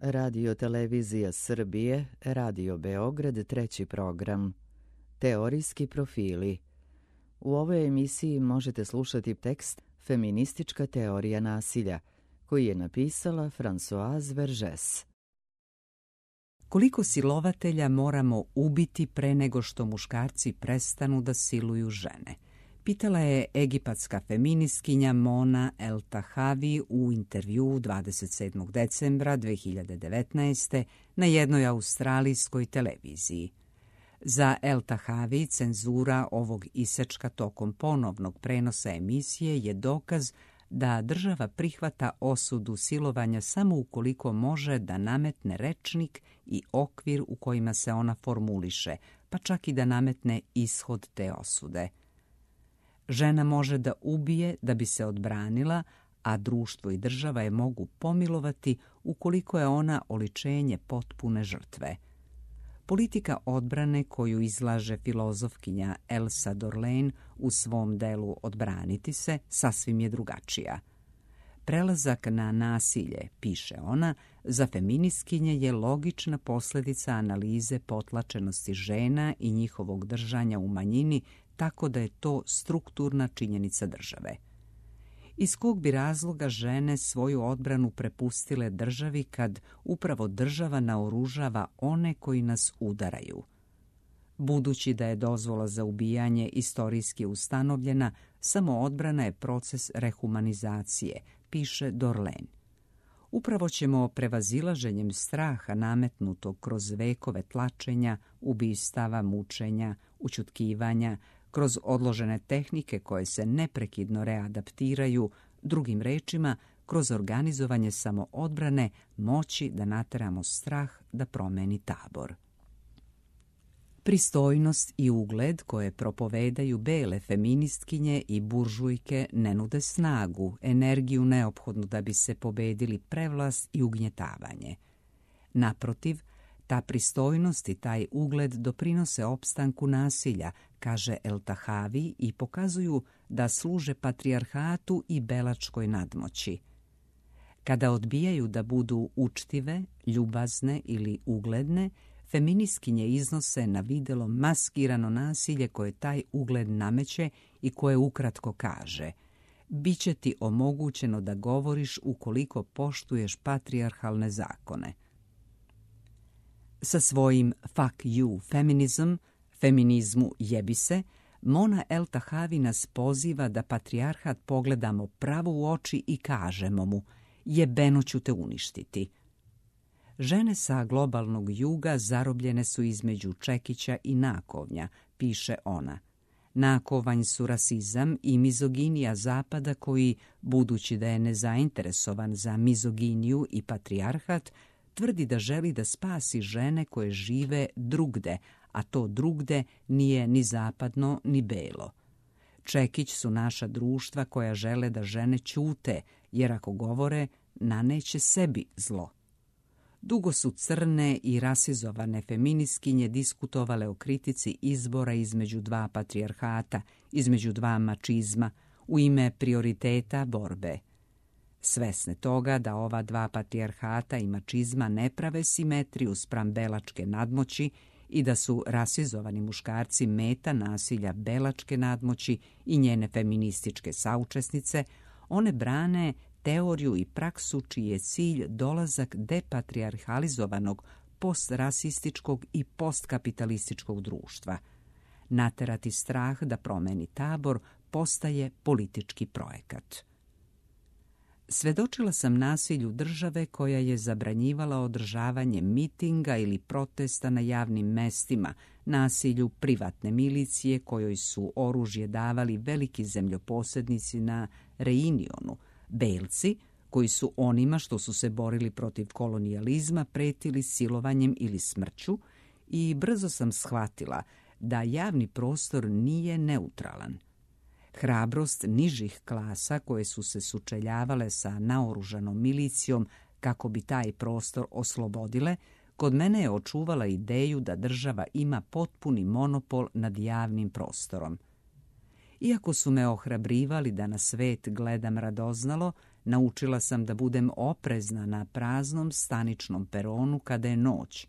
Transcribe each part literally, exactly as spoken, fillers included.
Radio Televizija Srbije, Radio Beograd, treći program. Teorijski profili. U ovoj emisiji možete slušati tekst Feministička teorija nasilja, koji je napisala Françoise Vergès. Koliko silovatelja moramo ubiti pre nego što muškarci prestanu da siluju žene? Pitala je egipatska feministkinja Mona El-Tahavi u intervjuu dvadeset sedmog decembra dve hiljade devetnaeste. na jednoj australijskoj televiziji. Za El-Tahavi cenzura ovog isečka tokom ponovnog prenosa emisije je dokaz da država prihvata osudu silovanja samo ukoliko može da nametne rečnik i okvir u kojima se ona formuliše, pa čak i da nametne ishod te osude. Žena može da ubije da bi se odbranila, a društvo i država je mogu pomilovati ukoliko je ona oličenje potpune žrtve. Politika odbrane koju izlaže filozofkinja Elsa Dorlain u svom delu Odbraniti se sasvim je drugačija. Prelazak na nasilje, piše ona, za feministkinje je logična posljedica analize potlačenosti žena i njihovog držanja u manjini, tako da je to strukturna činjenica države. Iz kog bi razloga žene svoju odbranu prepustile državi kad upravo država naoružava one koji nas udaraju? Budući da je dozvola za ubijanje istorijski ustanovljena, samo odbrana je proces rehumanizacije, piše Dorlain. Upravo ćemo prevazilaženjem straha nametnutog kroz vekove tlačenja, ubistava, mučenja, ućutkivanja, kroz odložene tehnike koje se neprekidno readaptiraju, drugim rečima, kroz organizovanje samoodbrane, moći da nateramo strah da promeni tabor. Pristojnost i ugled koje propovedaju bele feministkinje i buržujke ne nude snagu, energiju neophodnu da bi se pobedili prevlast i ugnjetavanje. Naprotiv, ta pristojnost i taj ugled doprinose opstanku nasilja, kaže El-Tahavi, i pokazuju da služe patrijarhatu i belačkoj nadmoći. Kada odbijaju da budu učtive, ljubazne ili ugledne, feministkinje iznose na videlo maskirano nasilje koje taj ugled nameće i koje ukratko kaže: biće ti omogućeno da govoriš ukoliko poštuješ patrijarhalne zakone. Sa svojim fuck you feminism, feminizmu jebi se, Mona El-Tahavi nas poziva da patrijarhat pogledamo pravo u oči i kažemo mu: jebeno ću te uništiti. Žene sa globalnog juga zarobljene su između čekića i nakovnja, piše ona. Nakovanj su rasizam i mizoginija Zapada koji, budući da je nezainteresovan za mizoginiju i patrijarhat, tvrdi da želi da spasi žene koje žive drugde, a to drugde nije ni zapadno ni belo. Čekić su naša društva koja žele da žene ćute, jer ako govore, naneće sebi zlo. Dugo su crne i rasizovane feministkinje diskutovale o kritici izbora između dva patrijarhata, između dva mačizma, u ime prioriteta borbe. Svesne toga da ova dva patrijarhata i mačizma ne prave simetriju spram belačke nadmoći i da su rasizovani muškarci meta nasilja belačke nadmoći i njene feminističke saučesnice, one brane teoriju i praksu čiji je cilj dolazak depatrijarhalizovanog, postrasističkog i postkapitalističkog društva. Naterati strah da promeni tabor postaje politički projekat. Svedočila sam nasilju države koja je zabranjivala održavanje mitinga ili protesta na javnim mestima, nasilju privatne milicije kojoj su oružje davali veliki zemljoposednici na Reunionu, belci koji su onima što su se borili protiv kolonijalizma pretili silovanjem ili smrću, i brzo sam shvatila da javni prostor nije neutralan. Hrabrost nižih klasa koje su se sučeljavale sa naoružanom milicijom kako bi taj prostor oslobodile, kod mene je očuvala ideju da država ima potpuni monopol nad javnim prostorom. Iako su me ohrabrivali da na svet gledam radoznalo, Naučila sam da budem oprezna na praznom staničnom peronu kada je noć.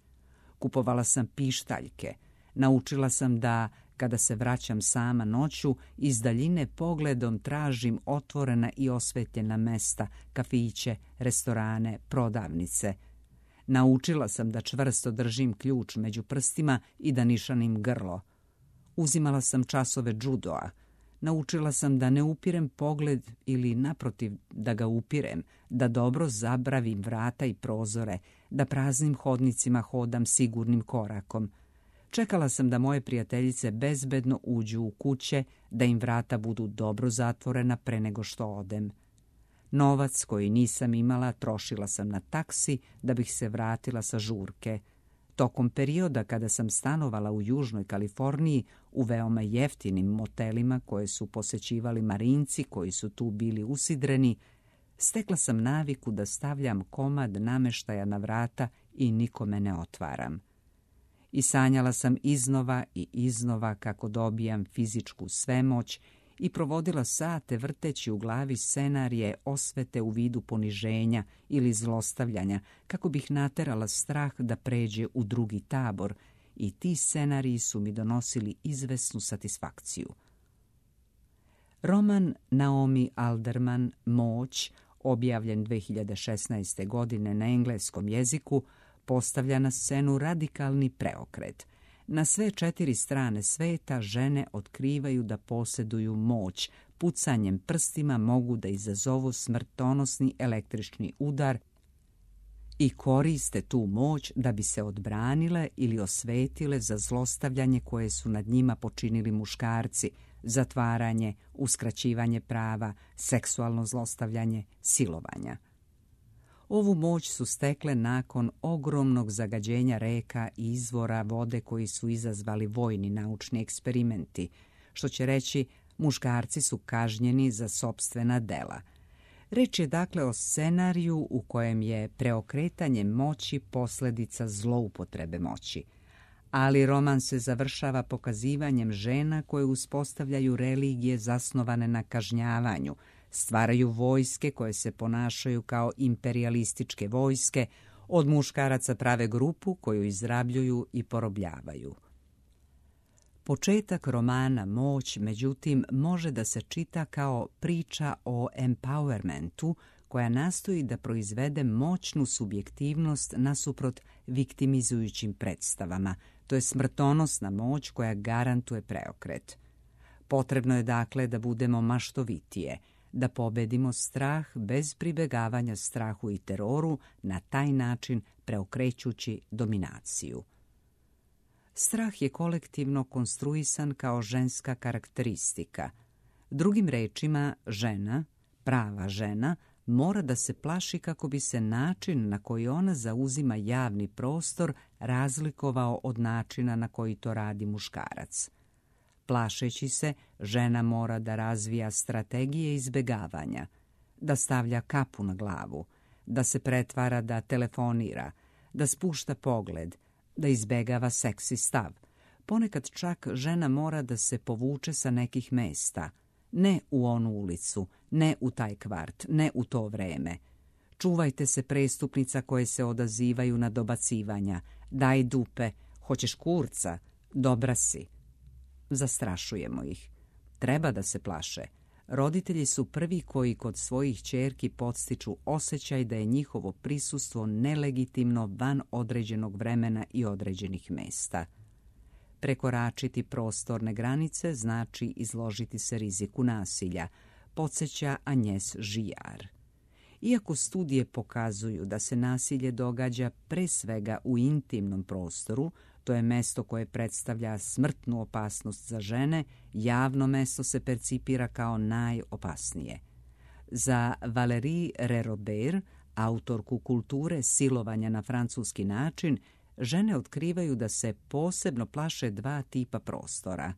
Kupovala sam pištaljke. Naučila sam da, kada se vraćam sama noću, iz daljine pogledom tražim otvorena i osvetljena mesta, kafiće, restorane, prodavnice. Naučila sam da čvrsto držim ključ među prstima i da nišanim grlo. Uzimala sam časove džudoa. Naučila sam da ne upirem pogled ili, naprotiv, da ga upirem, da dobro zabravim vrata i prozore, da praznim hodnicima hodam sigurnim korakom. Čekala sam da moje prijateljice bezbedno uđu u kuće, da im vrata budu dobro zatvorena pre nego što odem. Novac koji nisam imala trošila sam na taksi da bih se vratila sa žurke. Tokom perioda kada sam stanovala u Južnoj Kaliforniji u veoma jeftinim motelima koje su posećivali marinci koji su tu bili usidreni, stekla sam naviku da stavljam komad nameštaja na vrata i nikome ne otvaram. I sanjala sam iznova i iznova kako dobijam fizičku svemoć i provodila sate vrteći u glavi scenarije osvete u vidu poniženja ili zlostavljanja, kako bih naterala strah da pređe u drugi tabor, i ti scenariji su mi donosili izvesnu satisfakciju. Roman Naomi Alderman Moć, objavljen dve hiljade šesnaeste. godine na engleskom jeziku, postavlja na scenu radikalni preokret. Na sve četiri strane sveta žene otkrivaju da posjeduju moć. Pucanjem prstima mogu da izazovu smrtonosni električni udar i koriste tu moć da bi se odbranile ili osvetile za zlostavljanje koje su nad njima počinili muškarci, zatvaranje, uskraćivanje prava, seksualno zlostavljanje, silovanja. Ovu moć su stekle nakon ogromnog zagađenja reka i izvora vode koji su izazvali vojni naučni eksperimenti, što će reći muškarci su kažnjeni za sopstvena dela. Reč je dakle o scenariju u kojem je preokretanje moći posljedica zloupotrebe moći. Ali roman se završava pokazivanjem žena koje uspostavljaju religije zasnovane na kažnjavanju, stvaraju vojske koje se ponašaju kao imperijalističke vojske, od muškaraca prave grupu koju izrabljuju i porobljavaju. Početak romana Moć, međutim, može da se čita kao priča o empowermentu koja nastoji da proizvede moćnu subjektivnost nasuprot viktimizujućim predstavama. To je smrtonosna moć koja garantuje preokret. Potrebno je dakle da budemo maštovitije, da pobedimo strah bez pribegavanja strahu i teroru, na taj način preokrećući dominaciju. Strah je kolektivno konstruisan kao ženska karakteristika. Drugim rečima, žena, prava žena, mora da se plaši kako bi se način na koji ona zauzima javni prostor razlikovao od načina na koji to radi muškarac. Plašeći se, žena mora da razvija strategije izbegavanja, da stavlja kapu na glavu, da se pretvara da telefonira, da spušta pogled, da izbegava seksi stav. Ponekad čak žena mora da se povuče sa nekih mesta, ne u onu ulicu, ne u taj kvart, ne u to vreme. Čuvajte se prestupnica koje se odazivaju na dobacivanja. Daj dupe, hoćeš kurca, dobra si. Zastrašujemo ih. Treba da se plaše. Roditelji su prvi koji kod svojih ćerki podstiču osjećaj da je njihovo prisustvo nelegitimno van određenog vremena i određenih mesta. Prekoračiti prostorne granice znači izložiti se riziku nasilja, podsjeća Agnes Girard. Iako studije pokazuju da se nasilje događa pre svega u intimnom prostoru, to je mesto koje predstavlja smrtnu opasnost za žene, javno mesto se percipira kao najopasnije. Za Valérie Ré-Robert, autorku kulture silovanja na francuski način, žene otkrivaju da se posebno plaše dva tipa prostora.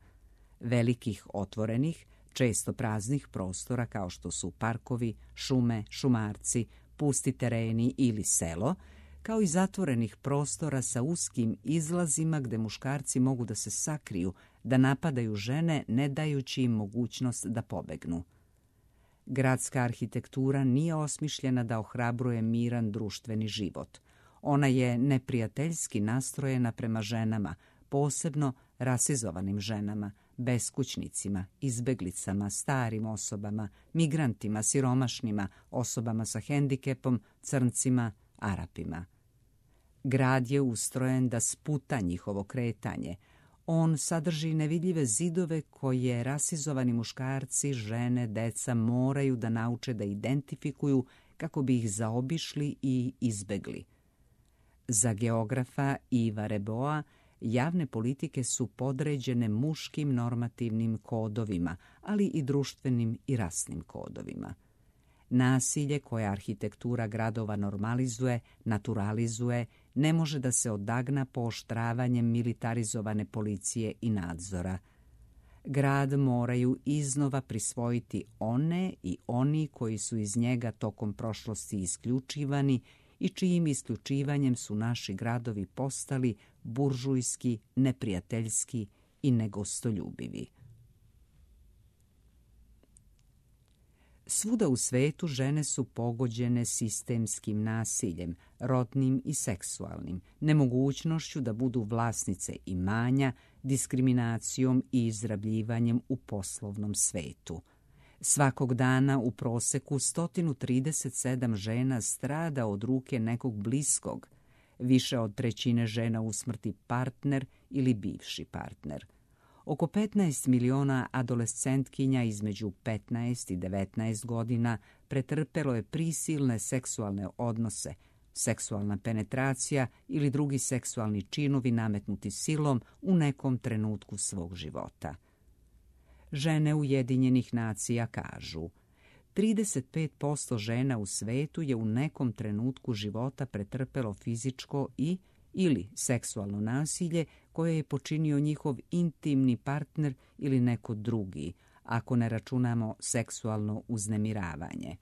Velikih otvorenih, često praznih prostora kao što su parkovi, šume, šumarci, pusti tereni ili selo, kao i zatvorenih prostora sa uskim izlazima gde muškarci mogu da se sakriju, da napadaju žene ne dajući im mogućnost da pobegnu. Gradska arhitektura nije osmišljena da ohrabruje miran društveni život. Ona je neprijateljski nastrojena prema ženama, posebno rasizovanim ženama, beskućnicima, izbeglicama, starim osobama, migrantima, siromašnima, osobama sa hendikepom, crncima, Arapima. Grad je ustrojen da sputa njihovo kretanje. On sadrži nevidljive zidove koje rasizovani muškarci, žene, deca moraju da nauče da identifikuju kako bi ih zaobišli i izbegli. Za geografa Iva Reboa javne politike su podređene muškim normativnim kodovima, ali i društvenim i rasnim kodovima. Nasilje koje arhitektura gradova normalizuje, naturalizuje, ne može da se odagna pooštravanjem militarizovane policije i nadzora. Grad moraju iznova prisvojiti one i oni koji su iz njega tokom prošlosti isključivani i čijim isključivanjem su naši gradovi postali buržujski, neprijateljski i negostoljubivi. Svuda u svetu žene su pogođene sistemskim nasiljem, rodnim i seksualnim, nemogućnošću da budu vlasnice imanja, diskriminacijom i izrabljivanjem u poslovnom svetu. Svakog dana u proseku sto trideset sedam žena strada od ruke nekog bliskog, više od trećine žena usmrti partner ili bivši partner. Oko petnaest miliona adolescentkinja između petnaest i devetnaest godina pretrpelo je prisilne seksualne odnose, seksualna penetracija ili drugi seksualni činovi nametnuti silom u nekom trenutku svog života. Žene Ujedinjenih nacija kažu: trideset pet posto žena u svetu je u nekom trenutku života pretrpelo fizičko i ili seksualno nasilje koje je počinio njihov intimni partner ili neko drugi, ako ne računamo seksualno uznemiravanje.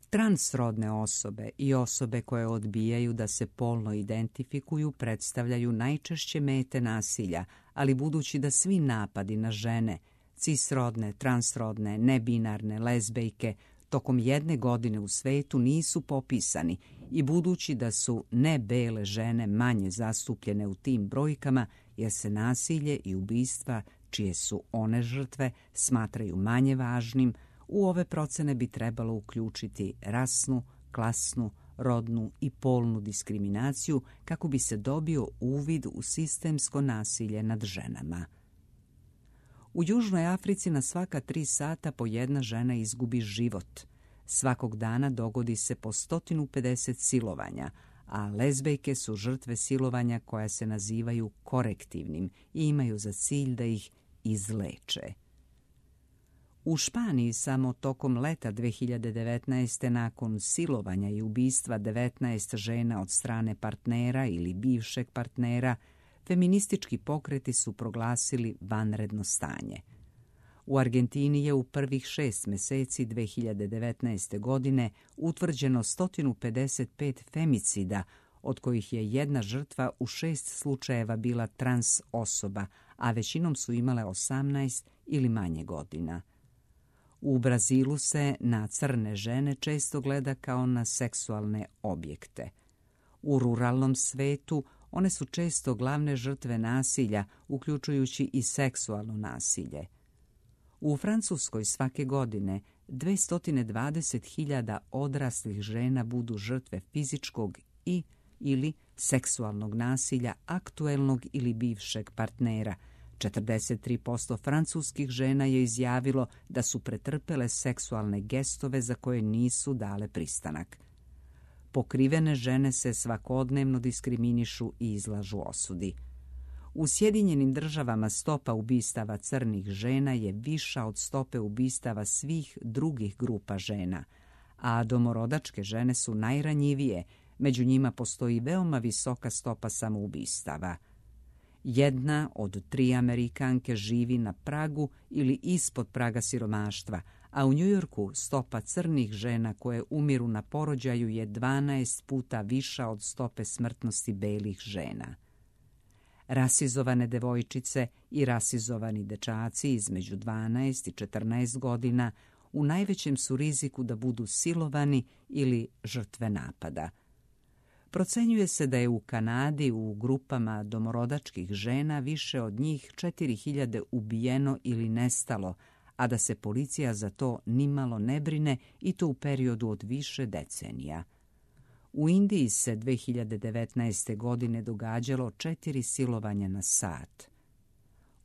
Transrodne osobe i osobe koje odbijaju da se polno identifikuju predstavljaju najčešće mete nasilja, ali budući da svi napadi na žene, cisrodne, transrodne, nebinarne, lezbejke, tokom jedne godine u svetu nisu popisani i budući da su nebele žene manje zastupljene u tim brojkama, jer se nasilje i ubistva, čije su one žrtve, smatraju manje važnim, u ove procene bi trebalo uključiti rasnu, klasnu, rodnu i polnu diskriminaciju kako bi se dobio uvid u sistemsko nasilje nad ženama. U Južnoj Africi na svaka tri sata po jedna žena izgubi život. Svakog dana dogodi se po sto pedeset silovanja, a lezbejke su žrtve silovanja koja se nazivaju korektivnim i imaju za cilj da ih izleče. U Španiji samo tokom leta dve hiljade devetnaeste. nakon silovanja i ubistva devetnaest žena od strane partnera ili bivšeg partnera, feministički pokreti su proglasili vanredno stanje. U Argentini je u prvih šest meseci dve hiljade devetnaeste. godine utvrđeno sto pedeset pet femicida, od kojih je jedna žrtva u šest slučajeva bila trans osoba, a većinom su imale osamnaest ili manje godina. U Brazilu se na crne žene često gleda kao na seksualne objekte. U ruralnom svetu one su često glavne žrtve nasilja, uključujući i seksualno nasilje. U Francuskoj svake godine dvesta dvadeset hiljada odraslih žena budu žrtve fizičkog i ili seksualnog nasilja aktuelnog ili bivšeg partnera. četrdeset tri posto francuskih žena je izjavilo da su pretrpele seksualne gestove za koje nisu dale pristanak. Pokrivene žene se svakodnevno diskriminišu i izlažu osudi. U Sjedinjenim državama stopa ubistava crnih žena je viša od stope ubistava svih drugih grupa žena, a domorodačke žene su najranjivije, među njima postoji veoma visoka stopa samoubistava. Jedna od tri Amerikanke živi na pragu ili ispod praga siromaštva, a u Njujorku stopa crnih žena koje umiru na porođaju je dvanaest puta viša od stope smrtnosti belih žena. Rasizovane devojčice i rasizovani dečaci između dvanaest i četrnaest godina u najvećem su riziku da budu silovani ili žrtve napada. Procenjuje se da je u Kanadi u grupama domorodačkih žena više od njih četiri hiljade ubijeno ili nestalo, a da se policija za to nimalo ne brine i to u periodu od više decenija. U Indiji se dve hiljade devetnaeste. godine događalo četiri silovanja na sat.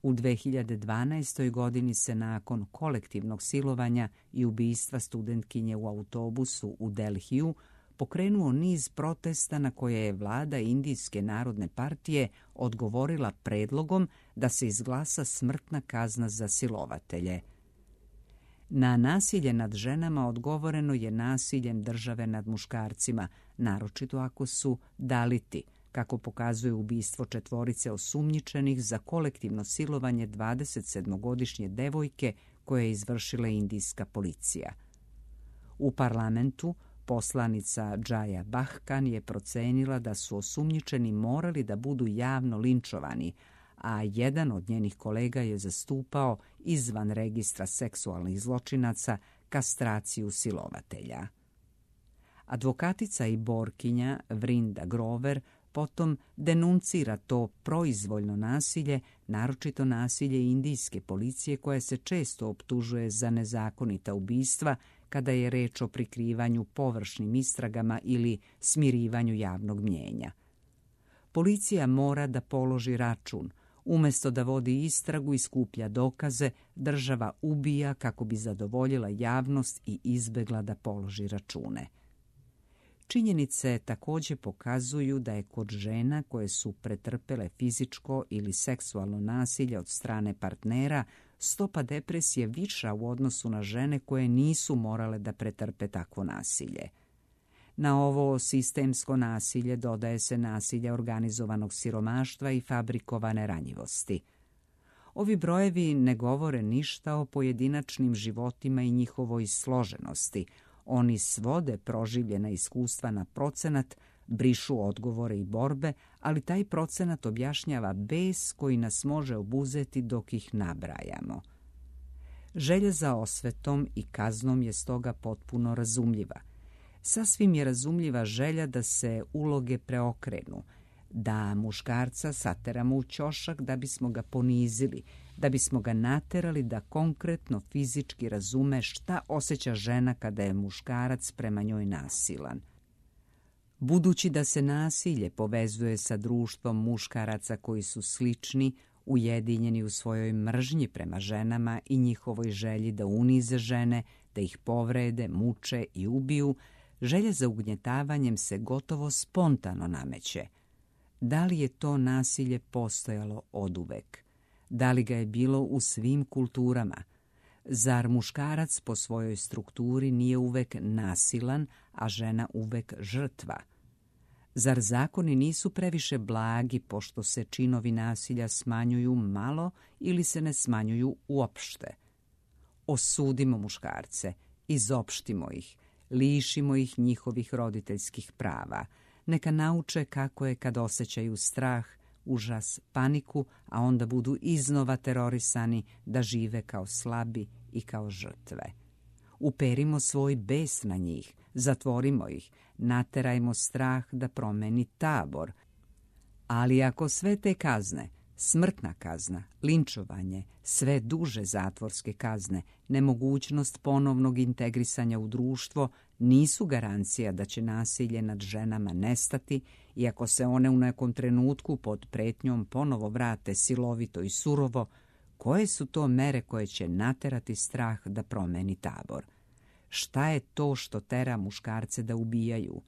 U dve hiljade dvanaestoj. godini se nakon kolektivnog silovanja i ubistva studentkinje u autobusu u Delhiju pokrenuo niz protesta na koje je vlada Indijske narodne partije odgovorila predlogom da se izglasa smrtna kazna za silovatelje. Na nasilje nad ženama odgovoreno je nasiljem države nad muškarcima, naročito ako su daliti, kako pokazuje ubistvo četvorice osumnjičenih za kolektivno silovanje dvadesetsedmogodišnje devojke koje je izvršila indijska policija. U parlamentu poslanica Džaja Bahkan je procenila da su osumnjičeni morali da budu javno linčovani, a jedan od njenih kolega je zastupao izvan registra seksualnih zločinaca kastraciju silovatelja. Advokatica i borkinja Vrinda Grover potom denuncira to proizvoljno nasilje, naročito nasilje indijske policije koja se često optužuje za nezakonita ubistva kada je reč o prikrivanju površnim istragama ili smirivanju javnog mnjenja. Policija mora da položi račun. Umjesto da vodi istragu i skuplja dokaze, država ubija kako bi zadovoljila javnost i izbegla da položi račune. Činjenice također pokazuju da je kod žena koje su pretrpele fizičko ili seksualno nasilje od strane partnera stopa depresije viša u odnosu na žene koje nisu morale da pretrpe takvo nasilje. Na ovo sistemsko nasilje dodaje se nasilje organizovanog siromaštva i fabrikovane ranjivosti. Ovi brojevi ne govore ništa o pojedinačnim životima i njihovoj složenosti. Oni svode proživljena iskustva na procenat, brišu odgovore i borbe, ali taj procenat objašnjava bes koji nas može obuzeti dok ih nabrajamo. Želja za osvetom i kaznom je stoga potpuno razumljiva. Sasvim je razumljiva želja da se uloge preokrenu, da muškarca sateramo u ćošak da bismo ga ponizili, da bismo ga naterali da konkretno fizički razume šta osjeća žena kada je muškarac prema njoj nasilan. Budući da se nasilje povezuje sa društvom muškaraca koji su slični, ujedinjeni u svojoj mržnji prema ženama i njihovoj želji da unize žene, da ih povrede, muče i ubiju, želja za ugnjetavanjem se gotovo spontano nameće. Da li je to nasilje postojalo oduvek? Da li ga je bilo u svim kulturama? Zar muškarac po svojoj strukturi nije uvek nasilan, a žena uvek žrtva? Zar zakoni nisu previše blagi pošto se činovi nasilja smanjuju malo ili se ne smanjuju uopšte? Osudimo muškarce, izopštimo ih, lišimo ih njihovih roditeljskih prava. Neka nauče kako je kad osjećaju strah, užas, paniku, a onda budu iznova terorisani da žive kao slabi i kao žrtve. Uperimo svoj bes na njih, zatvorimo ih, naterajmo strah da promeni tabor. Ali ako sve te kazne, smrtna kazna, linčovanje, sve duže zatvorske kazne, nemogućnost ponovnog integrisanja u društvo nisu garancija da će nasilje nad ženama nestati i ako se one u nekom trenutku pod pretnjom ponovo vrate silovito i surovo, koje su to mere koje će naterati strah da promeni tabor? Šta je to što tera muškarce da ubijaju?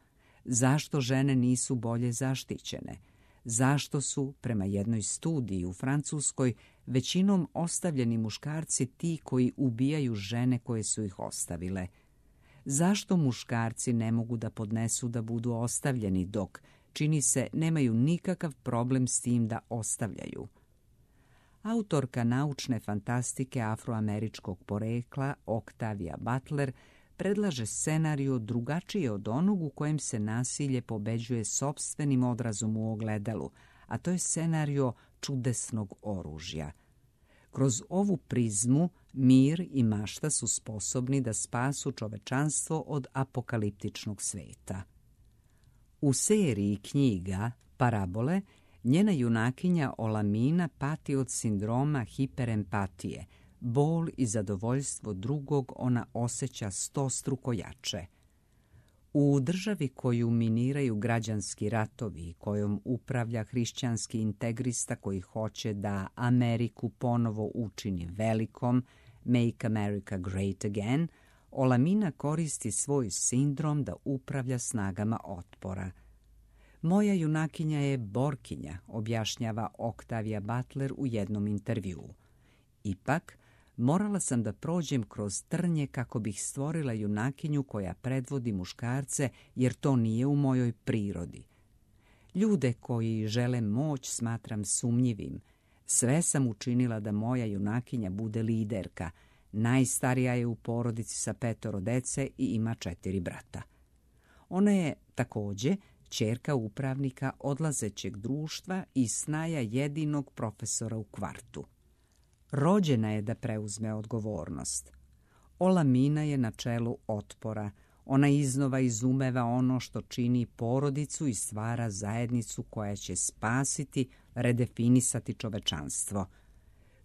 Zašto žene nisu bolje zaštićene? Zašto su, prema jednoj studiji u Francuskoj, većinom ostavljeni muškarci ti koji ubijaju žene koje su ih ostavile? Zašto muškarci ne mogu da podnesu da budu ostavljeni dok, čini se, nemaju nikakav problem s tim da ostavljaju? Autorka naučne fantastike afroameričkog porekla Octavia Butler predlaže scenariju drugačije od onog u kojem se nasilje pobeđuje sopstvenim odrazom u ogledalu, a to je scenario čudesnog oružja. Kroz ovu prizmu Mir i mašta su sposobni da spasu čovečanstvo od apokaliptičnog sveta. U seriji knjiga Parabole njena junakinja Olamina pati od sindroma hiperempatije. Bol i zadovoljstvo drugog ona osjeća stostruko jače. U državi koju miniraju građanski ratovi i kojom upravlja hrišćanski integrista koji hoće da Ameriku ponovo učini velikom, Make America Great Again, Olamina koristi svoj sindrom da upravlja snagama otpora. Moja junakinja je borkinja, objašnjava Octavia Butler u jednom intervjuu. Ipak, morala sam da prođem kroz trnje kako bih stvorila junakinju koja predvodi muškarce, jer to nije u mojoj prirodi. Ljude koji žele moć smatram sumnjivim. Sve sam učinila da moja junakinja bude liderka. Najstarija je u porodici sa petoro dece i ima četiri brata. Ona je također ćerka upravnika odlazećeg društva i snaja jedinog profesora u kvartu. Rođena je da preuzme odgovornost. Olamina je na čelu otpora. Ona iznova izumeva ono što čini porodicu i stvara zajednicu koja će spasiti, redefinisati čovečanstvo.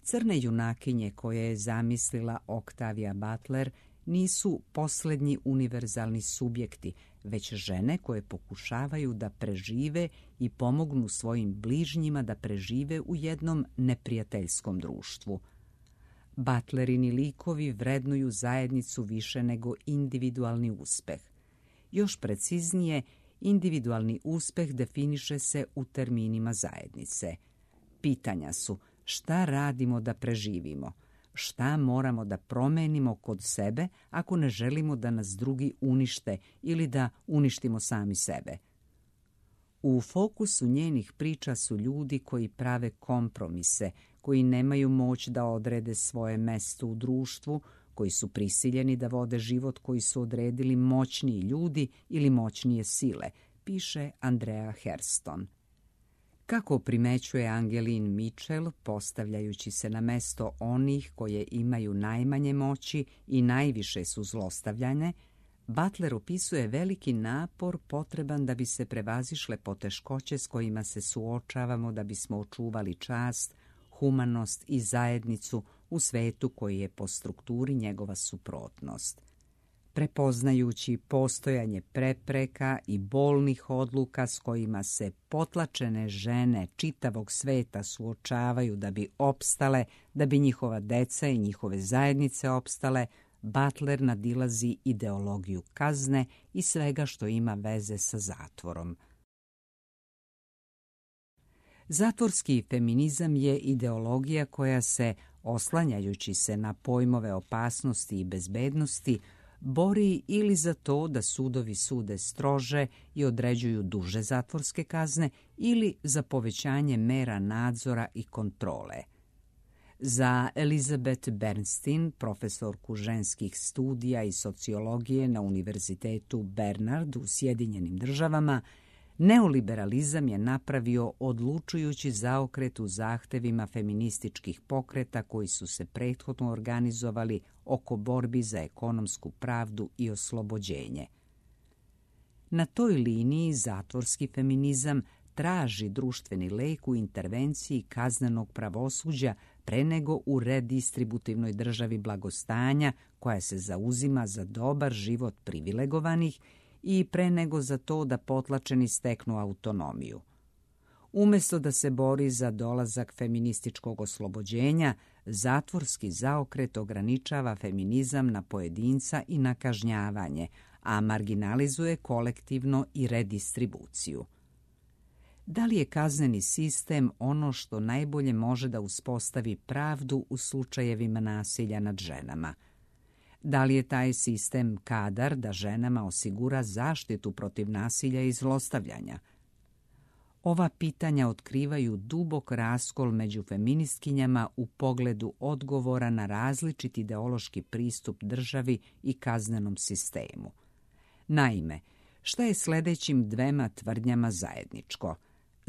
Crne junakinje koje je zamislila Octavia Butler nisu posljednji univerzalni subjekti, već žene koje pokušavaju da prežive i pomognu svojim bližnjima da prežive u jednom neprijateljskom društvu. Butlerini likovi vrednuju zajednicu više nego individualni uspeh. Još preciznije, individualni uspeh definiše se u terminima zajednice. Pitanja su šta radimo da preživimo, šta moramo da promenimo kod sebe ako ne želimo da nas drugi unište ili da uništimo sami sebe. U fokusu njenih priča su ljudi koji prave kompromise, koji nemaju moć da odrede svoje mesto u društvu, koji su prisiljeni da vode život koji su odredili moćniji ljudi ili moćnije sile, piše Andrea Hairston. Kako primećuje Angeline Mitchell, postavljajući se na mesto onih koje imaju najmanje moći i najviše su zlostavljane, Butler opisuje veliki napor potreban da bi se prevazišle poteškoće s kojima se suočavamo da bismo očuvali čast, humanost i zajednicu u svetu koji je po strukturi njegova suprotnost. Prepoznajući postojanje prepreka i bolnih odluka s kojima se potlačene žene čitavog sveta suočavaju da bi opstale, da bi njihova deca i njihove zajednice opstale, Butler nadilazi ideologiju kazne i svega što ima veze sa zatvorom. Zatvorski feminizam je ideologija koja se, oslanjajući se na pojmove opasnosti i bezbednosti, bori ili za to da sudovi sude strože i određuju duže zatvorske kazne ili za povećanje mera nadzora i kontrole. Za Elizabeth Bernstein, profesorku ženskih studija i sociologije na Univerzitetu Bernard u Sjedinjenim državama, neoliberalizam je napravio odlučujući zaokret u zahtevima feminističkih pokreta koji su se prethodno organizovali oko borbi za ekonomsku pravdu i oslobođenje. Na toj liniji zatvorski feminizam traži društveni lek u intervenciji kaznenog pravosuđa pre nego u redistributivnoj državi blagostanja koja se zauzima za dobar život privilegovanih i pre nego za to da potlačeni steknu autonomiju. Umjesto da se bori za dolazak feminističkog oslobođenja, zatvorski zaokret ograničava feminizam na pojedinca i na kažnjavanje, a marginalizuje kolektivno i redistribuciju. Da li je kazneni sistem ono što najbolje može da uspostavi pravdu u slučajevima nasilja nad ženama? Da li je taj sistem kadar da ženama osigura zaštitu protiv nasilja i zlostavljanja? Ova pitanja otkrivaju dubok raskol među feministkinjama u pogledu odgovora na različit ideološki pristup državi i kaznenom sistemu. Naime, šta je sljedećim dvema tvrdnjama zajedničko?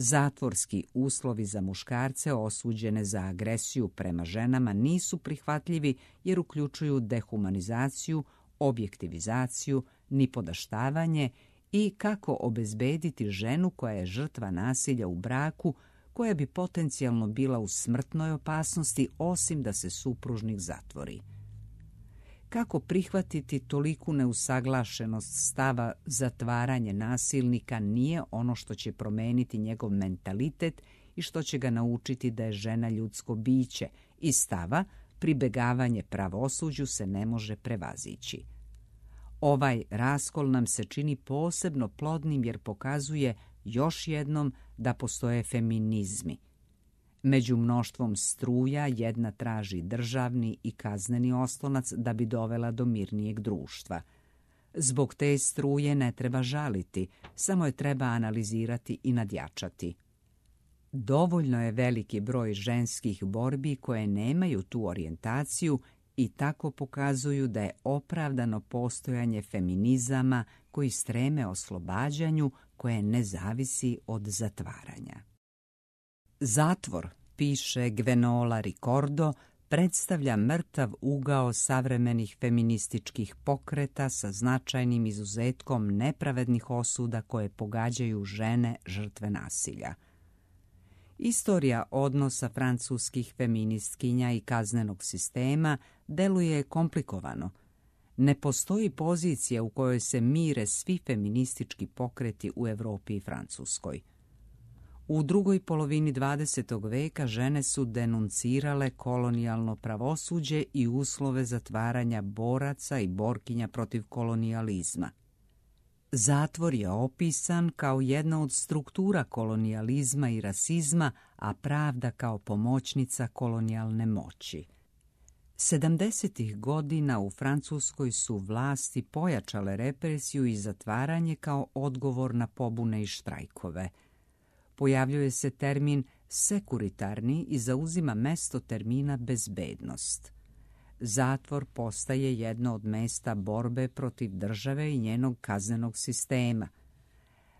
Zatvorski uslovi za muškarce osuđene za agresiju prema ženama nisu prihvatljivi jer uključuju dehumanizaciju, objektivizaciju, nipodaštavanje i kako obezbediti ženu koja je žrtva nasilja u braku, koja bi potencijalno bila u smrtnoj opasnosti osim da se supružnik zatvori. Kako prihvatiti toliku neusaglašenost stava zatvaranje nasilnika nije ono što će promeniti njegov mentalitet i što će ga naučiti da je žena ljudsko biće i stava pribegavanje pravosuđu se ne može prevazići. Ovaj raskol nam se čini posebno plodnim jer pokazuje još jednom da postoje feminizmi. Među mnoštvom struja jedna traži državni i kazneni oslonac da bi dovela do mirnijeg društva. Zbog te struje ne treba žaliti, samo je treba analizirati i nadjačati. Dovoljno je veliki broj ženskih borbi koje nemaju tu orijentaciju i tako pokazuju da je opravdano postojanje feminizama koji streme oslobađanju koje ne zavisi od zatvaranja. Zatvor, piše Gwenola Ricordo, predstavlja mrtav ugao savremenih feminističkih pokreta sa značajnim izuzetkom nepravednih osuda koje pogađaju žene žrtve nasilja. Istorija odnosa francuskih feministkinja i kaznenog sistema deluje komplikovano. Ne postoji pozicija u kojoj se mire svi feministički pokreti u Evropi i Francuskoj. U drugoj polovini dvadesetog veka žene su denuncirale kolonijalno pravosuđe i uslove zatvaranja boraca i borkinja protiv kolonijalizma. Zatvor je opisan kao jedna od struktura kolonijalizma i rasizma, a pravda kao pomoćnica kolonijalne moći. Sedamdesetih godina u Francuskoj su vlasti pojačale represiju i zatvaranje kao odgovor na pobune i štrajkove. Pojavljuje se termin sekuritarni i zauzima mesto termina bezbednost. Zatvor postaje jedno od mesta borbe protiv države i njenog kaznenog sistema.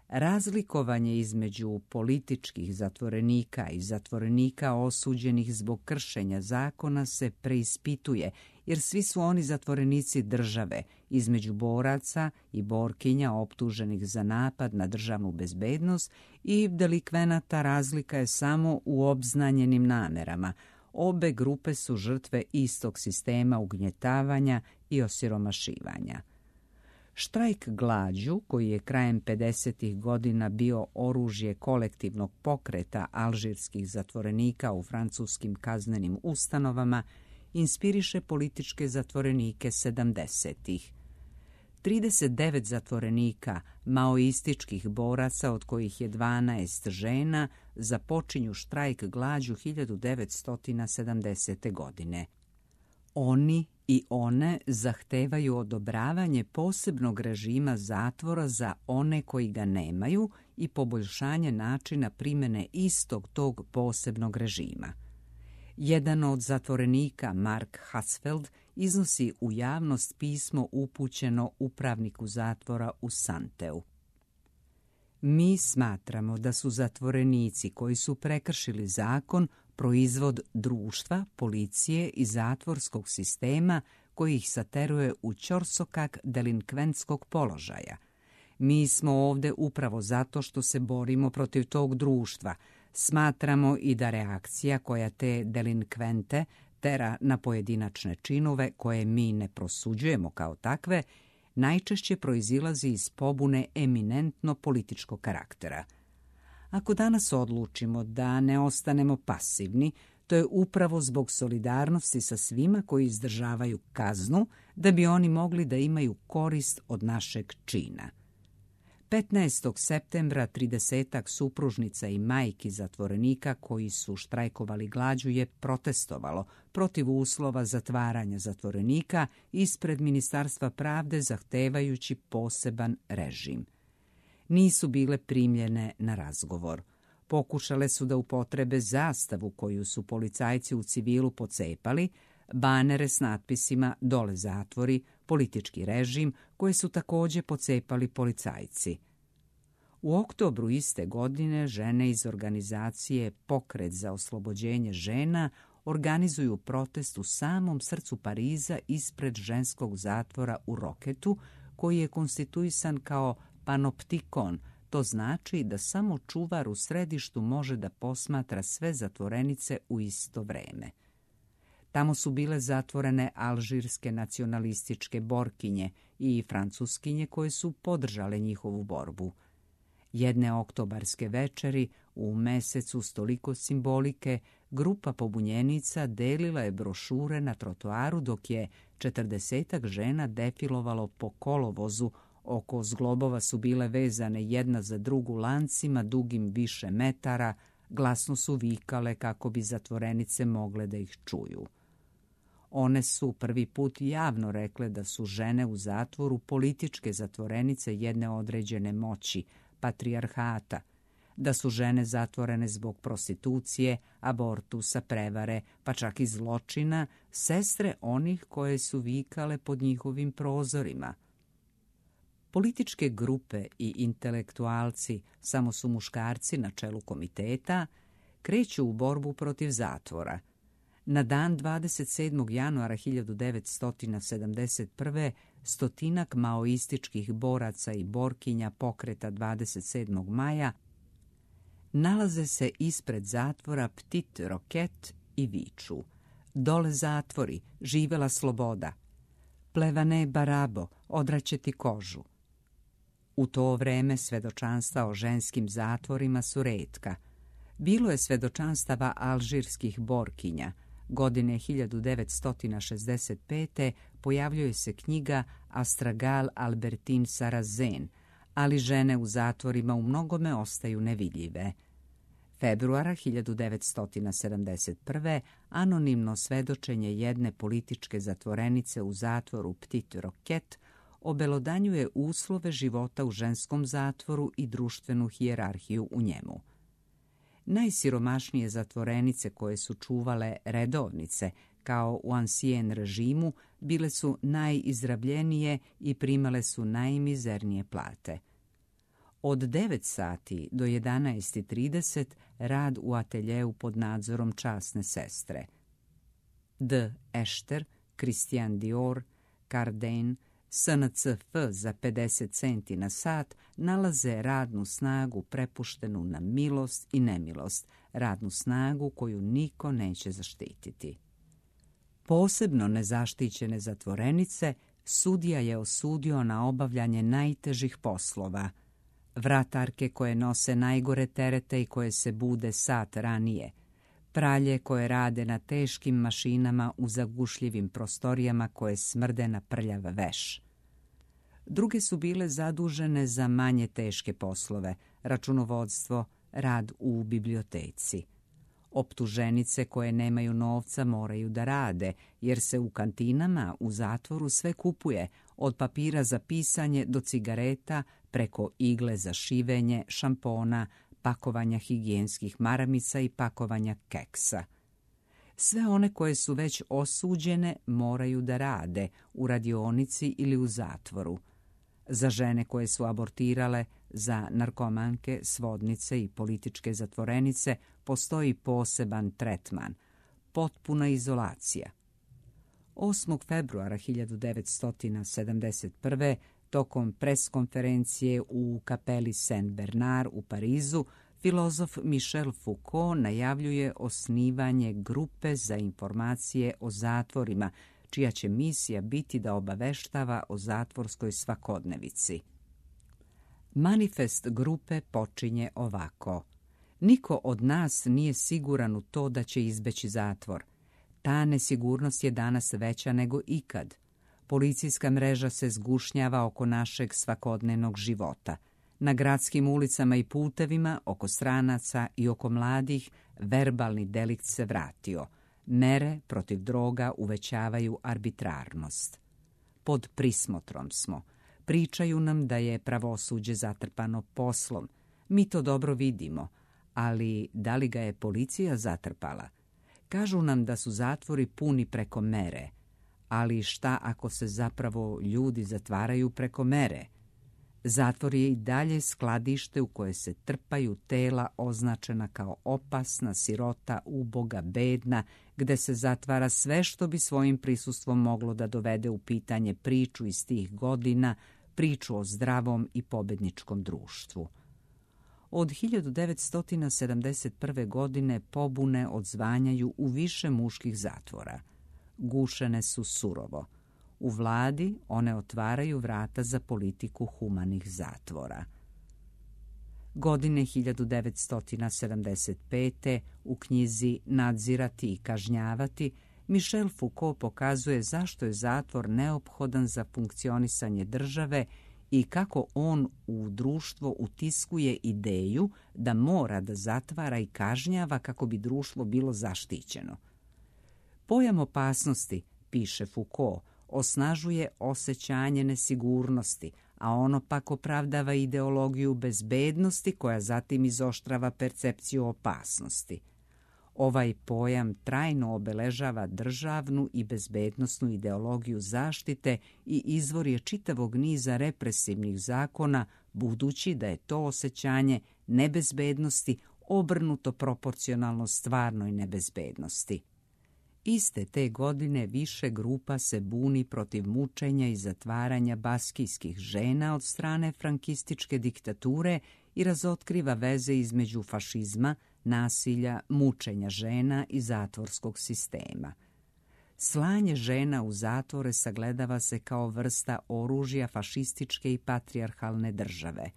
Razlikovanje između političkih zatvorenika i zatvorenika osuđenih zbog kršenja zakona se preispituje, jer svi su oni zatvorenici države, između boraca i borkinja optuženih za napad na državnu bezbednost i delikvenata razlika je samo u obznanjenim namerama. Obe grupe su žrtve istog sistema ugnjetavanja i osiromašivanja. Štrajk glađu, koji je krajem pedesetih godina bio oružje kolektivnog pokreta alžirskih zatvorenika u francuskim kaznenim ustanovama, inspiriše političke zatvorenike sedamdesetih. trideset devet zatvorenika, maoističkih boraca, od kojih je dvanaest žena, započinju štrajk glađu hiljadu devetsto sedamdesete. godine. Oni i one zahtevaju odobravanje posebnog režima zatvora za one koji ga nemaju i poboljšanje načina primjene istog tog posebnog režima. Jedan od zatvorenika, Mark Hatzfeld, iznosi u javnost pismo upućeno upravniku zatvora u Santeu. Mi smatramo da su zatvorenici koji su prekršili zakon proizvod društva, policije i zatvorskog sistema koji ih sateruje u ćorsokak delinkventskog položaja. Mi smo ovde upravo zato što se borimo protiv tog društva. Smatramo i da reakcija koja te delinkvente tera na pojedinačne činove koje mi ne prosuđujemo kao takve, najčešće proizilazi iz pobune eminentno političkog karaktera. Ako danas odlučimo da ne ostanemo pasivni, to je upravo zbog solidarnosti sa svima koji izdržavaju kaznu, da bi oni mogli da imaju korist od našeg čina. petnaestog septembra tridesetak supružnica i majki zatvorenika koji su štrajkovali glađu je protestovalo protiv uslova zatvaranja zatvorenika ispred Ministarstva pravde zahtevajući poseban režim. Nisu bile primljene na razgovor. Pokušale su da upotrebe zastavu koju su policajci u civilu pocepali, banere s natpisima "Dole zatvori", politički režim, koje su takođe pocepali policajci. U oktobru iste godine žene iz organizacije Pokret za oslobođenje žena organizuju protest u samom srcu Pariza ispred ženskog zatvora u Roketu, koji je konstituisan kao panoptikon. To znači da samo čuvar u središtu može da posmatra sve zatvorenice u isto vreme. Tamo su bile zatvorene alžirske nacionalističke borkinje i francuskinje koje su podržale njihovu borbu. Jedne oktobarske večeri, u mesecu s toliko simbolike, grupa pobunjenica delila je brošure na trotoaru dok je četrdesetak žena defilovalo po kolovozu. Oko zglobova su bile vezane jedna za drugu lancima dugim više metara, glasno su vikale kako bi zatvorenice mogle da ih čuju. One su prvi put javno rekle da su žene u zatvoru političke zatvorenice jedne određene moći, patrijarhata, da su žene zatvorene zbog prostitucije, abortusa, prevare, pa čak i zločina, sestre onih koje su vikale pod njihovim prozorima. Političke grupe i intelektualci, samo su muškarci na čelu komiteta, kreću u borbu protiv zatvora. Na dan dvadeset sedmog januara hiljadu devetsto sedamdeset prve stotinak maoističkih boraca i borkinja pokreta dvadeset sedmog maja nalaze se ispred zatvora Petit Roquette i viču: "Dole zatvori, živela sloboda! Plevane barabo, odraće ti kožu!" U to vreme svedočanstva o ženskim zatvorima su retka. Bilo je svedočanstava alžirskih borkinja. Godine hiljadu devetsto šezdeset pete pojavljuje se knjiga Astragal Albertine Sarrazin, ali žene u zatvorima u mnogome ostaju nevidljive. Februara hiljadu devetsto sedamdeset prve anonimno svedočenje jedne političke zatvorenice u zatvoru Petit Roquette obelodanjuje uslove života u ženskom zatvoru i društvenu hijerarhiju u njemu. Najsiromašnije zatvorenice koje su čuvale redovnice, kao u Ancien režimu, bile su najizrabljenije i primale su najmizernije plate. Od devet sati do jedanaest i trideset rad u ateljeu pod nadzorom časne sestre. D. Ešter, Christian Dior, Cardin, S N C F za pedeset centi na sat nalaze radnu snagu prepuštenu na milost i nemilost, radnu snagu koju niko neće zaštititi. Posebno nezaštićene zatvorenice sudija je osudio na obavljanje najtežih poslova. Vratarke koje nose najgore terete i koje se bude sat ranije, pralje koje rade na teškim mašinama u zagušljivim prostorijama koje smrde na prljav veš. Druge su bile zadužene za manje teške poslove, računovodstvo, rad u biblioteci. Optuženice koje nemaju novca moraju da rade, jer se u kantinama u zatvoru sve kupuje, od papira za pisanje do cigareta, preko igle za šivenje, šampona, pakovanja higijenskih maramica i pakovanja keksa. Sve one koje su već osuđene moraju da rade u radionici ili u zatvoru. Za žene koje su abortirale, za narkomanke, svodnice i političke zatvorenice postoji poseban tretman, potpuna izolacija. osmog februara hiljadu devetsto sedamdeset prve tokom preskonferencije u kapeli Saint Bernard u Parizu, filozof Michel Foucault najavljuje osnivanje grupe za informacije o zatvorima, čija će misija biti da obaveštava o zatvorskoj svakodnevici. Manifest grupe počinje ovako: "Niko od nas nije siguran u to da će izbeći zatvor. Ta nesigurnost je danas veća nego ikad. Policijska mreža se zgušnjava oko našeg svakodnevnog života. Na gradskim ulicama i putevima, oko stranaca i oko mladih, verbalni delikt se vratio. Mere protiv droga uvećavaju arbitrarnost. Pod prismotrom smo. Pričaju nam da je pravosuđe zatrpano poslom. Mi to dobro vidimo, ali da li ga je policija zatrpala? Kažu nam da su zatvori puni preko mere. Ali šta ako se zapravo ljudi zatvaraju preko mere? Zatvor je i dalje skladište u koje se trpaju tela označena kao opasna, sirota, uboga, bedna, gde se zatvara sve što bi svojim prisustvom moglo da dovede u pitanje priču iz tih godina, priču o zdravom i pobedničkom društvu. Od hiljadu devetsto sedamdeset prve. godine pobune odzvanjaju u više muških zatvora. Gušene su surovo. U vladi one otvaraju vrata za politiku humanih zatvora. Godine hiljadu devetsto sedamdeset pete. u knjizi Nadzirati i kažnjavati Michel Foucault pokazuje zašto je zatvor neophodan za funkcionisanje države i kako on u društvo utiskuje ideju da mora da zatvara i kažnjava kako bi društvo bilo zaštićeno. Pojam opasnosti, piše Foucault, osnažuje osjećanje nesigurnosti, a ono pak opravdava ideologiju bezbednosti koja zatim izoštrava percepciju opasnosti. Ovaj pojam trajno obeležava državnu i bezbednosnu ideologiju zaštite i izvor je čitavog niza represivnih zakona, budući da je to osjećanje nebezbednosti obrnuto proporcionalno stvarnoj nebezbednosti. Iste te godine više grupa se buni protiv mučenja i zatvaranja baskijskih žena od strane frankističke diktature i razotkriva veze između fašizma, nasilja, mučenja žena i zatvorskog sistema. Slanje žena u zatvore sagledava se kao vrsta oružja fašističke i patrijarhalne države.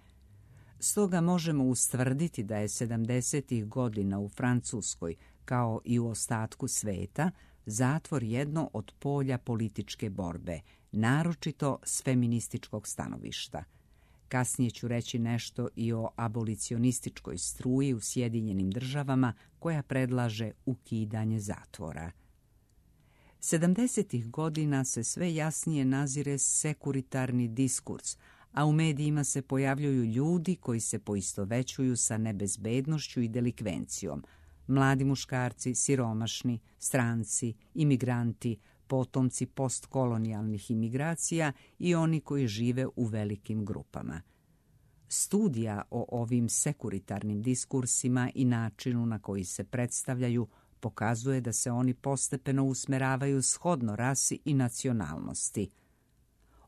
Stoga možemo ustvrditi da je sedamdesetih godina u Francuskoj, kao i u ostatku sveta, zatvor jedno od polja političke borbe, naročito s feminističkog stanovišta. Kasnije ću reći nešto i o abolicionističkoj struji u Sjedinjenim državama koja predlaže ukidanje zatvora. sedamdesetih godina se sve jasnije nazire sekuritarni diskurs, a u medijima se pojavljuju ljudi koji se poistovećuju sa nebezbednošću i delikvencijom, mladi muškarci, siromašni, stranci, imigranti, potomci postkolonijalnih imigracija i oni koji žive u velikim grupama. Studija o ovim sekuritarnim diskursima i načinu na koji se predstavljaju pokazuje da se oni postepeno usmeravaju shodno rasi i nacionalnosti.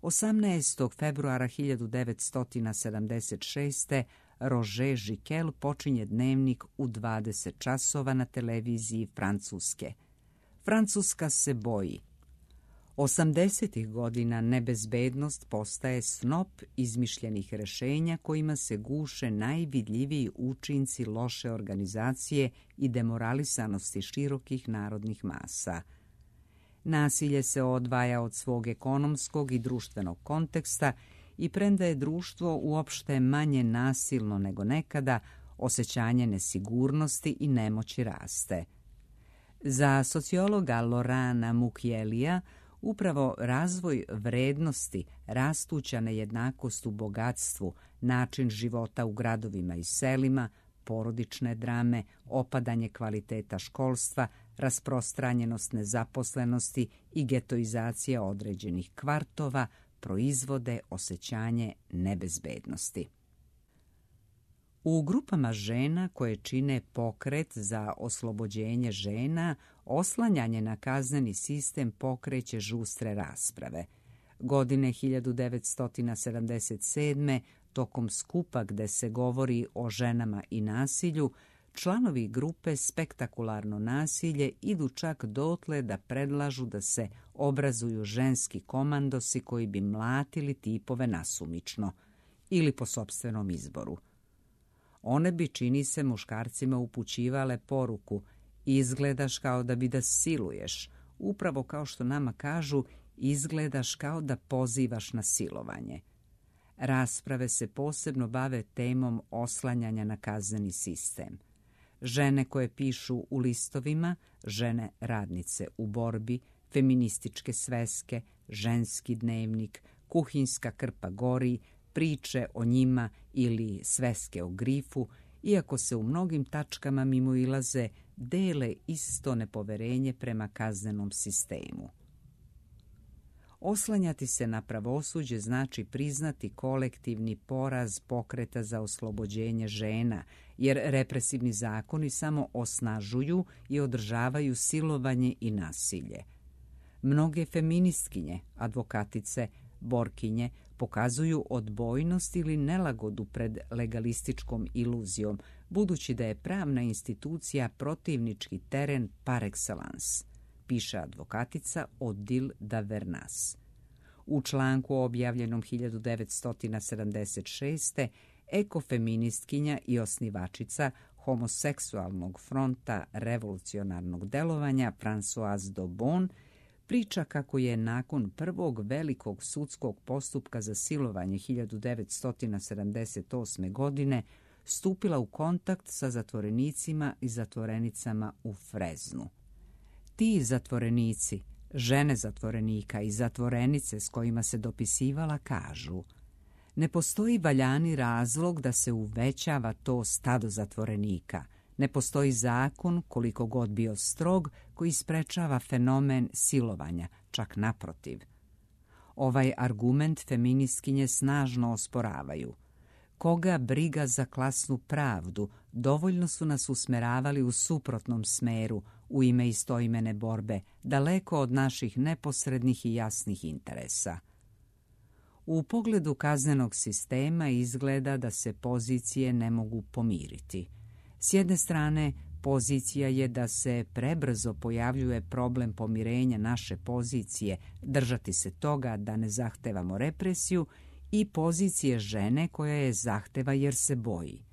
osamnaestog februara hiljadu devetsto sedamdeset šeste. Roger Giquel počinje dnevnik u dvadeset časova na televiziji Francuske. Francuska se boji. osamdesetih godina nebezbednost postaje snop izmišljenih rešenja kojima se guše najvidljiviji učinci loše organizacije i demoralisanosti širokih narodnih masa. Nasilje se odvaja od svog ekonomskog i društvenog konteksta i premda je društvo uopšte manje nasilno nego nekada, osjećanje nesigurnosti i nemoći raste. Za sociologa Laurenta Mukielija upravo razvoj vrednosti, rastuća nejednakost u bogatstvu, način života u gradovima i selima, porodične drame, opadanje kvaliteta školstva, rasprostranjenost nezaposlenosti i getoizacija određenih kvartova proizvode osjećanje nebezbednosti. U grupama žena koje čine pokret za oslobođenje žena, oslanjanje na kazneni sistem pokreće žustre rasprave. Godine hiljadu devetsto sedamdeset sedme. tokom skupa gde se govori o ženama i nasilju, članovi grupe Spektakularno nasilje idu čak dotle da predlažu da se obrazuju ženski komandosi koji bi mlatili tipove nasumično ili po sopstvenom izboru. One bi, čini se, muškarcima upućivale poruku: izgledaš kao da bi da siluješ, upravo kao što nama kažu, izgledaš kao da pozivaš na silovanje. Rasprave se posebno bave temom oslanjanja na kazneni sistem. Žene koje pišu u listovima, žene radnice u borbi, feminističke sveske, ženski dnevnik, kuhinjska krpa gori, priče o njima ili sveske o grifu, iako se u mnogim tačkama mimoilaze, dele isto nepoverenje prema kaznenom sistemu. Oslanjati se na pravosuđe znači priznati kolektivni poraz pokreta za oslobođenje žena, jer represivni zakoni samo osnažuju i održavaju silovanje i nasilje. Mnoge feministkinje, advokatice, borkinje pokazuju odbojnost ili nelagodu pred legalističkom iluzijom, budući da je pravna institucija protivnički teren par excellence, piše advokatica Odile Davernas. U članku objavljenom hiljadu devetsto sedamdeset šeste. ekofeministkinja i osnivačica homoseksualnog fronta revolucionarnog delovanja Françoise Daubon priča kako je nakon prvog velikog sudskog postupka za silovanje hiljadu devetsto sedamdeset osme. godine stupila u kontakt sa zatvorenicima i zatvorenicama u Freznu. Ti zatvorenici, žene zatvorenika i zatvorenice s kojima se dopisivala kažu: ne postoji valjani razlog da se uvećava to stado zatvorenika. Ne postoji zakon, koliko god bio strog, koji sprečava fenomen silovanja, čak naprotiv. Ovaj argument feministkinje snažno osporavaju. Koga briga za klasnu pravdu, dovoljno su nas usmeravali u suprotnom smeru, u ime istoimene borbe, daleko od naših neposrednih i jasnih interesa. U pogledu kaznenog sistema izgleda da se pozicije ne mogu pomiriti. S jedne strane, pozicija je da se prebrzo pojavljuje problem pomirenja naše pozicije, držati se toga da ne zahtevamo represiju, i pozicije žene koja je zahteva jer se boji.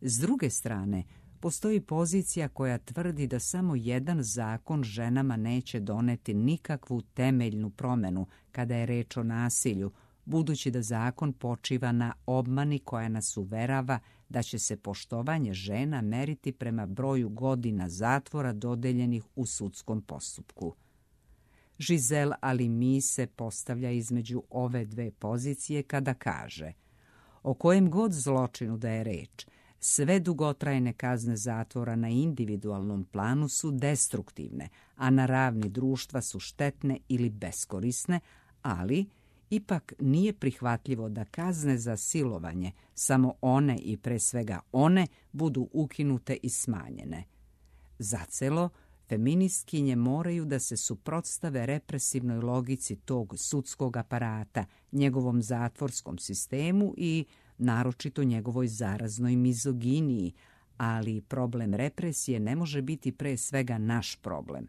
S druge strane, postoji pozicija koja tvrdi da samo jedan zakon ženama neće doneti nikakvu temeljnu promjenu kada je reč o nasilju, budući da zakon počiva na obmani koja nas uverava da će se poštovanje žena meriti prema broju godina zatvora dodeljenih u sudskom postupku. Giselle Halimi se postavlja između ove dve pozicije kada kaže: o kojem god zločinu da je reč, sve dugotrajne kazne zatvora na individualnom planu su destruktivne, a na ravni društva su štetne ili beskorisne, ali ipak nije prihvatljivo da kazne za silovanje, samo one i pre svega one, budu ukinute i smanjene. Zacelo, feministkinje moraju da se suprotstave represivnoj logici tog sudskog aparata, njegovom zatvorskom sistemu i naročito njegovoj zaraznoj mizoginiji, ali problem represije ne može biti pre svega naš problem.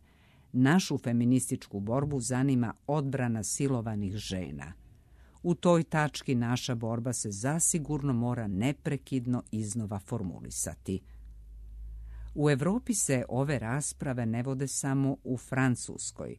Našu feminističku borbu zanima odbrana silovanih žena. U toj tački naša borba se zasigurno mora neprekidno iznova formulisati. U Evropi se ove rasprave ne vode samo u Francuskoj.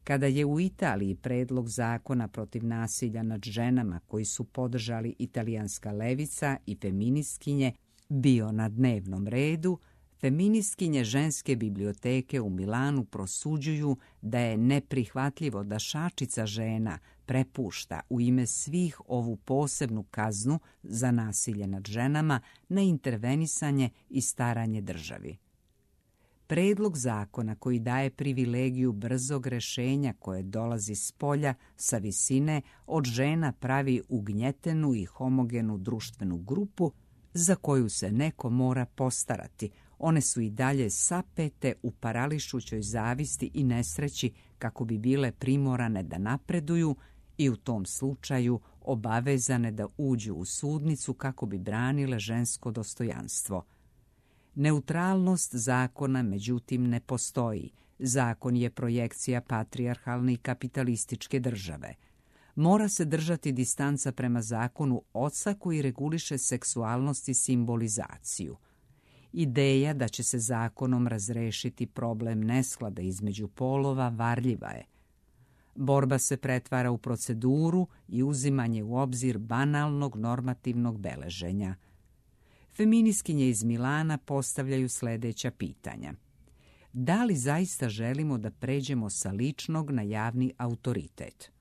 Kada je u Italiji predlog zakona protiv nasilja nad ženama koji su podržali italijanska levica i feministkinje bio na dnevnom redu, feministkinje ženske biblioteke u Milanu prosuđuju da je neprihvatljivo da šačica žena prepušta u ime svih ovu posebnu kaznu za nasilje nad ženama na intervenisanje i staranje državi. Predlog zakona koji daje privilegiju brzog rešenja koje dolazi s polja, sa visine, od žena pravi ugnjetenu i homogenu društvenu grupu za koju se neko mora postarati. One su i dalje sapete u parališućoj zavisti i nesreći kako bi bile primorane da napreduju i u tom slučaju obavezane da uđu u sudnicu kako bi branile žensko dostojanstvo. Neutralnost zakona, međutim, ne postoji. Zakon je projekcija patrijarhalne i kapitalističke države. Mora se držati distanca prema zakonu oca koji reguliše seksualnost i simbolizaciju. Ideja da će se zakonom razrešiti problem nesklada između polova varljiva je. Borba se pretvara u proceduru i uzimanje u obzir banalnog normativnog beleženja. Feministkinje iz Milana postavljaju sljedeća pitanja. Da li zaista želimo da pređemo sa ličnog na javni autoritet?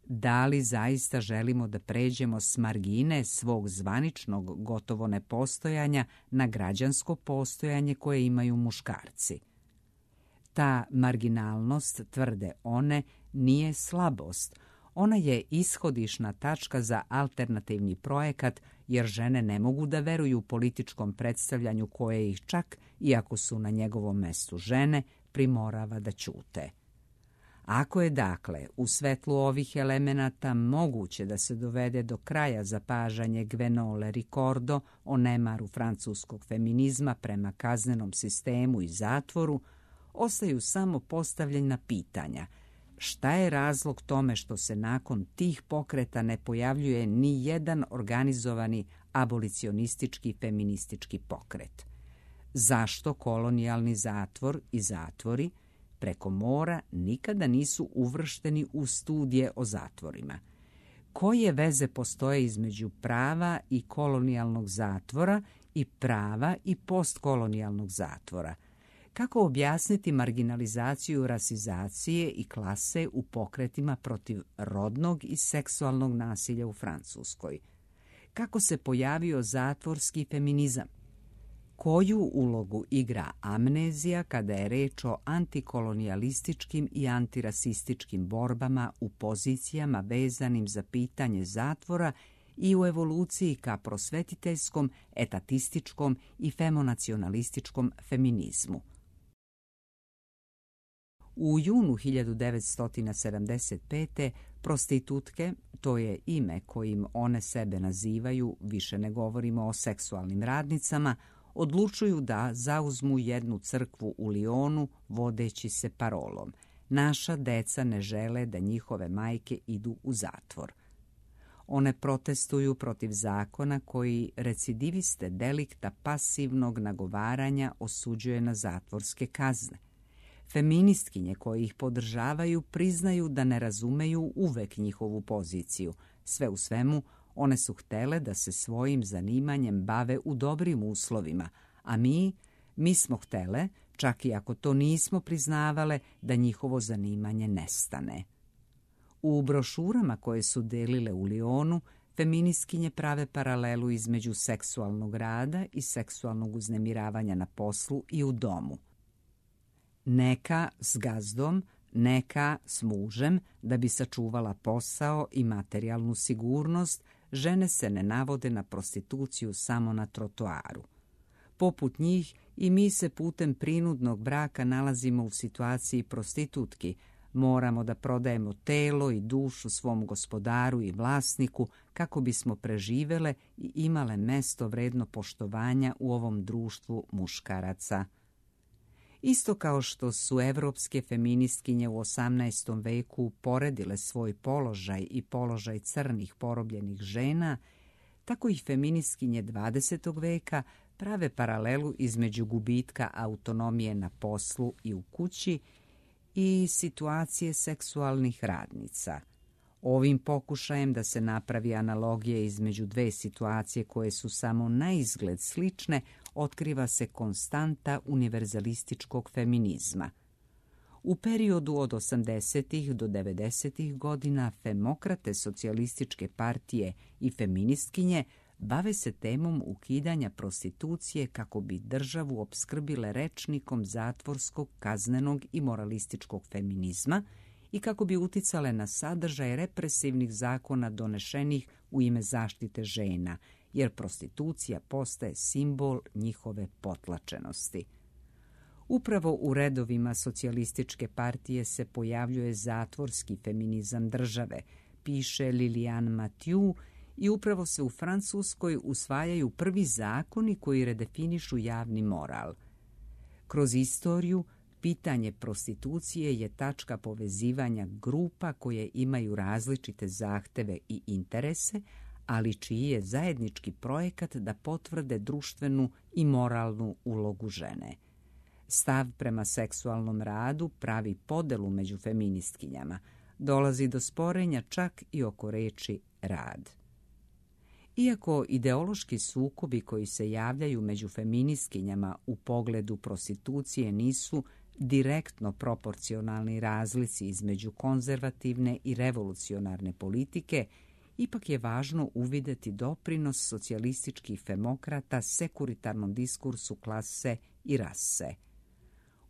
Da li zaista želimo da pređemo s margine svog zvaničnog gotovo nepostojanja na građansko postojanje koje imaju muškarci? Ta marginalnost, tvrde one, nije slabost. Ona je ishodišna tačka za alternativni projekat, jer žene ne mogu da veruju političkom predstavljanju koje ih čak, iako su na njegovom mestu žene, primorava da ćute. Ako je, dakle, u svetlu ovih elemenata moguće da se dovede do kraja zapažanje Gwenole Ricordo o nemaru francuskog feminizma prema kaznenom sistemu i zatvoru, ostaju samo postavljena pitanja. Šta je razlog tome što se nakon tih pokreta ne pojavljuje ni jedan organizovani abolicionistički feministički pokret? Zašto kolonijalni zatvor i zatvori preko mora nikada nisu uvršteni u studije o zatvorima? Koje veze postoje između prava i kolonijalnog zatvora i prava i postkolonijalnog zatvora? Kako objasniti marginalizaciju rasizacije i klase u pokretima protiv rodnog i seksualnog nasilja u Francuskoj? Kako se pojavio zatvorski feminizam? Koju ulogu igra amnezija kada je reč o antikolonijalističkim i antirasističkim borbama u pozicijama vezanim za pitanje zatvora i u evoluciji ka prosvetiteljskom, etatističkom i femonacionalističkom feminizmu? U junu hiljadu devetsto sedamdeset pete. prostitutke, to je ime kojim one sebe nazivaju, više ne govorimo o seksualnim radnicama, odlučuju da zauzmu jednu crkvu u Lionu vodeći se parolom: naša deca ne žele da njihove majke idu u zatvor. One protestuju protiv zakona koji recidiviste delikta pasivnog nagovaranja osuđuje na zatvorske kazne. Feministkinje koje ih podržavaju priznaju da ne razumeju uvek njihovu poziciju. Sve u svemu, one su htele da se svojim zanimanjem bave u dobrim uslovima, a mi, mi smo htele, čak i ako to nismo priznavale, da njihovo zanimanje nestane. U brošurama koje su delile u Lionu, feministkinje prave paralelu između seksualnog rada i seksualnog uznemiravanja na poslu i u domu. Neka s gazdom, neka s mužem, da bi sačuvala posao i materijalnu sigurnost, žene se ne navode na prostituciju samo na trotoaru. Poput njih i mi se putem prinudnog braka nalazimo u situaciji prostitutki. Moramo da prodajemo telo i dušu svom gospodaru i vlasniku kako bismo preživele i imale mesto vredno poštovanja u ovom društvu muškaraca. Isto kao što su evropske feministkinje u osamnaestom veku poredile svoj položaj i položaj crnih porobljenih žena, tako i feministkinje dvadesetog veka prave paralelu između gubitka autonomije na poslu i u kući i situacije seksualnih radnica. Ovim pokušajem da se napravi analogija između dve situacije koje su samo na izgled slične, otkriva se konstanta univerzalističkog feminizma. U periodu od osamdesetih do devedesetih godina femokrate socijalističke partije i feministkinje bave se temom ukidanja prostitucije kako bi državu opskrbile rečnikom zatvorskog, kaznenog i moralističkog feminizma i kako bi uticale na sadržaj represivnih zakona donešenih u ime zaštite žena, jer prostitucija postaje simbol njihove potlačenosti. Upravo u redovima socijalističke partije se pojavljuje zatvorski feminizam države, piše Liliane Mathieu, i upravo se u Francuskoj usvajaju prvi zakoni koji redefinišu javni moral. Kroz istoriju, pitanje prostitucije je tačka povezivanja grupa koje imaju različite zahteve i interese, ali čiji je zajednički projekat da potvrde društvenu i moralnu ulogu žene. Stav prema seksualnom radu pravi podelu među feministkinjama. Dolazi do sporenja čak i oko reči rad. Iako ideološki sukobi koji se javljaju među feministkinjama u pogledu prostitucije nisu direktno proporcionalni razlici između konzervativne i revolucionarne politike, ipak je važno uvideti doprinos socijalističkih femokrata sekuritarnom diskursu klase i rase.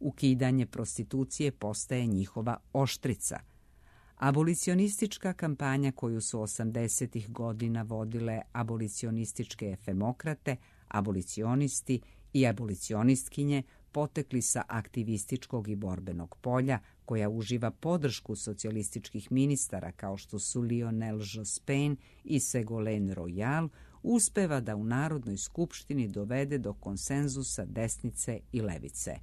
Ukidanje prostitucije postaje njihova oštrica, Abolicionistička kampanja koju su osamdesetih godina vodile abolicionističke efemokrate, abolicionisti i abolicionistkinje potekli sa aktivističkog i borbenog polja, koja uživa podršku socijalističkih ministara kao što su Lionel Jospin i Ségolène Royal, uspeva da u Narodnoj skupštini dovede do konsenzusa desnice i levice.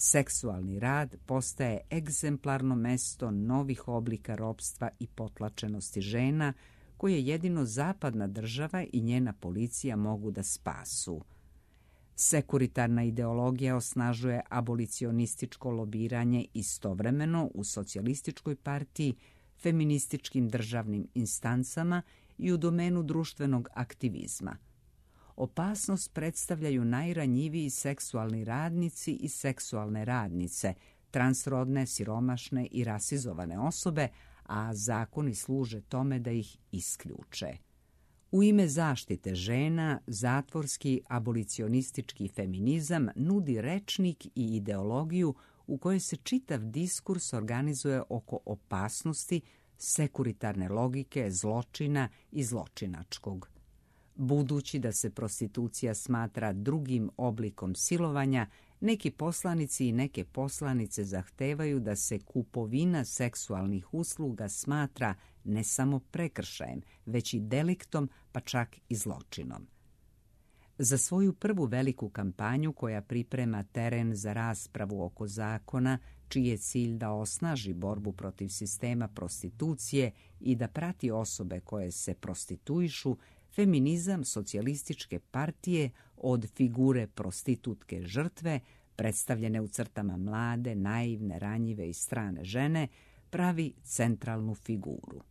Seksualni rad postaje egzemplarno mesto novih oblika ropstva i potlačenosti žena, koje jedino zapadna država i njena policija mogu da spasu. Sekuritarna ideologija osnažuje abolicionističko lobiranje istovremeno u socijalističkoj partiji, feminističkim državnim instancama i u domenu društvenog aktivizma. Opasnost predstavljaju najranjiviji seksualni radnici i seksualne radnice, transrodne, siromašne i rasizovane osobe, a zakoni služe tome da ih isključe. U ime zaštite žena, zatvorski abolicionistički feminizam nudi rečnik i ideologiju u kojoj se čitav diskurs organizuje oko opasnosti, sekuritarne logike, zločina i zločinačkog. Budući da se prostitucija smatra drugim oblikom silovanja, neki poslanici i neke poslanice zahtevaju da se kupovina seksualnih usluga smatra ne samo prekršajem, već i deliktom, pa čak i zločinom. Za svoju prvu veliku kampanju koja priprema teren za raspravu oko zakona, čiji je cilj da osnaži borbu protiv sistema prostitucije i da prati osobe koje se prostituišu, feminizam socijalističke partije od figure prostitutke žrtve, predstavljene u crtama mlade, naivne, ranjive i strane žene, pravi centralnu figuru.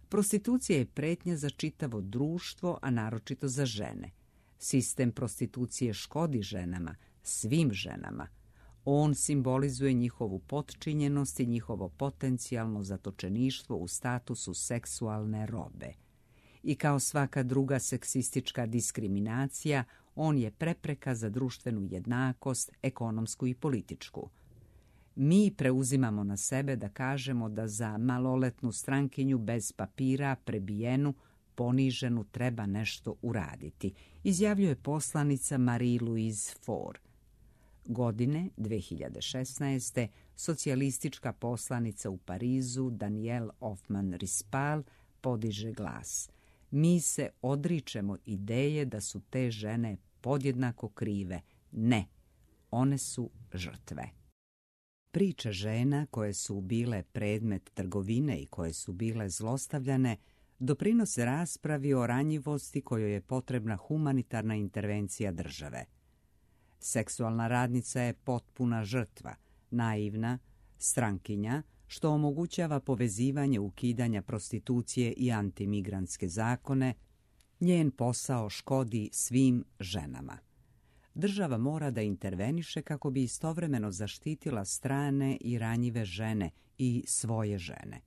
Prostitucija je pretnja za čitavo društvo, a naročito za žene. Sistem prostitucije škodi ženama, svim ženama. On simbolizuje njihovu potčinjenost i njihovo potencijalno zatočeništvo u statusu seksualne robe. I kao svaka druga seksistička diskriminacija, on je prepreka za društvenu jednakost, ekonomsku i političku. Mi preuzimamo na sebe da kažemo da za maloletnu strankinju bez papira, prebijenu, poniženu treba nešto uraditi, izjavljuje poslanica Marie-Louise Faure. Godine dve hiljade šesnaeste. socijalistička poslanica u Parizu Danielle Hoffmann-Rispal podiže glas. Mi se odričemo ideje da su te žene podjednako krive. Ne, one su žrtve. Priče žena koje su bile predmet trgovine i koje su bile zlostavljane doprinose raspravi o ranjivosti kojoj je potrebna humanitarna intervencija države. Seksualna radnica je potpuna žrtva, naivna, strankinja, što omogućava povezivanje ukidanja prostitucije i antimigrantske zakone. Njen posao škodi svim ženama. Država mora da interveniše kako bi istovremeno zaštitila strane i ranjive žene i svoje žene.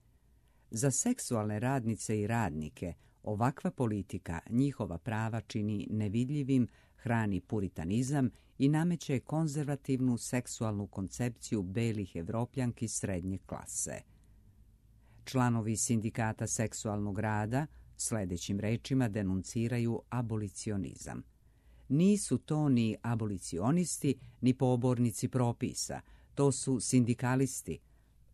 Za seksualne radnice i radnike ovakva politika njihova prava čini nevidljivim, hrani puritanizam i nameće konzervativnu seksualnu koncepciju belih Evropljanki srednje klase. Članovi sindikata seksualnog rada sljedećim rečima denunciraju abolicionizam. Nisu to ni abolicionisti, ni pobornici propisa, to su sindikalisti.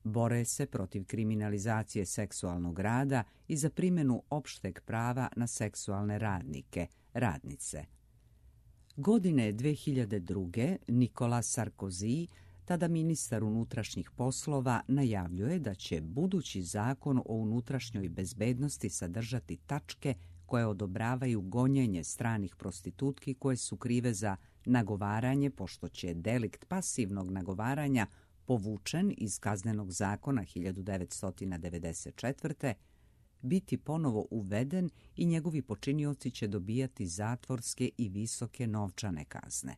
Bore se protiv kriminalizacije seksualnog rada i za primjenu opšteg prava na seksualne radnike, radnice. Godine dve hiljade druge. Nicolas Sarkozy, tada ministar unutrašnjih poslova, najavljuje da će budući zakon o unutrašnjoj bezbednosti sadržati tačke koje odobravaju gonjenje stranih prostitutki koje su krive za nagovaranje, pošto će delikt pasivnog nagovaranja povučen iz Kaznenog zakona hiljadu devetsto devedeset četvrte. biti ponovo uveden i njegovi počinioci će dobijati zatvorske i visoke novčane kazne.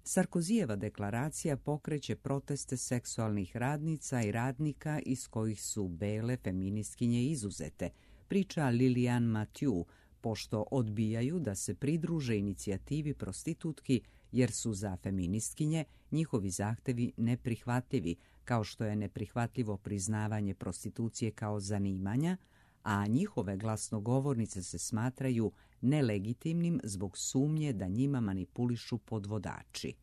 Sarkozijeva deklaracija pokreće proteste seksualnih radnica i radnika iz kojih su bele feministkinje izuzete, priča Lilian Mathieu, pošto odbijaju da se pridruže inicijativi prostitutki jer su za feministkinje njihovi zahtevi neprihvatljivi, kao što je neprihvatljivo priznavanje prostitucije kao zanimanja, a njihove glasnogovornice se smatraju nelegitimnim zbog sumnje da njima manipulišu podvodači.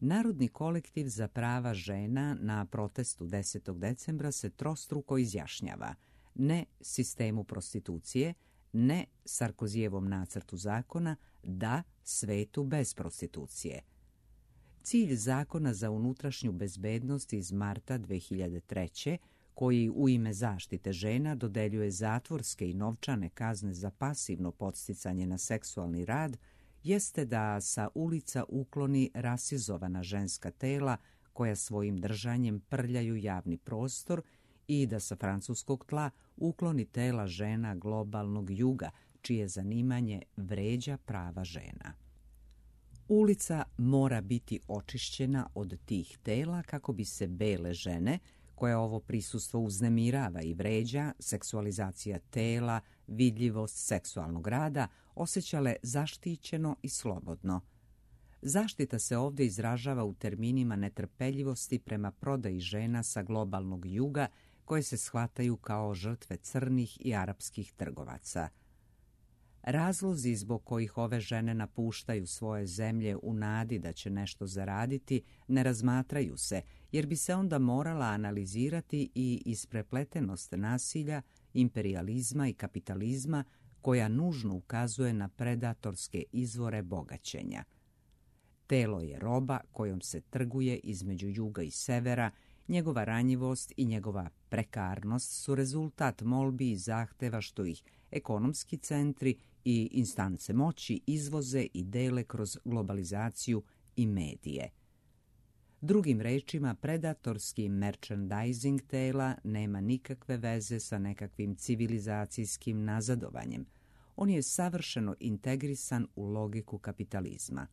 Narodni kolektiv za prava žena na protestu desetog decembra se trostruko izjašnjava: ne sistemu prostitucije, ne Sarkozijevom nacrtu zakona, da svetu bez prostitucije. Cilj zakona za unutrašnju bezbednost iz marta dve hiljade treće, koji u ime zaštite žena dodeljuje zatvorske i novčane kazne za pasivno podsticanje na seksualni rad, jeste da sa ulica ukloni rasizovana ženska tela koja svojim držanjem prljaju javni prostor i da sa francuskog tla ukloni tela žena globalnog juga, čije zanimanje vređa prava žena. Ulica mora biti očišćena od tih tela kako bi se bele žene, koje ovo prisustvo uznemirava i vređa, seksualizacija tela, vidljivost seksualnog rada, osjećale zaštićeno i slobodno. Zaštita se ovdje izražava u terminima netrpeljivosti prema prodaji žena sa globalnog juga, koje se shvataju kao žrtve crnih i arapskih trgovaca. Razlozi zbog kojih ove žene napuštaju svoje zemlje u nadi da će nešto zaraditi ne razmatraju se, jer bi se onda morala analizirati i isprepletenost nasilja, imperijalizma i kapitalizma koja nužno ukazuje na predatorske izvore bogaćenja. Telo je roba kojom se trguje između juga i severa, njegova ranjivost i njegova prekarnost su rezultat molbi i zahteva što ih ekonomski centri i instance moći izvoze i dele kroz globalizaciju i medije. Drugim rečima, predatorski merchandising tela nema nikakve veze sa nekakvim civilizacijskim nazadovanjem. On je savršeno integrisan u logiku kapitalizma.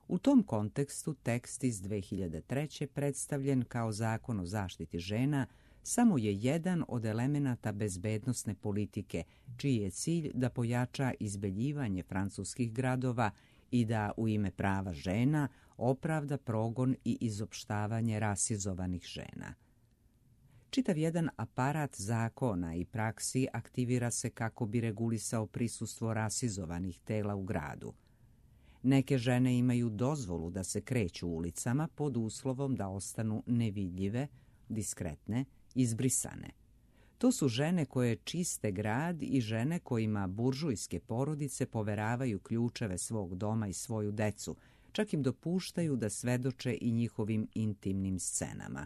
U tom kontekstu tekst iz dve hiljade treće predstavljen kao zakon o zaštiti žena samo je jedan od elemenata bezbednosne politike, čiji je cilj da pojača izbeljivanje francuskih gradova i da u ime prava žena opravda progon i izopštavanje rasizovanih žena. Čitav jedan aparat zakona i praksi aktivira se kako bi regulisao prisustvo rasizovanih tela u gradu. Neke žene imaju dozvolu da se kreću ulicama pod uslovom da ostanu nevidljive, diskretne, izbrisane. To su žene koje čiste grad i žene kojima buržujske porodice poveravaju ključeve svog doma i svoju decu, čak im dopuštaju da svedoče i njihovim intimnim scenama.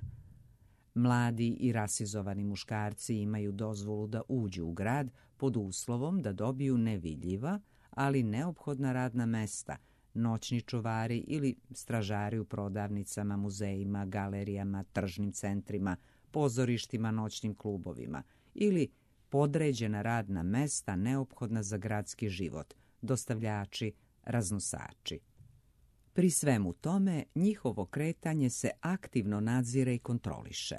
Mladi i rasizovani muškarci imaju dozvolu da uđu u grad pod uslovom da dobiju nevidljiva, ali neophodna radna mesta, noćni čuvari ili stražari u prodavnicama, muzejima, galerijama, tržnim centrima, pozorištima, noćnim klubovima ili podređena radna mesta neophodna za gradski život, dostavljači, raznosači. Pri svemu tome, njihovo kretanje se aktivno nadzire i kontroliše.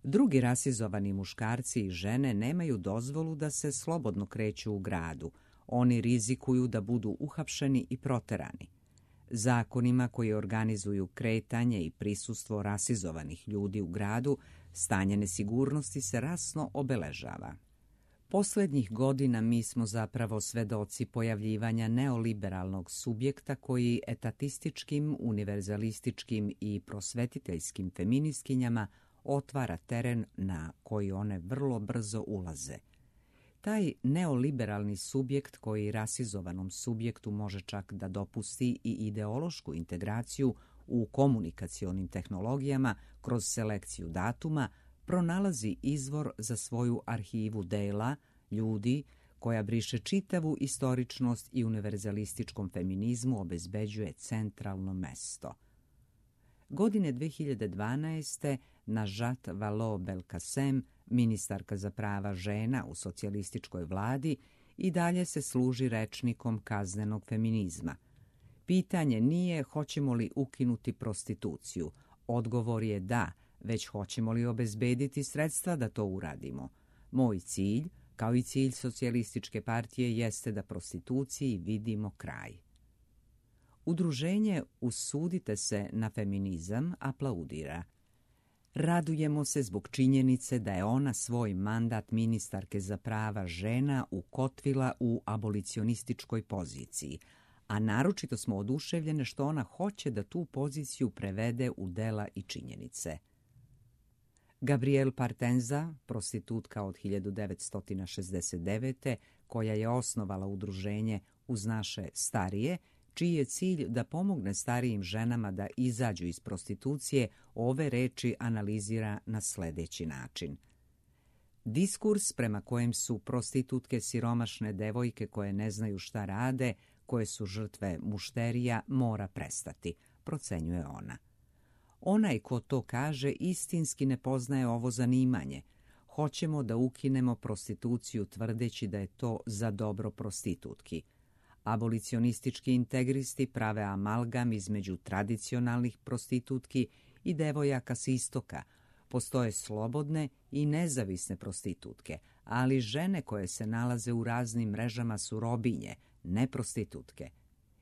Drugi rasizovani muškarci i žene nemaju dozvolu da se slobodno kreću u gradu. Oni rizikuju da budu uhapšeni i proterani. Zakonima koji organizuju kretanje i prisustvo rasizovanih ljudi u gradu, stanje nesigurnosti se rasno obeležava. Posljednjih godina mi smo zapravo svedoci pojavljivanja neoliberalnog subjekta koji etatističkim, univerzalističkim i prosvetiteljskim feministkinjama otvara teren na koji one vrlo brzo ulaze. Taj neoliberalni subjekt koji rasizovanom subjektu može čak da dopusti i ideološku integraciju u komunikacionim tehnologijama kroz selekciju datuma, pronalazi izvor za svoju arhivu dela, ljudi, koja briše čitavu istoričnost i univerzalističkom feminizmu obezbeđuje centralno mesto. Godine dve hiljade dvanaeste. Najat Vallaud-Belkacem, ministarka za prava žena u socijalističkoj vladi, i dalje se služi rečnikom kaznenog feminizma. Pitanje nije hoćemo li ukinuti prostituciju. Odgovor je da, već hoćemo li obezbediti sredstva da to uradimo. Moj cilj, kao i cilj socijalističke partije jeste da prostituciji vidimo kraj. Udruženje Usudite se na feminizam aplaudira. Radujemo se zbog činjenice da je ona svoj mandat ministarke za prava žena ukotvila u abolicionističkoj poziciji, a naročito smo oduševljene što ona hoće da tu poziciju prevede u dela i činjenice. Gabrielle Partenza, prostitutka od hiljadu devetsto šezdeset devete. koja je osnovala udruženje Uz naše starije, čiji je cilj da pomogne starijim ženama da izađu iz prostitucije, ove reči analizira na sljedeći način. Diskurs prema kojem su prostitutke siromašne devojke koje ne znaju šta rade, koje su žrtve mušterija, mora prestati, procenjuje ona. Onaj ko to kaže istinski ne poznaje ovo zanimanje. Hoćemo da ukinemo prostituciju tvrdeći da je to za dobro prostitutki. Abolicionistički integristi prave amalgam između tradicionalnih prostitutki i devojaka s istoka. Postoje slobodne i nezavisne prostitutke, ali žene koje se nalaze u raznim mrežama su robinje, ne prostitutke.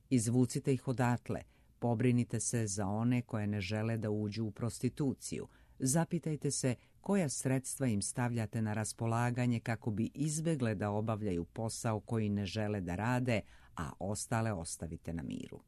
Izvucite ih odatle, pobrinite se za one koje ne žele da uđu u prostituciju. Zapitajte se koja sredstva im stavljate na raspolaganje kako bi izbegle da obavljaju posao koji ne žele da rade, a ostale ostavite na miru.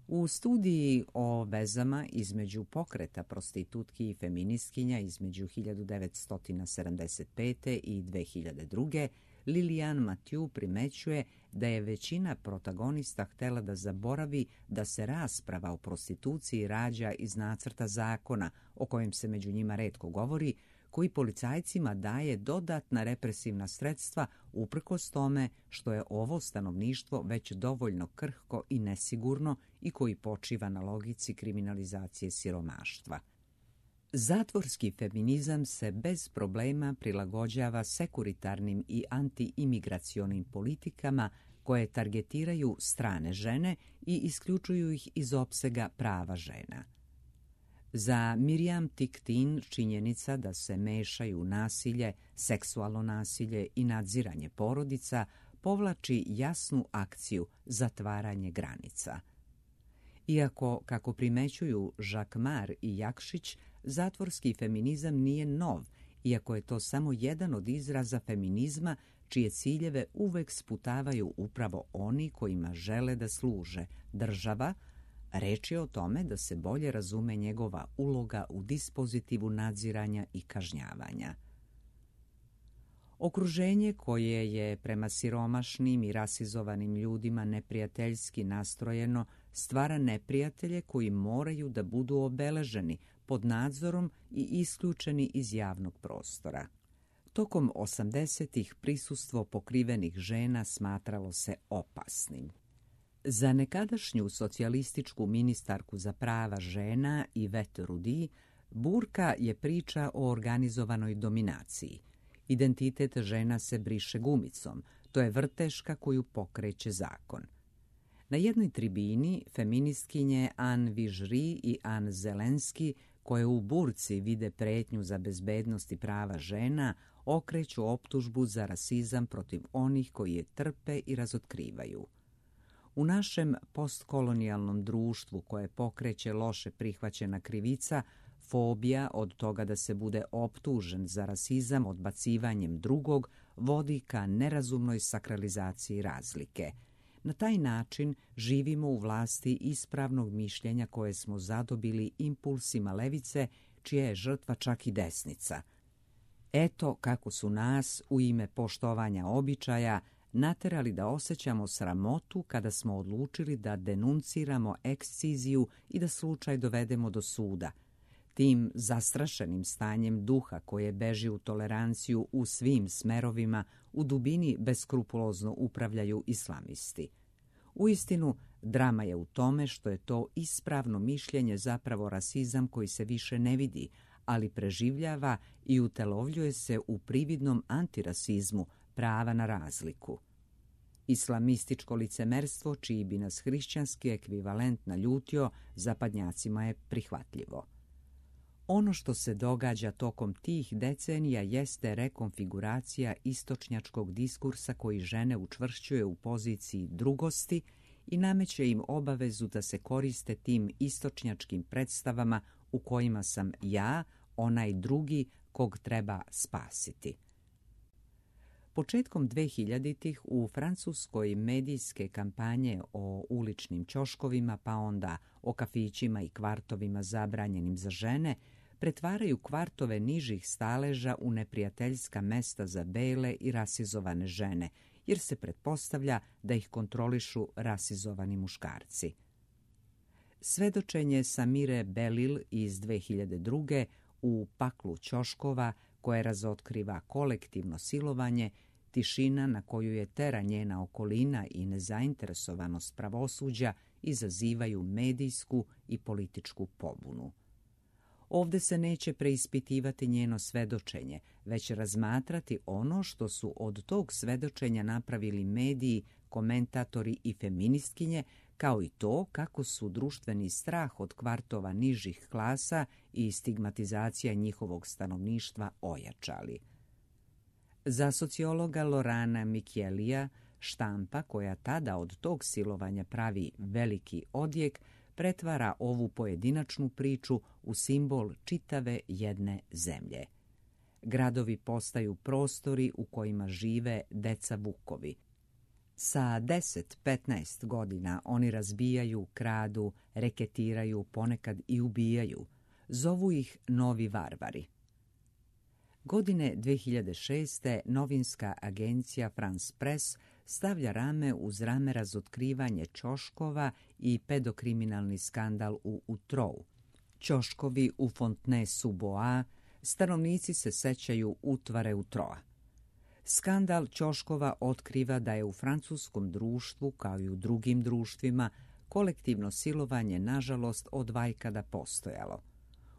U studiji o vezama između pokreta prostitutki i feministkinja između hiljadu devetsto sedamdeset pete. i dve hiljade druge. Lilian Mathieu primećuje da je većina protagonista htjela da zaboravi da se rasprava o prostituciji rađa iz nacrta zakona, o kojem se među njima retko govori, koji policajcima daje dodatna represivna sredstva uprkos tome što je ovo stanovništvo već dovoljno krhko i nesigurno i koji počiva na logici kriminalizacije siromaštva. Zatvorski feminizam se bez problema prilagođava sekuritarnim i antiimigracionim politikama koje targetiraju strane žene i isključuju ih iz opsega prava žena. Za Miriam Tiktin činjenica da se mešaju nasilje, seksualno nasilje i nadziranje porodica povlači jasnu akciju zatvaranje granica. Iako, kako primećuju Žakmar i Jakšić, zatvorski feminizam nije nov, iako je to samo jedan od izraza feminizma čije ciljeve uvek sputavaju upravo oni kojima žele da služe, država. Reč je o tome da se bolje razume njegova uloga u dispozitivu nadziranja i kažnjavanja. Okruženje koje je prema siromašnim i rasizovanim ljudima neprijateljski nastrojeno stvara neprijatelje koji moraju da budu obeleženi pod nadzorom i isključeni iz javnog prostora. Tokom osamdesetih prisustvo pokrivenih žena smatralo se opasnim. Za nekadašnju socijalističku ministarku za prava žena Yvette Roudy, burka je priča o organizovanoj dominaciji. Identitet žena se briše gumicom, to je vrteška koju pokreće zakon. Na jednoj tribini feministkinje Anne Vižri i Anne Zelenski, koje u burci vide pretnju za bezbednost i prava žena, okreću optužbu za rasizam protiv onih koji je trpe i razotkrivaju. U našem postkolonijalnom društvu koje pokreće loše prihvaćena krivica, fobija od toga da se bude optužen za rasizam odbacivanjem drugog vodi ka nerazumnoj sakralizaciji razlike. Na taj način živimo u vlasti ispravnog mišljenja koje smo zadobili impulsima levice, čija je žrtva čak i desnica. Eto kako su nas, u ime poštovanja običaja, naterali da osjećamo sramotu kada smo odlučili da denunciramo eksciziju i da slučaj dovedemo do suda. Tim zastrašenim stanjem duha koje beži u toleranciju u svim smerovima, u dubini beskrupulozno upravljaju islamisti. Uistinu, drama je u tome što je to ispravno mišljenje zapravo rasizam koji se više ne vidi, ali preživljava i utelovljuje se u prividnom antirasizmu, prava na razliku. Islamističko licemerstvo, čiji bi nas hrišćanski ekvivalent naljutio, zapadnjacima je prihvatljivo. Ono što se događa tokom tih decenija jeste rekonfiguracija istočnjačkog diskursa koji žene učvršćuje u poziciji drugosti i nameće im obavezu da se koriste tim istočnjačkim predstavama u kojima sam ja, onaj drugi kog treba spasiti. Početkom dvehiljaditih u Francuskoj medijske kampanje o uličnim ćoškovima, pa onda o kafićima i kvartovima zabranjenim za žene, pretvaraju kvartove nižih staleža u neprijateljska mesta za bele i rasizovane žene, jer se pretpostavlja da ih kontrolišu rasizovani muškarci. Svedočenje Samire Belil iz dve hiljade druge u Paklu ćoškova, koje razotkriva kolektivno silovanje, tišina na koju je tera njena okolina i nezainteresovanost pravosuđa izazivaju medijsku i političku pobunu. Ovde se neće preispitivati njeno svedočenje, već razmatrati ono što su od tog svedočenja napravili mediji, komentatori i feministkinje, kao i to kako su društveni strah od kvartova nižih klasa i stigmatizacija njihovog stanovništva ojačali. Za sociologa Lorana Michielija, štampa koja tada od tog silovanja pravi veliki odjek, pretvara ovu pojedinačnu priču u simbol čitave jedne zemlje. Gradovi postaju prostori u kojima žive deca vukovi. Sa deset do petnaest godina oni razbijaju, kradu, reketiraju, ponekad i ubijaju. Zovu ih novi varvari. Godine dve hiljade šeste. novinska agencija France Press stavlja rame uz rame razotkrivanje ćoškova i pedokriminalni skandal u Utrou. Ćoškovi u Fontenay-sous-Bois, stanovnici se sećaju utvare Utroa. Skandal ćoškova otkriva da je u francuskom društvu, kao i u drugim društvima, kolektivno silovanje nažalost od vajkada postojalo.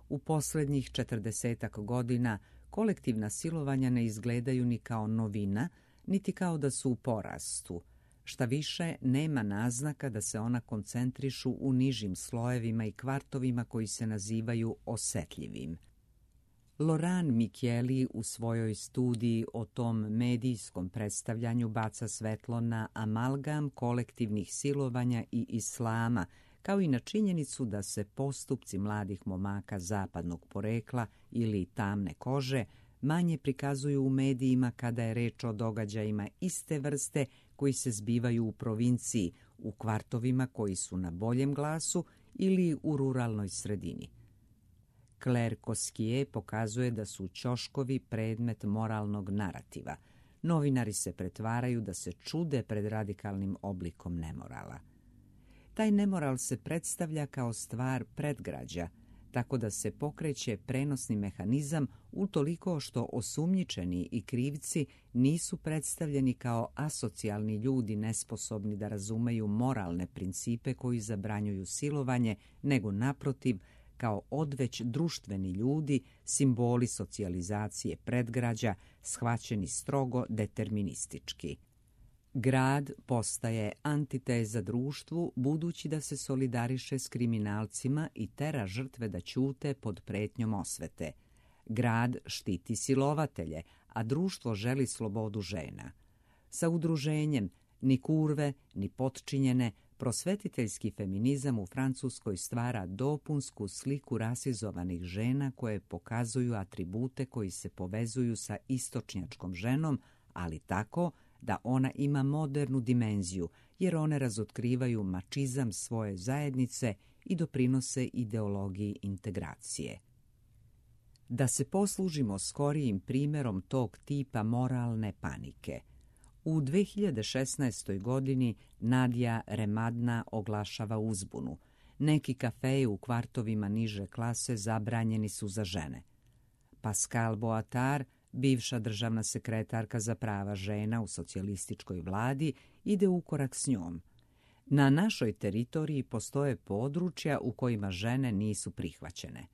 U posljednjih četrdesetak godina kolektivna silovanja ne izgledaju ni kao novina, niti kao da su u porastu. Šta više, nema naznaka da se ona koncentrišu u nižim slojevima i kvartovima koji se nazivaju osetljivim. Loran Michieli u svojoj studiji o tom medijskom predstavljanju baca svetlo na amalgam kolektivnih silovanja i islama, kao i na činjenicu da se postupci mladih momaka zapadnog porekla ili tamne kože manje prikazuju u medijima kada je reč o događajima iste vrste koji se zbivaju u provinciji, u kvartovima koji su na boljem glasu ili u ruralnoj sredini. Claire Koskier pokazuje da su ćoškovi predmet moralnog narativa. Novinari se pretvaraju da se čude pred radikalnim oblikom nemorala. Taj nemoral se predstavlja kao stvar predgrađa, tako da se pokreće prenosni mehanizam utoliko što osumnjičeni i krivci nisu predstavljeni kao asocijalni ljudi nesposobni da razumeju moralne principe koji zabranjuju silovanje, nego naprotiv kao odveć društveni ljudi, simboli socijalizacije predgrađa, shvaćeni strogo deterministički. Grad postaje antiteza društvu budući da se solidariše s kriminalcima i tera žrtve da ćute pod pretnjom osvete. Grad štiti silovatelje, a društvo želi slobodu žena. Sa udruženjem ni kurve, ni potčinjene, prosvetiteljski feminizam u Francuskoj stvara dopunsku sliku rasizovanih žena koje pokazuju atribute koji se povezuju sa istočnjačkom ženom, ali tako da ona ima modernu dimenziju, jer one razotkrivaju mačizam svoje zajednice i doprinose ideologiji integracije. Da se poslužimo skorijim primjerom tog tipa moralne panike. U dve hiljade šesnaestoj. godini Nadja Remadna oglašava uzbunu. Neki kafeji u kvartovima niže klase zabranjeni su za žene. Pascal Boatard, bivša državna sekretarka za prava žena u socijalističkoj vladi, ide u korak s njom. Na našoj teritoriji postoje područja u kojima žene nisu prihvaćene.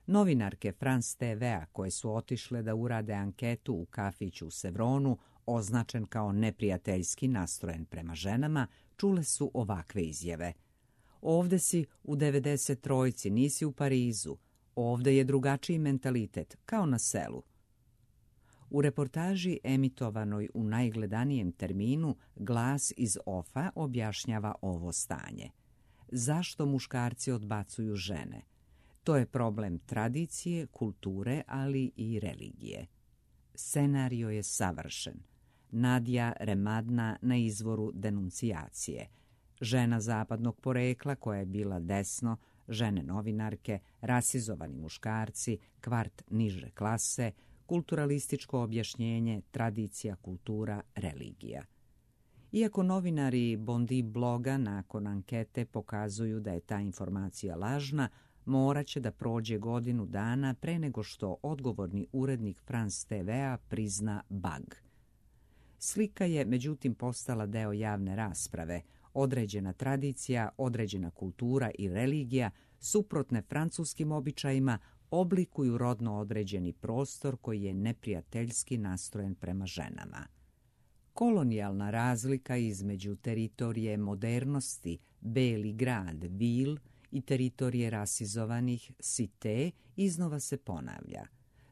Novinarke France te ve-a koje su otišle da urade anketu u kafiću u Sevronu, označen kao neprijateljski nastrojen prema ženama, čule su ovakve izjave. Ovde si u devedeset trojici, nisi u Parizu. Ovde je drugačiji mentalitet, kao na selu. U reportaži emitovanoj u najgledanijem terminu Glas iz ofa objašnjava ovo stanje. Zašto muškarci odbacuju žene? To je problem tradicije, kulture, ali i religije. Scenario je savršen. Nadja Remadna na izvoru denuncijacije. Žena zapadnog porekla koja je bila desno, žene novinarke, rasizovani muškarci, kvart niže klase, kulturalističko objašnjenje, tradicija, kultura, religija. Iako novinari Bondi bloga nakon ankete pokazuju da je ta informacija lažna, morat će da prođe godinu dana pre nego što odgovorni urednik France te vea prizna bug. Slika je međutim postala deo javne rasprave. Određena tradicija, određena kultura i religija, suprotne francuskim običajima, oblikuju rodno određeni prostor koji je neprijateljski nastrojen prema ženama. Kolonijalna razlika između teritorije modernosti, Beli grad, Ville, i teritorije rasizovanih, Cité, iznova se ponavlja.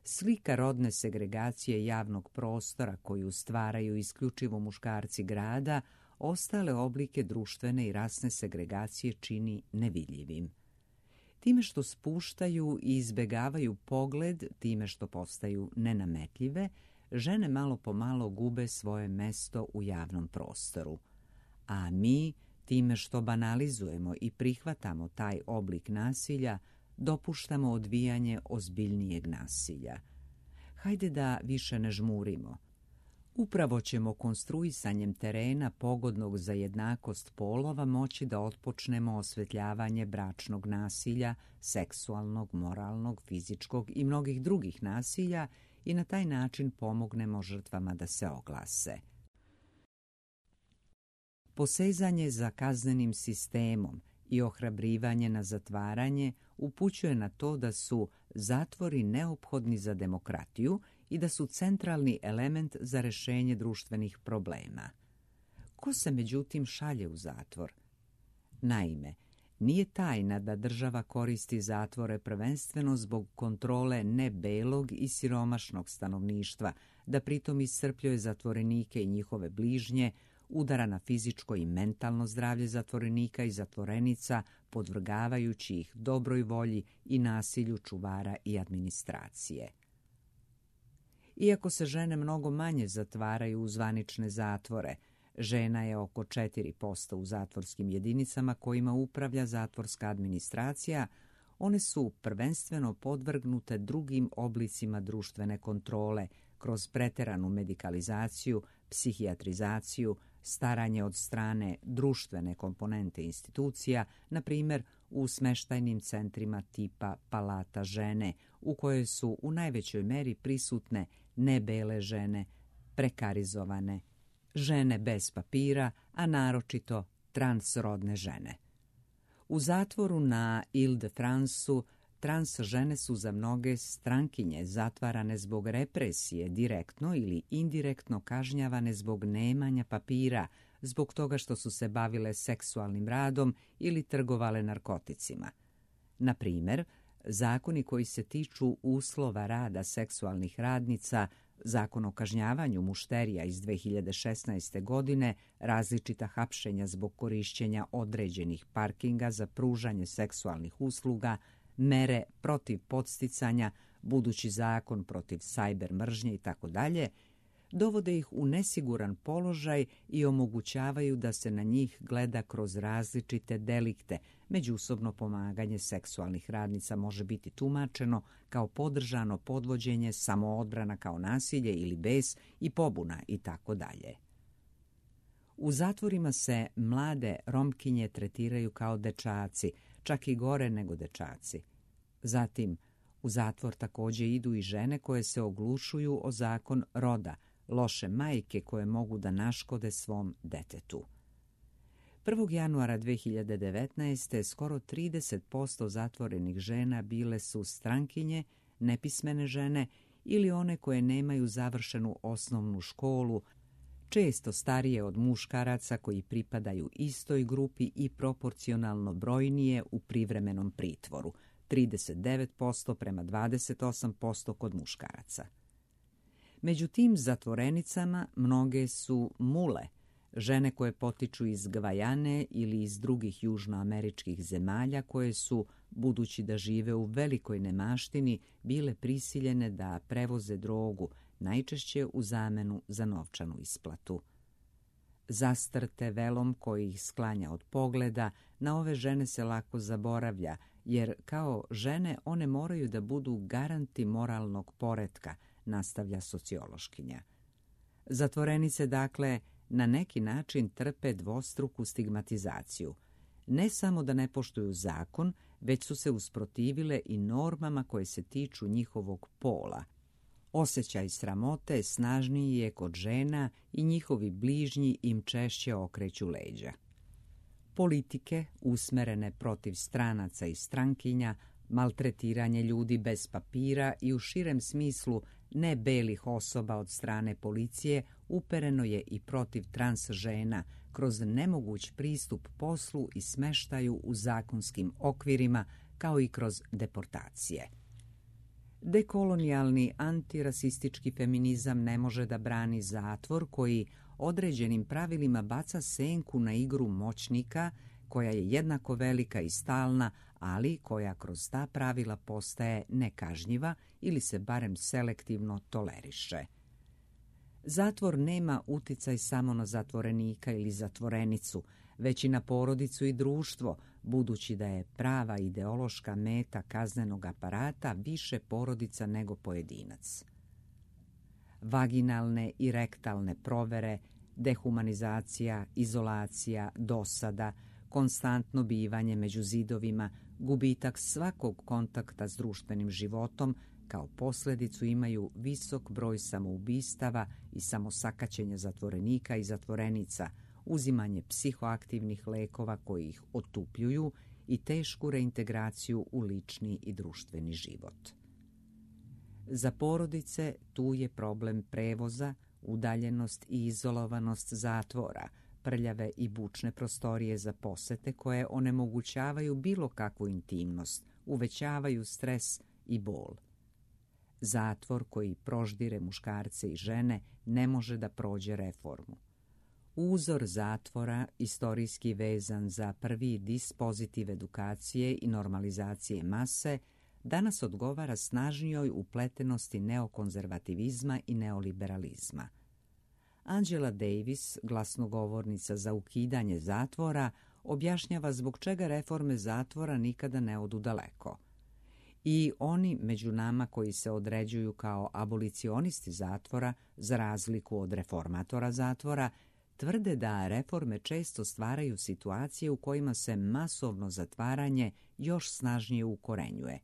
Slika rodne segregacije javnog prostora koju stvaraju isključivo muškarci grada, ostale oblike društvene i rasne segregacije čini nevidljivim. Time što spuštaju i izbegavaju pogled, time što postaju nenametljive, žene malo po malo gube svoje mesto u javnom prostoru. A mi, time što banalizujemo i prihvatamo taj oblik nasilja, dopuštamo odvijanje ozbiljnijeg nasilja. Hajde da više ne žmurimo. Upravo ćemo konstruisanjem terena pogodnog za jednakost polova moći da otpočnemo osvetljavanje bračnog nasilja, seksualnog, moralnog, fizičkog i mnogih drugih nasilja i na taj način pomognemo žrtvama da se oglase. Posezanje za kaznenim sistemom i ohrabrivanje na zatvaranje upućuje na to da su zatvori neophodni za demokratiju i da su centralni element za rešenje društvenih problema. Ko se međutim šalje u zatvor? Naime, nije tajna da država koristi zatvore prvenstveno zbog kontrole nebelog i siromašnog stanovništva, da pritom iscrpljuje zatvorenike i njihove bližnje, udara na fizičko i mentalno zdravlje zatvorenika i zatvorenica, podvrgavajući ih dobroj volji i nasilju čuvara i administracije. Iako se žene mnogo manje zatvaraju u zvanične zatvore, žena je oko četiri posto u zatvorskim jedinicama kojima upravlja zatvorska administracija, one su prvenstveno podvrgnute drugim oblicima društvene kontrole kroz preteranu medikalizaciju, psihijatrizaciju, staranje od strane društvene komponente institucija, na primjer u smeštajnim centrima tipa Palata žene, u kojoj su u najvećoj meri prisutne nebele žene, prekarizovane, žene bez papira, a naročito transrodne žene. U zatvoru na Ile-de-Franceu trans žene su za mnoge strankinje zatvarane zbog represije, direktno ili indirektno kažnjavane zbog nemanja papira, zbog toga što su se bavile seksualnim radom ili trgovale narkoticima. Na primjer, zakoni koji se tiču uslova rada seksualnih radnica, Zakon o kažnjavanju mušterija iz dve hiljade šesnaeste. godine, različita hapšenja zbog korišćenja određenih parkinga za pružanje seksualnih usluga, mere protiv podsticanja, budući zakon protiv sajber mržnje itd., dovode ih u nesiguran položaj i omogućavaju da se na njih gleda kroz različite delikte. Međusobno pomaganje seksualnih radnica može biti tumačeno kao podržano podvođenje, samoodbrana kao nasilje ili bes i pobuna itd. U zatvorima se mlade Romkinje tretiraju kao dečaci, čak i gore nego dečaci. Zatim, u zatvor također idu i žene koje se oglušuju o zakon roda, loše majke koje mogu da naškode svom detetu. prvog januara dve hiljade devetnaeste. skoro trideset posto zatvorenih žena bile su strankinje, nepismene žene ili one koje nemaju završenu osnovnu školu, često starije od muškaraca koji pripadaju istoj grupi i proporcionalno brojnije u privremenom pritvoru, trideset devet posto prema dvadeset osam posto kod muškaraca. Među tim zatvorenicama mnoge su mule, žene koje potiču iz Gvajane ili iz drugih južnoameričkih zemalja koje su, budući da žive u velikoj nemaštini, bile prisiljene da prevoze drogu, najčešće u zamenu za novčanu isplatu. Zastrte velom koji ih sklanja od pogleda, na ove žene se lako zaboravlja, jer kao žene one moraju da budu garanti moralnog poretka, nastavlja sociološkinja. Zatvorenice, dakle, na neki način trpe dvostruku stigmatizaciju. Ne samo da ne poštuju zakon, već su se usprotivile i normama koje se tiču njihovog pola. Osjećaj sramote snažniji je kod žena i njihovi bližnji im češće okreću leđa. Politike, usmerene protiv stranaca i strankinja, maltretiranje ljudi bez papira i u širem smislu ne belih osoba od strane policije upereno je i protiv trans žena kroz nemoguć pristup poslu i smeštaju u zakonskim okvirima, kao i kroz deportacije. Dekolonijalni antirasistički feminizam ne može da brani zatvor koji određenim pravilima baca senku na igru moćnika, koja je jednako velika i stalna, ali koja kroz ta pravila postaje nekažnjiva ili se barem selektivno toleriše. Zatvor nema uticaj samo na zatvorenika ili zatvorenicu, već i na porodicu i društvo, budući da je prava ideološka meta kaznenog aparata više porodica nego pojedinac. Vaginalne i rektalne provere, dehumanizacija, izolacija, dosada, konstantno bivanje među zidovima, gubitak svakog kontakta s društvenim životom kao posljedicu imaju visok broj samoubistava i samosakaćenja zatvorenika i zatvorenica, uzimanje psihoaktivnih lekova koji ih otupljuju i tešku reintegraciju u lični i društveni život. Za porodice tu je problem prevoza, udaljenost i izolovanost zatvora, prljave i bučne prostorije za posete koje onemogućavaju bilo kakvu intimnost, uvećavaju stres i bol. Zatvor koji proždire muškarce i žene ne može da prođe reformu. Uzor zatvora, istorijski vezan za prvi dispozitiv edukacije i normalizacije mase, danas odgovara snažnijoj upletenosti neokonzervativizma i neoliberalizma. Angela Davis, glasnogovornica za ukidanje zatvora, objašnjava zbog čega reforme zatvora nikada ne odu daleko. I oni među nama koji se određuju kao abolicionisti zatvora, za razliku od reformatora zatvora, tvrde da reforme često stvaraju situacije u kojima se masovno zatvaranje još snažnije ukorenjuje.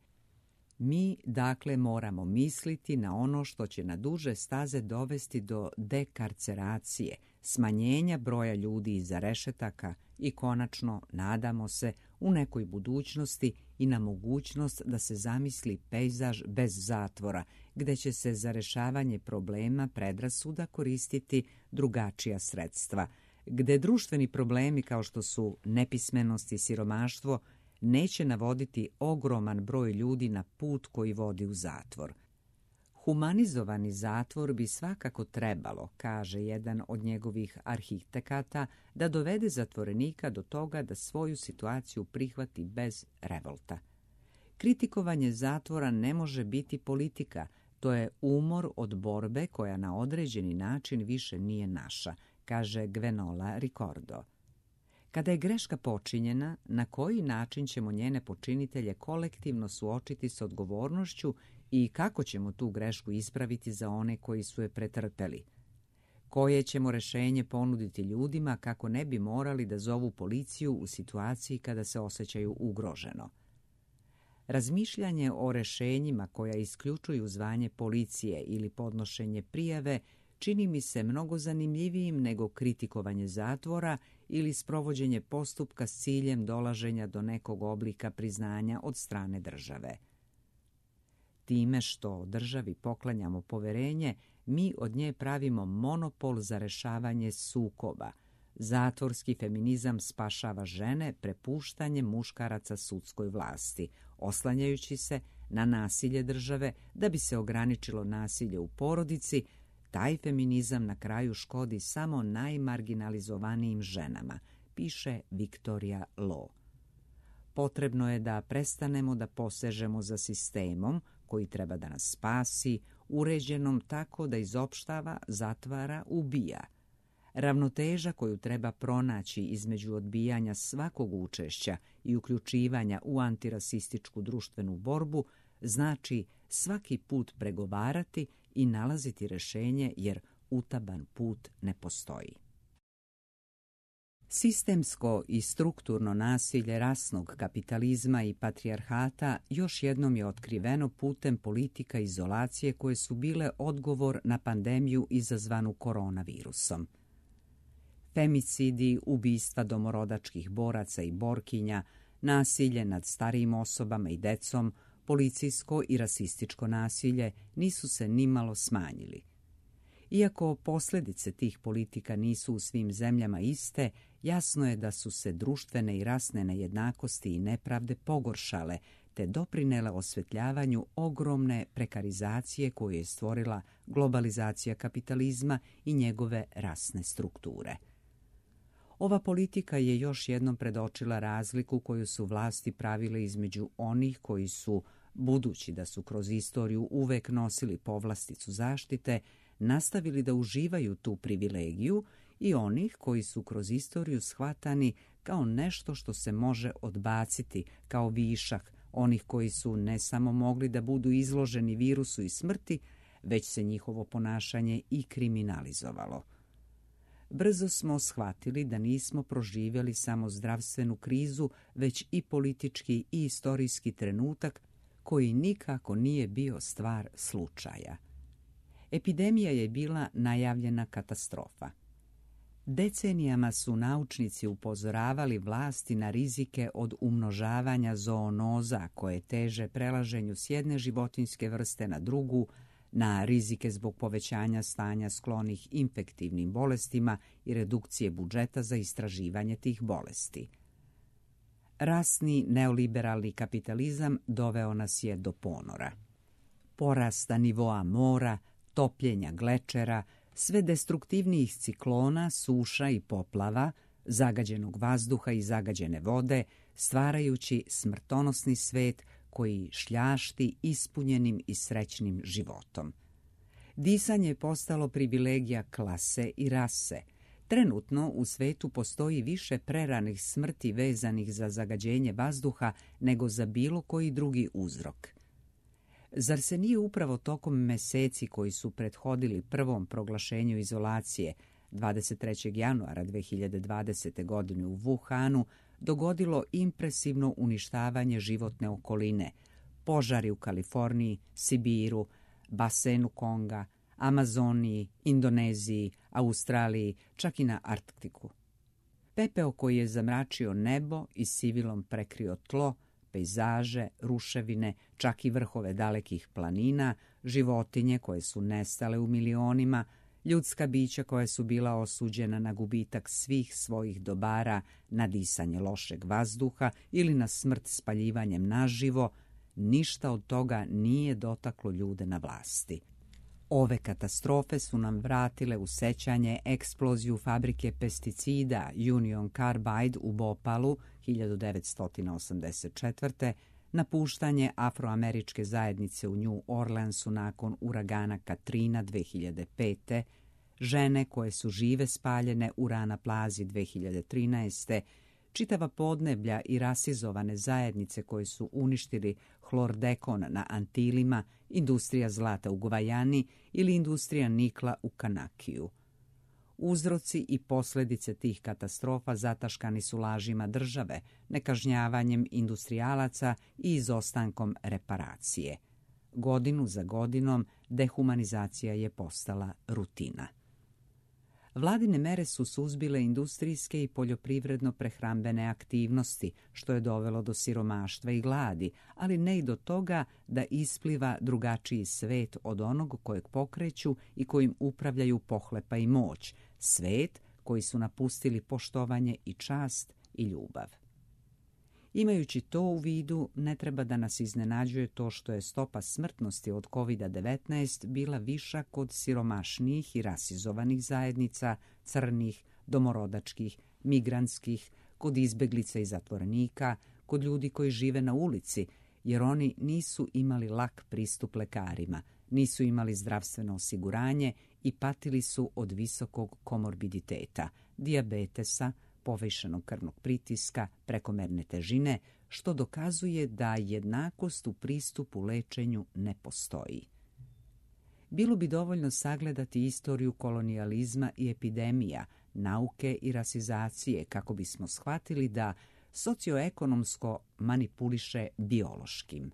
Mi, dakle, moramo misliti na ono što će na duže staze dovesti do dekarceracije, smanjenja broja ljudi iza rešetaka i konačno, nadamo se, u nekoj budućnosti i na mogućnost da se zamisli pejzaž bez zatvora, gde će se za rešavanje problema predrasuda koristiti drugačija sredstva, gde društveni problemi kao što su nepismenost i siromaštvo neće navoditi ogroman broj ljudi na put koji vodi u zatvor. Humanizovani zatvor bi svakako trebalo, kaže jedan od njegovih arhitekata, da dovede zatvorenika do toga da svoju situaciju prihvati bez revolta. Kritikovanje zatvora ne može biti politika, to je umor od borbe koja na određeni način više nije naša, kaže Gwenola Ricordo. Kada je greška počinjena, na koji način ćemo njene počinitelje kolektivno suočiti s odgovornošću i kako ćemo tu grešku ispraviti za one koji su je pretrpeli? Koje ćemo rešenje ponuditi ljudima kako ne bi morali da zovu policiju u situaciji kada se osjećaju ugroženo? Razmišljanje o rešenjima koja isključuju zvanje policije ili podnošenje prijave čini mi se mnogo zanimljivijim nego kritikovanje zatvora ili sprovođenje postupka s ciljem dolaženja do nekog oblika priznanja od strane države. Time što državi poklanjamo poverenje, mi od nje pravimo monopol za rešavanje sukoba, Zatvorski feminizam spašava žene prepuštanjem muškaraca sudskoj vlasti, oslanjajući se na nasilje države da bi se ograničilo nasilje u porodici. Taj feminizam na kraju škodi samo najmarginalizovanijim ženama, piše Victoria Law. Potrebno je da prestanemo da posežemo za sistemom koji treba da nas spasi, uređenom tako da izopštava, zatvara, ubija. Ravnoteža koju treba pronaći između odbijanja svakog učešća i uključivanja u antirasističku društvenu borbu znači svaki put pregovarati i nalaziti rješenje, jer utaban put ne postoji. Sistemsko i strukturno nasilje rasnog kapitalizma i patrijarhata još jednom je otkriveno putem politika izolacije koje su bile odgovor na pandemiju izazvanu koronavirusom. Femicidi, ubistva domorodačkih boraca i borkinja, nasilje nad starijim osobama i decom, policijsko i rasističko nasilje nisu se nimalo smanjili. Iako posljedice tih politika nisu u svim zemljama iste, jasno je da su se društvene i rasne nejednakosti i nepravde pogoršale, te doprinele osvetljavanju ogromne prekarizacije koju je stvorila globalizacija kapitalizma i njegove rasne strukture. Ova politika je još jednom predočila razliku koju su vlasti pravile između onih koji su, budući da su kroz istoriju uvek nosili povlasticu zaštite, nastavili da uživaju tu privilegiju, i onih koji su kroz istoriju shvatani kao nešto što se može odbaciti, kao višak, onih koji su ne samo mogli da budu izloženi virusu i smrti, već se njihovo ponašanje i kriminalizovalo. Brzo smo shvatili da nismo proživjeli samo zdravstvenu krizu, već i politički i istorijski trenutak koji nikako nije bio stvar slučaja. Epidemija je bila najavljena katastrofa. Decenijama su naučnici upozoravali vlasti na rizike od umnožavanja zoonoza koje teže prelaženju s jedne životinjske vrste na drugu, na rizike zbog povećanja stanja sklonih infektivnim bolestima i redukcije budžeta za istraživanje tih bolesti. Rasni neoliberalni kapitalizam doveo nas je do ponora. Porasta nivoa mora, topljenja glečera, sve destruktivnijih ciklona, suša i poplava, zagađenog vazduha i zagađene vode, stvarajući smrtonosni svet koji šljašti ispunjenim i srećnim životom. Disanje je postalo privilegija klase i rase. Trenutno u svetu postoji više preranih smrti vezanih za zagađenje vazduha nego za bilo koji drugi uzrok. Zar se nije upravo tokom meseci koji su prethodili prvom proglašenju izolacije dvadeset trećeg januara dve hiljade dvadesete. godine u Wuhanu dogodilo impresivno uništavanje životne okoline, požari u Kaliforniji, Sibiru, basenu Konga, Amazoniji, Indoneziji, Australiji, čak i na Arktiku. Pepeo koji je zamračio nebo i sivilom prekrio tlo, pejzaže, ruševine, čak i vrhove dalekih planina, životinje koje su nestale u milionima, ljudska bića koja su bila osuđena na gubitak svih svojih dobara, na disanje lošeg vazduha ili na smrt spaljivanjem naživo, ništa od toga nije dotaklo ljude na vlasti. Ove katastrofe su nam vratile u sećanje eksploziju fabrike pesticida Union Carbide u Bopalu hiljadu devetsto osamdeset četvrte. napuštanje afroameričke zajednice u New Orleansu nakon uragana Katrina dve hiljade pete. žene koje su žive spaljene u Rana Plazi dve hiljade trinaeste. čitava podneblja i rasizovane zajednice koje su uništili hlordekon na Antilima, industrija zlata u Gvajani ili industrija nikla u Kanakiju. Uzroci i posljedice tih katastrofa zataškani su lažima države, nekažnjavanjem industrijalaca i izostankom reparacije. Godinu za godinom dehumanizacija je postala rutina. Vladine mere su suzbile industrijske i poljoprivredno-prehrambene aktivnosti, što je dovelo do siromaštva i gladi, ali ne i do toga da ispliva drugačiji svet od onog kojeg pokreću i kojim upravljaju pohlepa i moć, svet koji su napustili poštovanje i čast i ljubav. Imajući to u vidu, ne treba da nas iznenađuje to što je stopa smrtnosti od kovid devetnaest bila viša kod siromašnijih i rasizovanih zajednica, crnih, domorodačkih, migrantskih, kod izbeglica i zatvorenika, kod ljudi koji žive na ulici, jer oni nisu imali lak pristup lekarima, nisu imali zdravstveno osiguranje i patili su od visokog komorbiditeta, dijabetesa, povišenog krvnog pritiska, prekomerne težine, što dokazuje da jednakost u pristupu lečenju ne postoji. Bilo bi dovoljno sagledati istoriju kolonijalizma i epidemija, nauke i rasizacije kako bismo shvatili da socioekonomsko manipuliše biološkim.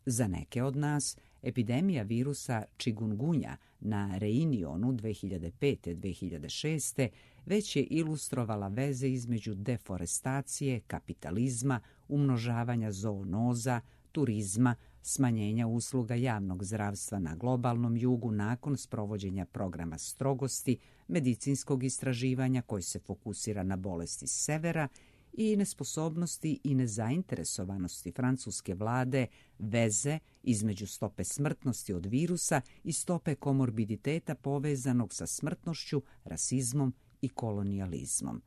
Za neke od nas, epidemija virusa čigungunja na Reunionu dve hiljade pete do dve hiljade šeste već je ilustrovala veze između deforestacije, kapitalizma, umnožavanja zoonoza, turizma, smanjenja usluga javnog zdravstva na globalnom jugu nakon sprovođenja programa strogosti, medicinskog istraživanja koji se fokusira na bolesti severa i nesposobnosti i nezainteresovanosti francuske vlade veze između stope smrtnosti od virusa i stope komorbiditeta povezanog sa smrtnošću, rasizmom i kolonijalizmom.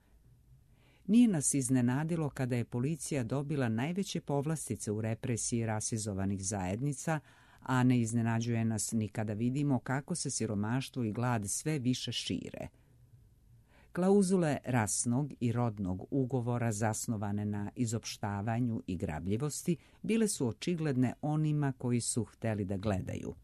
Nije nas iznenadilo kada je policija dobila najveće povlastice u represiji rasizovanih zajednica, a ne iznenađuje nas ni kada vidimo kako se siromaštvo i glad sve više šire. Klauzule rasnog i rodnog ugovora zasnovane na izopštavanju i grabljivosti bile su očigledne onima koji su hteli da gledaju.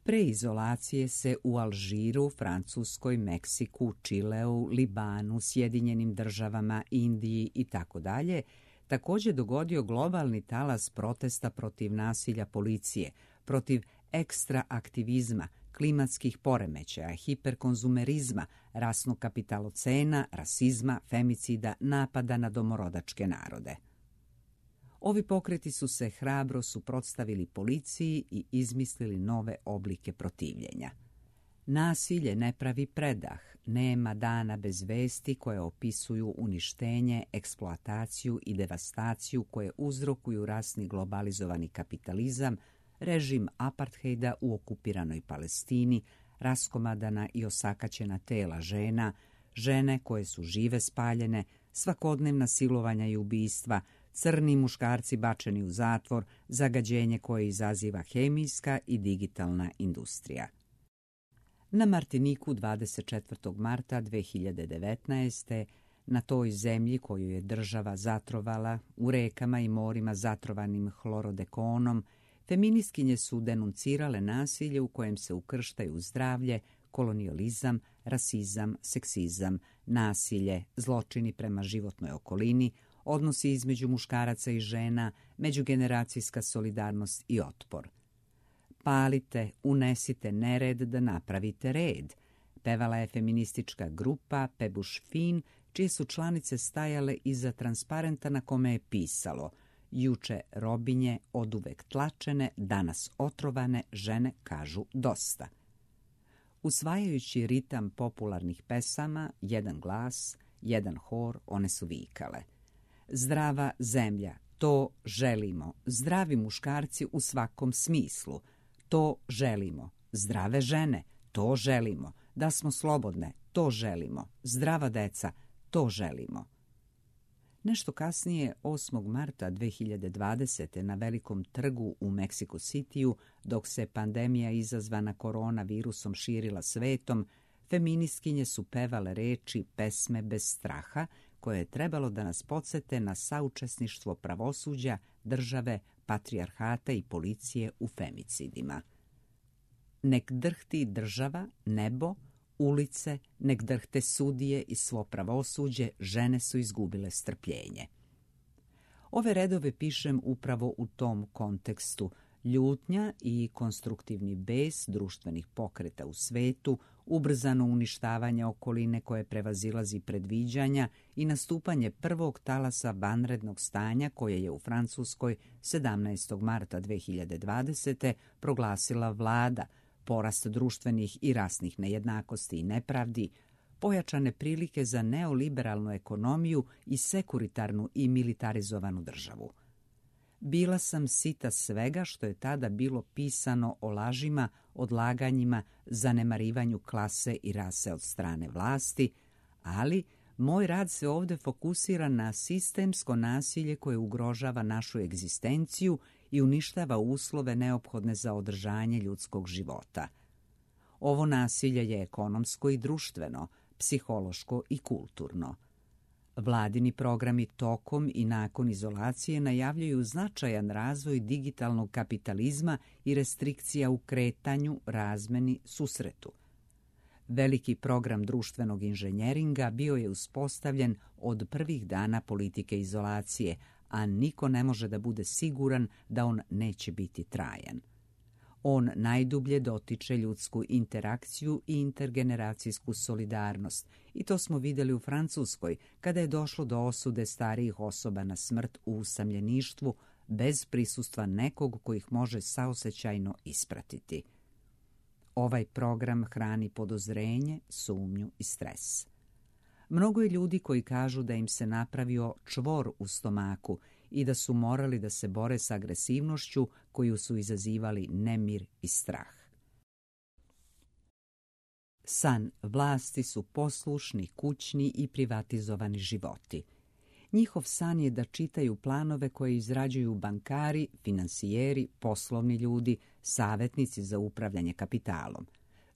Pre izolacije se u Alžiru, Francuskoj, Meksiku, Čileu, Libanu, Sjedinjenim državama, Indiji i tako dalje također dogodio globalni talas protesta protiv nasilja policije, protiv ekstra aktivizma, klimatskih poremećaja, hiperkonzumerizma, rasnog kapitalocena, rasizma, femicida, napada na domorodačke narode. Ovi pokreti su se hrabro suprotstavili policiji i izmislili nove oblike protivljenja. Nasilje ne pravi predah, nema dana bez vesti koje opisuju uništenje, eksploataciju i devastaciju koje uzrokuju rasni globalizovani kapitalizam, režim apartheida u okupiranoj Palestini, raskomadana i osakaćena tela žena, žene koje su žive spaljene, svakodnevna silovanja i ubistva, crni muškarci bačeni u zatvor, zagađenje koje izaziva hemijska i digitalna industrija. Na Martiniku dvadeset četvrtog marta dve hiljade devetnaeste. na toj zemlji koju je država zatrovala, u rekama i morima zatrovanim hlorodekonom, feministkinje su denuncirale nasilje u kojem se ukrštaju zdravlje, kolonijalizam, rasizam, seksizam, nasilje, zločini prema životnoj okolini, odnosi između muškaraca i žena, međugeneracijska solidarnost i otpor. Palite, unesite nered da napravite red, pevala je feministička grupa Pebuš Fin, čije su članice stajale iza transparenta na kome je pisalo: juče robinje, oduvek tlačene, danas otrovane, žene kažu dosta. Usvajajući ritam popularnih pesama, jedan glas, jedan hor, one su vikale: zdrava zemlja, to želimo, zdravi muškarci u svakom smislu, to želimo, zdrave žene, to želimo, da smo slobodne, to želimo, zdrava deca, to želimo. Nešto kasnije, osmog marta dve hiljade dvadesete. na Velikom trgu u Meksiko Cityu, dok se pandemija izazvana koronavirusom širila svetom, feministkinje su pevale reči pesme bez straha, koje je trebalo da nas podsete na saučesništvo pravosuđa, države, patrijarhata i policije u femicidima. Nek drhti država, nebo, ulice, nek drhte sudije i svo pravosuđe, žene su izgubile strpljenje. Ove redove pišem upravo u tom kontekstu. Ljutnja i konstruktivni bes društvenih pokreta u svetu, ubrzano uništavanje okoline koje prevazilazi predviđanja i nastupanje prvog talasa vanrednog stanja koje je u Francuskoj sedamnaestog marta dve hiljade dvadesete. proglasila vlada, porast društvenih i rasnih nejednakosti i nepravdi, pojačane prilike za neoliberalnu ekonomiju i sekuritarnu i militarizovanu državu. Bila sam sita svega što je tada bilo pisano o lažima, odlaganjima, zanemarivanju klase i rase od strane vlasti, ali moj rad se ovdje fokusira na sistemsko nasilje koje ugrožava našu egzistenciju i uništava uslove neophodne za održanje ljudskog života. Ovo nasilje je ekonomsko i društveno, psihološko i kulturno. Vladini programi tokom i nakon izolacije najavljuju značajan razvoj digitalnog kapitalizma i restrikcija u kretanju, razmeni, susretu. Veliki program društvenog inženjeringa bio je uspostavljen od prvih dana politike izolacije, a niko ne može da bude siguran da on neće biti trajan. On najdublje dotiče ljudsku interakciju i intergeneracijsku solidarnost, i to smo vidjeli u Francuskoj kada je došlo do osude starijih osoba na smrt u usamljeništvu bez prisustva nekog ko ih može saosećajno ispratiti. Ovaj program hrani podozrenje, sumnju i stres. Mnogo je ljudi koji kažu da im se napravio čvor u stomaku i da su morali da se bore s agresivnošću koju su izazivali nemir i strah. San vlasti su poslušni, kućni i privatizovani životi. Njihov san je da čitaju planove koje izrađuju bankari, finansijeri, poslovni ljudi, savjetnici za upravljanje kapitalom.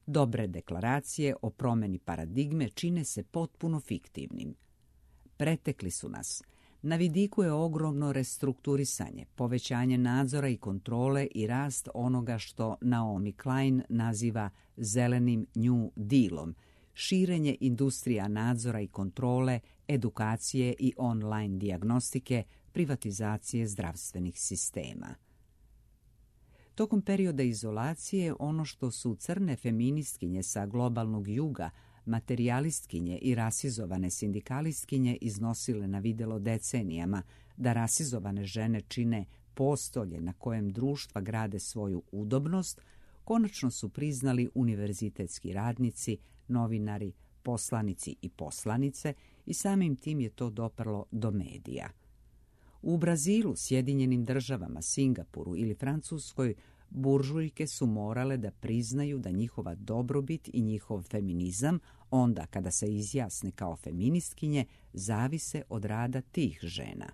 Dobre deklaracije o promjeni paradigme čine se potpuno fiktivnim. Pretekli su nas. Na vidiku je ogromno restrukturisanje, povećanje nadzora i kontrole i rast onoga što Naomi Klein naziva zelenim New Dealom, širenje industrija nadzora i kontrole, edukacije i online dijagnostike, privatizacije zdravstvenih sistema. Tokom perioda izolacije, ono što su crne feministkinje sa globalnog juga, materijalistkinje i rasizovane sindikalistkinje iznosile na videlo decenijama, da rasizovane žene čine postolje na kojem društva grade svoju udobnost, konačno su priznali univerzitetski radnici, novinari, poslanici i poslanice, i samim tim je to doprlo do medija. U Brazilu, Sjedinjenim državama, Singapuru ili Francuskoj buržujke su morale da priznaju da njihova dobrobit i njihov feminizam, onda kada se izjasne kao feministkinje, zavise od rada tih žena.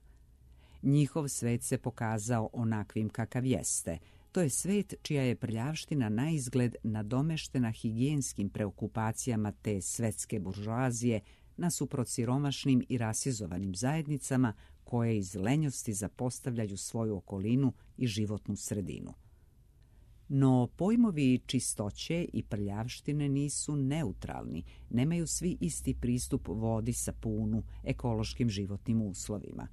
Njihov svet se pokazao onakvim kakav jeste. To je svet čija je prljavština naizgled nadomeštena higijenskim preokupacijama te svetske buržoazije nasuprot siromašnim i rasizovanim zajednicama koje iz lenjosti zapostavljaju svoju okolinu i životnu sredinu. No pojmovi čistoće i prljavštine nisu neutralni, nemaju svi isti pristup vodi, sapunu, ekološkim životnim uslovima.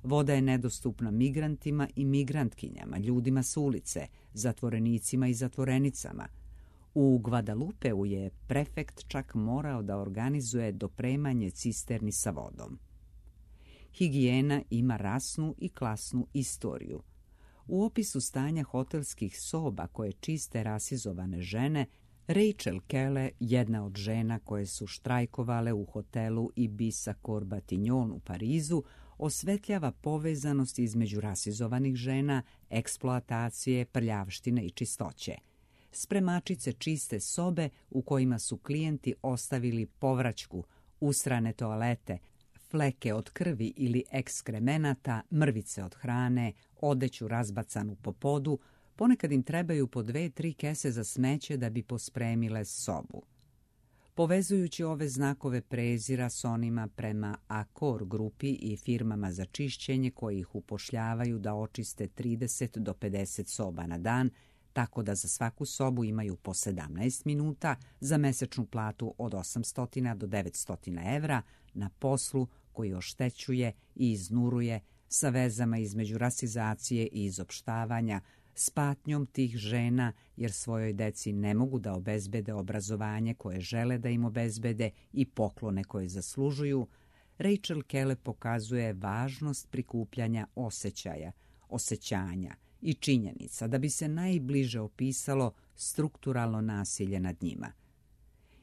Voda je nedostupna migrantima i migrantkinjama, ljudima s ulice, zatvorenicima i zatvorenicama. U Guadalupeu je prefekt čak morao da organizuje dopremanje cisterni sa vodom. Higijena ima rasnu i klasnu istoriju. U opisu stanja hotelskih soba koje čiste rasizovane žene, Rachel Kelle, jedna od žena koje su štrajkovale u hotelu Ibiza Corbatignon u Parizu, osvetljava povezanost između rasizovanih žena, eksploatacije, prljavštine i čistoće. Spremačice čiste sobe u kojima su klijenti ostavili povraćku, usrane toalete, fleke od krvi ili ekskremenata, mrvice od hrane, odeću razbacanu po podu, ponekad im trebaju po dve, tri kese za smeće da bi pospremile sobu. Povezujući ove znakove prezira s onima prema Accor grupi i firmama za čišćenje koji ih upošljavaju da očiste trideset do pedeset soba na dan, tako da za svaku sobu imaju po sedamnaest minuta, za mesečnu platu od osamsto do devetsto evra, na poslu koji oštećuje i iznuruje, sa vezama između rasizacije i izopštavanja, s patnjom tih žena jer svojoj deci ne mogu da obezbede obrazovanje koje žele da im obezbede i poklone koje zaslužuju, Rachel Kelle pokazuje važnost prikupljanja osjećaja, osjećanja i činjenica da bi se najbliže opisalo strukturalno nasilje nad njima.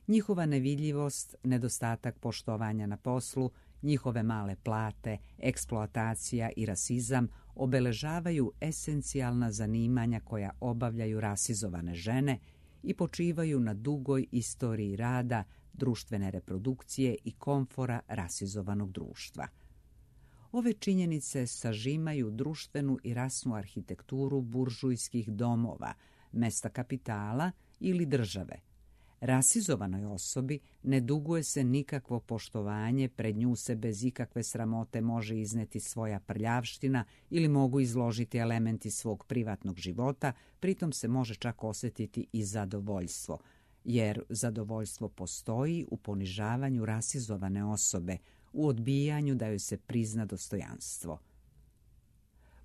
Njihova nevidljivost, nedostatak poštovanja na poslu, njihove male plate, eksploatacija i rasizam obeležavaju esencijalna zanimanja koja obavljaju rasizovane žene i počivaju na dugoj istoriji rada, društvene reprodukcije i komfora rasizovanog društva. Ove činjenice sažimaju društvenu i rasnu arhitekturu buržujskih domova, mesta kapitala ili države. Rasizovanoj osobi ne duguje se nikakvo poštovanje, pred nju se bez ikakve sramote može izneti svoja prljavština ili mogu izložiti elementi svog privatnog života, pritom se može čak osjetiti i zadovoljstvo, jer zadovoljstvo postoji u ponižavanju rasizovane osobe, u odbijanju da joj se prizna dostojanstvo.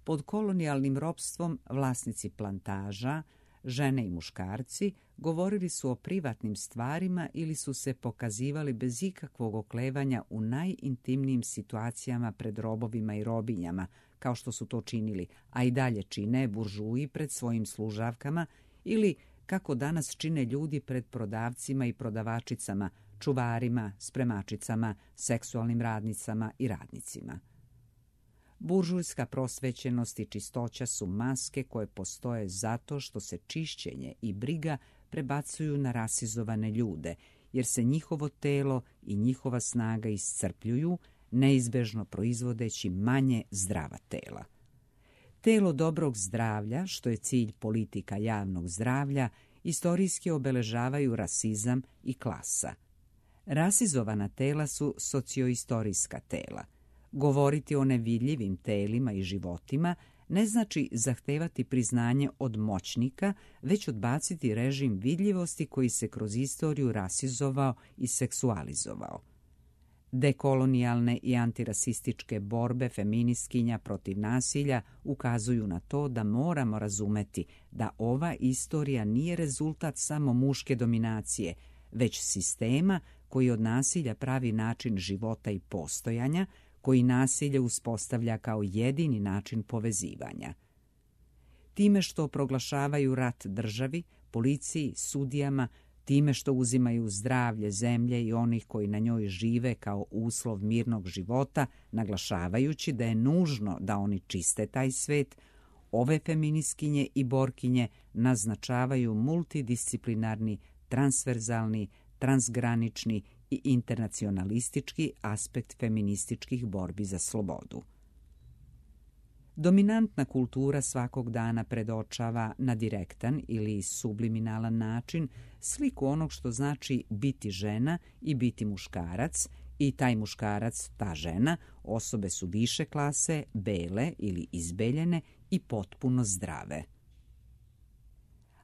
Pod kolonijalnim ropstvom vlasnici plantaža, žene i muškarci, govorili su o privatnim stvarima ili su se pokazivali bez ikakvog oklevanja u najintimnijim situacijama pred robovima i robinjama, kao što su to činili, a i dalje čine buržuji pred svojim služavkama ili kako danas čine ljudi pred prodavcima i prodavačicama, čuvarima, spremačicama, seksualnim radnicama i radnicima. Buržujska prosvećenost i čistoća su maske koje postoje zato što se čišćenje i briga prebacuju na rasizovane ljude, jer se njihovo telo i njihova snaga iscrpljuju, neizbežno proizvodeći manje zdrava tela. Telo dobrog zdravlja, što je cilj politika javnog zdravlja, istorijski obeležavaju rasizam i klasa. Rasizovana tela su socioistorijska tela. Govoriti o nevidljivim telima i životima ne znači zahtevati priznanje od moćnika, već odbaciti režim vidljivosti koji se kroz istoriju rasizovao i seksualizovao. Dekolonijalne i antirasističke borbe feministkinja protiv nasilja ukazuju na to da moramo razumeti da ova istorija nije rezultat samo muške dominacije, već sistema koji od nasilja pravi način života i postojanja, koji nasilje uspostavlja kao jedini način povezivanja. Time što proglašavaju rat državi, policiji, sudijama, time što uzimaju zdravlje zemlje i onih koji na njoj žive kao uslov mirnog života, naglašavajući da je nužno da oni čiste taj svet, ove feministkinje i borkinje naznačavaju multidisciplinarni, transverzalni, transgranični i internacionalistički aspekt feminističkih borbi za slobodu. Dominantna kultura svakog dana predočava na direktan ili subliminalan način sliku onog što znači biti žena i biti muškarac, i taj muškarac, ta žena, osobe su više klase, bele ili izbeljene i potpuno zdrave.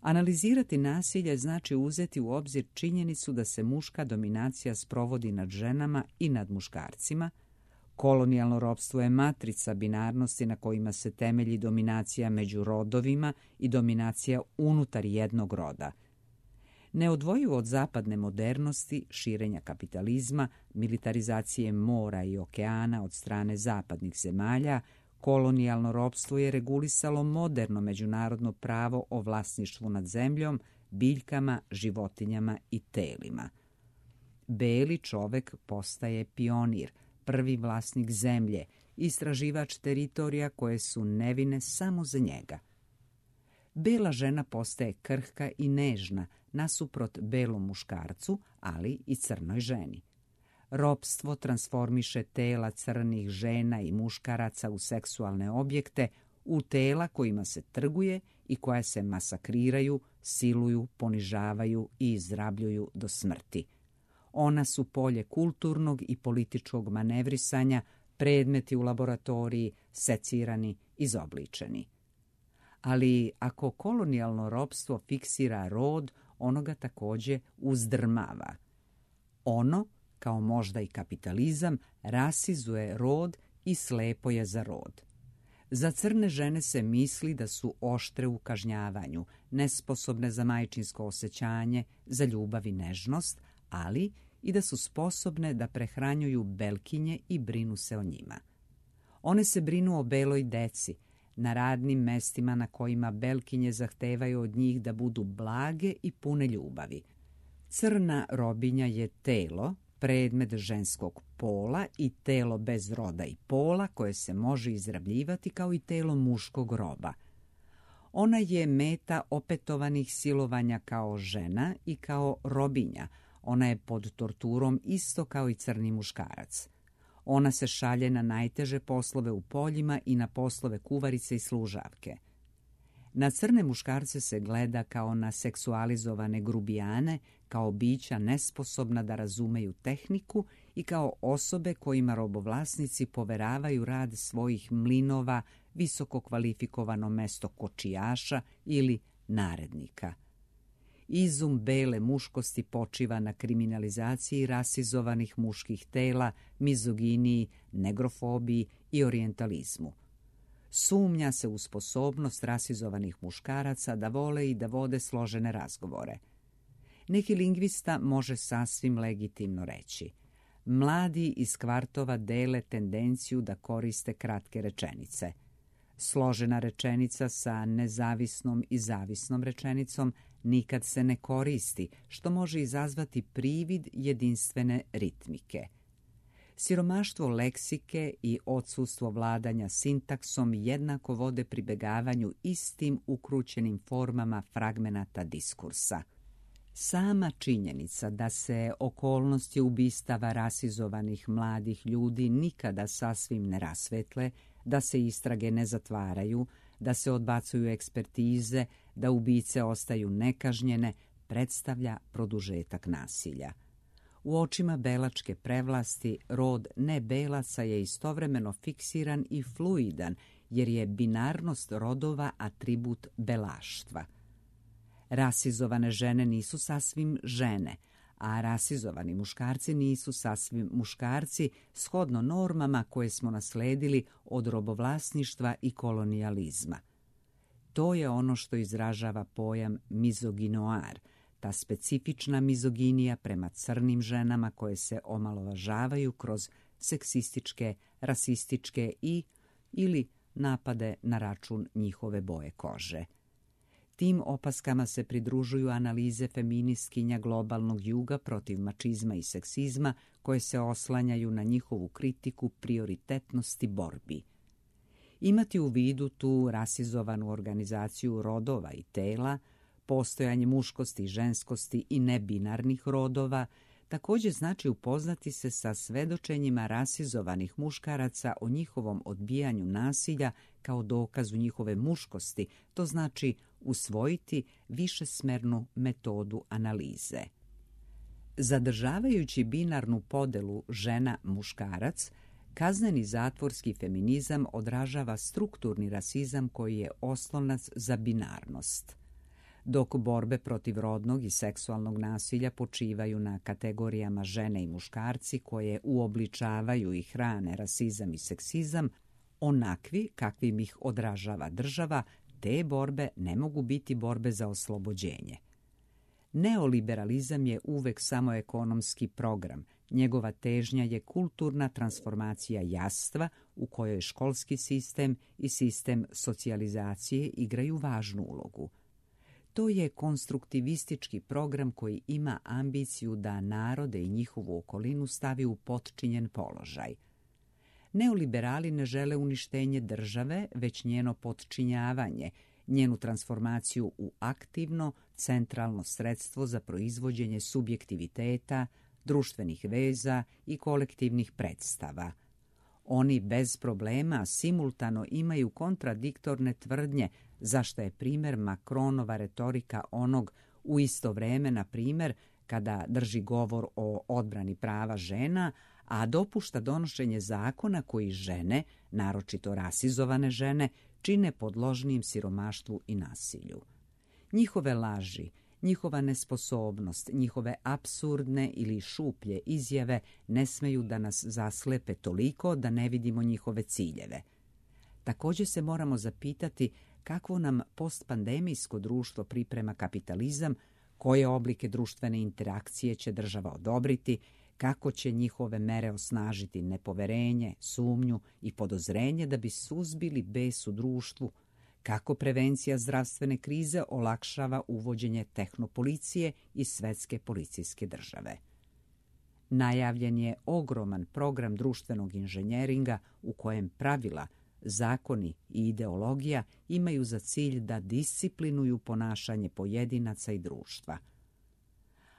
Analizirati nasilje znači uzeti u obzir činjenicu da se muška dominacija sprovodi nad ženama i nad muškarcima. Kolonijalno ropstvo je matrica binarnosti na kojima se temelji dominacija među rodovima i dominacija unutar jednog roda. Neodvojivo od zapadne modernosti, širenja kapitalizma, militarizacije mora i okeana od strane zapadnih zemalja, kolonijalno ropstvo je regulisalo moderno međunarodno pravo o vlasništvu nad zemljom, biljkama, životinjama i telima. Beli čovek postaje pionir, prvi vlasnik zemlje, istraživač teritorija koje su nevine samo za njega. Bela žena postaje krhka i nežna nasuprot belom muškarcu, ali i crnoj ženi. Ropstvo transformiše tela crnih žena i muškaraca u seksualne objekte, u tela kojima se trguje i koja se masakriraju, siluju, ponižavaju i izrabljuju do smrti. Ona su polje kulturnog i političkog manevrisanja, predmeti u laboratoriji, secirani, izobličeni. Ali ako kolonijalno ropstvo fiksira rod, ono ga također uzdrmava. Ono, kao možda i kapitalizam, rasizuje rod i slepo je za rod. Za crne žene se misli da su oštre u kažnjavanju, nesposobne za majčinsko osjećanje, za ljubav i nežnost, ali i da su sposobne da prehranjuju belkinje i brinu se o njima. One se brinu o beloj deci, na radnim mestima na kojima belkinje zahtevaju od njih da budu blage i pune ljubavi. Crna robinja je telo, predmet ženskog pola i telo bez roda i pola koje se može izrabljivati kao i telo muškog roba. Ona je meta opetovanih silovanja kao žena i kao robinja. Ona je pod torturom isto kao i crni muškarac. Ona se šalje na najteže poslove u poljima i na poslove kuvarice i služavke. Na crne muškarce se gleda kao na seksualizovane grubijane, kao bića nesposobna da razumeju tehniku i kao osobe kojima robovlasnici poveravaju rad svojih mlinova, visoko kvalifikovano mesto kočijaša ili narednika. Izum bele muškosti počiva na kriminalizaciji rasizovanih muških tela, mizoginiji, negrofobiji i orijentalizmu. Sumnja se u sposobnost rasizovanih muškaraca da vole i da vode složene razgovore. Neki lingvista može sasvim legitimno reći: mladi iz kvartova dele tendenciju da koriste kratke rečenice. Složena rečenica sa nezavisnom i zavisnom rečenicom nikad se ne koristi, što može izazvati privid jedinstvene ritmike. Siromaštvo leksike i odsustvo vladanja sintaksom jednako vode pribegavanju istim ukrućenim formama fragmenata diskursa. Sama činjenica da se okolnosti ubistava rasizovanih mladih ljudi nikada sasvim ne rasvetle, da se istrage ne zatvaraju, da se odbacuju ekspertize, da ubice ostaju nekažnjene, predstavlja produžetak nasilja. U očima belačke prevlasti rod nebelaca je istovremeno fiksiran i fluidan, jer je binarnost rodova atribut belaštva. Rasizovane žene nisu sasvim žene, a rasizovani muškarci nisu sasvim muškarci, shodno normama koje smo nasledili od robovlasništva i kolonijalizma. To je ono što izražava pojam mizoginoar, ta specifična mizoginija prema crnim ženama koje se omalovažavaju kroz seksističke, rasističke i ili napade na račun njihove boje kože. Tim opaskama se pridružuju analize feministkinja globalnog juga protiv mačizma i seksizma koje se oslanjaju na njihovu kritiku prioritetnosti borbi. Imati u vidu tu rasizovanu organizaciju rodova i tela, postojanje muškosti i ženskosti i nebinarnih rodova, također znači upoznati se sa svedočenjima rasizovanih muškaraca o njihovom odbijanju nasilja kao dokazu njihove muškosti, to znači usvojiti višesmernu metodu analize. Zadržavajući binarnu podelu žena-muškarac, kazneni zatvorski feminizam odražava strukturni rasizam koji je oslonac za binarnost. Dok borbe protiv rodnog i seksualnog nasilja počivaju na kategorijama žene i muškarci koje uobličavaju i hrane rasizam i seksizam, onakvi kakvim ih odražava država, te borbe ne mogu biti borbe za oslobođenje. Neoliberalizam je uvek samo ekonomski program. Njegova težnja je kulturna transformacija jastva u kojoj školski sistem i sistem socijalizacije igraju važnu ulogu. To je konstruktivistički program koji ima ambiciju da narode i njihovu okolinu stavi u potčinjen položaj. Neoliberali ne žele uništenje države, već njeno potčinjavanje, njenu transformaciju u aktivno, centralno sredstvo za proizvođenje subjektiviteta, društvenih veza i kolektivnih predstava. Oni bez problema simultano imaju kontradiktorne tvrdnje, zašto je primjer Macronova retorika onog u isto vreme, na primjer, kada drži govor o odbrani prava žena, a dopušta donošenje zakona koji žene, naročito rasizovane žene, čine podložnijim siromaštvu i nasilju. Njihove laži, njihova nesposobnost, njihove apsurdne ili šuplje izjave ne smeju da nas zaslepe toliko da ne vidimo njihove ciljeve. Također se moramo zapitati kakvo nam postpandemijsko društvo priprema kapitalizam, koje oblike društvene interakcije će država odobriti, kako će njihove mere osnažiti nepoverenje, sumnju i podozrenje da bi suzbili bes u društvu, kako prevencija zdravstvene krize olakšava uvođenje tehnopolicije i svetske policijske države. Najavljen je ogroman program društvenog inženjeringa u kojem pravila, zakoni i ideologija imaju za cilj da disciplinuju ponašanje pojedinaca i društva.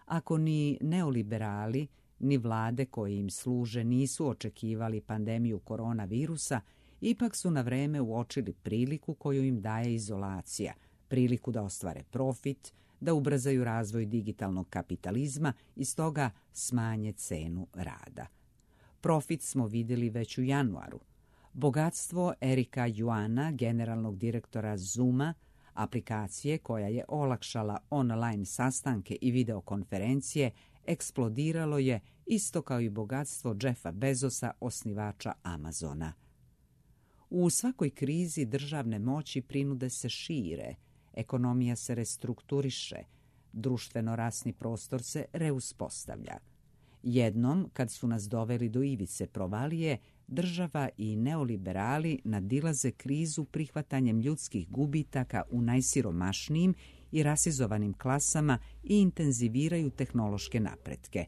Ako ni neoliberali, ni vlade koje im služe nisu očekivali pandemiju koronavirusa, ipak su na vreme uočili priliku koju im daje izolacija, priliku da ostvare profit, da ubrzaju razvoj digitalnog kapitalizma i stoga smanje cenu rada. Profit smo vidjeli već u januaru. Bogatstvo Erika Yuana, generalnog direktora Zooma, aplikacije koja je olakšala online sastanke i videokonferencije, eksplodiralo je isto kao i bogatstvo Jeffa Bezosa, osnivača Amazona. U svakoj krizi državne moći prinude se šire, ekonomija se restrukturiše, društveno-rasni prostor se reuspostavlja. Jednom, kad su nas doveli do ivice provalije, država i neoliberali nadilaze krizu prihvatanjem ljudskih gubitaka u najsiromašnijim i rasizovanim klasama i intenziviraju tehnološke napretke.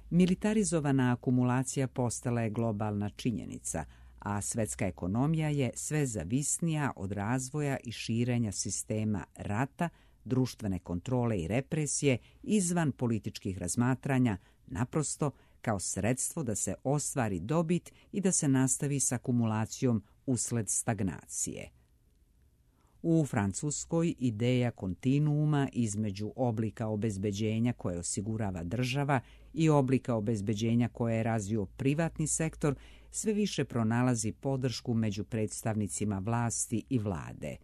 Militarizovana akumulacija postala je globalna činjenica, a svetska ekonomija je sve zavisnija od razvoja i širenja sistema rata, društvene kontrole i represije izvan političkih razmatranja, naprosto kao sredstvo da se ostvari dobit i da se nastavi s akumulacijom usled stagnacije. U Francuskoj ideja kontinuuma između oblika obezbeđenja koje osigurava država i oblika obezbeđenja koje je razvio privatni sektor sve više pronalazi podršku među predstavnicima vlasti i vlade.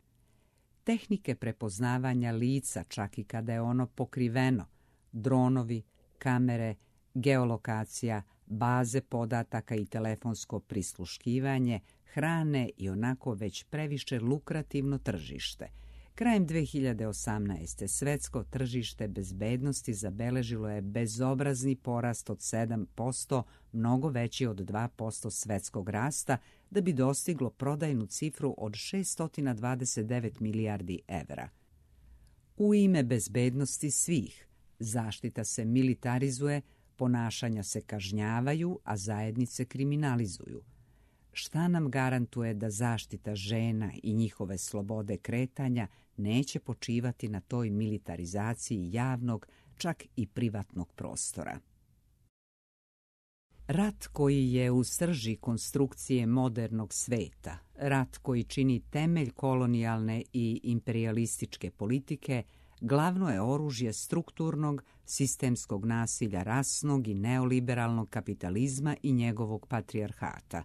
Tehnike prepoznavanja lica, čak i kada je ono pokriveno, dronovi, kamere, geolokacija, baze podataka i telefonsko prisluškivanje hrane i onako već previše lukrativno tržište. Krajem dve hiljade osamnaeste. svetsko tržište bezbednosti zabeležilo je bezobrazni porast od sedam posto, mnogo veći od dva posto svetskog rasta, da bi dostiglo prodajnu cifru od šessto dvadeset devet milijardi evra. U ime bezbednosti svih, zaštita se militarizuje, ponašanja se kažnjavaju, a zajednice kriminalizuju. Šta nam garantuje da zaštita žena i njihove slobode kretanja neće počivati na toj militarizaciji javnog, čak i privatnog prostora? Rat koji je u srži konstrukcije modernog sveta, rat koji čini temelj kolonijalne i imperijalističke politike, glavno je oružje strukturnog, sistemskog nasilja rasnog i neoliberalnog kapitalizma i njegovog patrijarhata.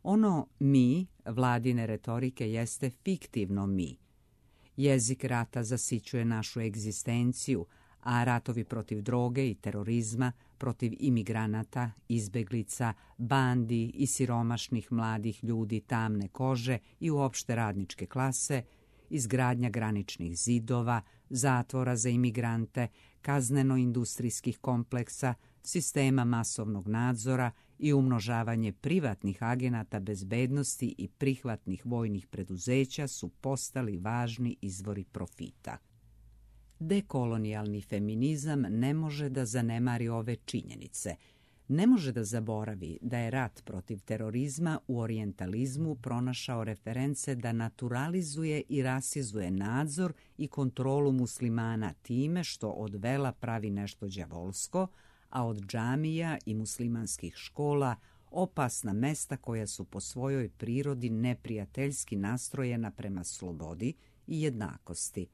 Ono mi, vladine retorike, jeste fiktivno mi. Jezik rata zasićuje našu egzistenciju, a ratovi protiv droge i terorizma, protiv imigranata, izbeglica, bandi i siromašnih mladih ljudi tamne kože i uopšte radničke klase, izgradnja graničnih zidova, zatvora za imigrante, kazneno-industrijskih kompleksa, sistema masovnog nadzora i umnožavanje privatnih agenata bezbednosti i prihvatnih vojnih preduzeća su postali važni izvori profita. Dekolonijalni feminizam ne može da zanemari ove činjenice. Ne može da zaboravi da je rat protiv terorizma u orijentalizmu pronašao reference da naturalizuje i rasizuje nadzor i kontrolu muslimana time što od vela pravi nešto đavolsko, a od džamija i muslimanskih škola opasna mesta koja su po svojoj prirodi neprijateljski nastrojena prema slobodi i jednakosti.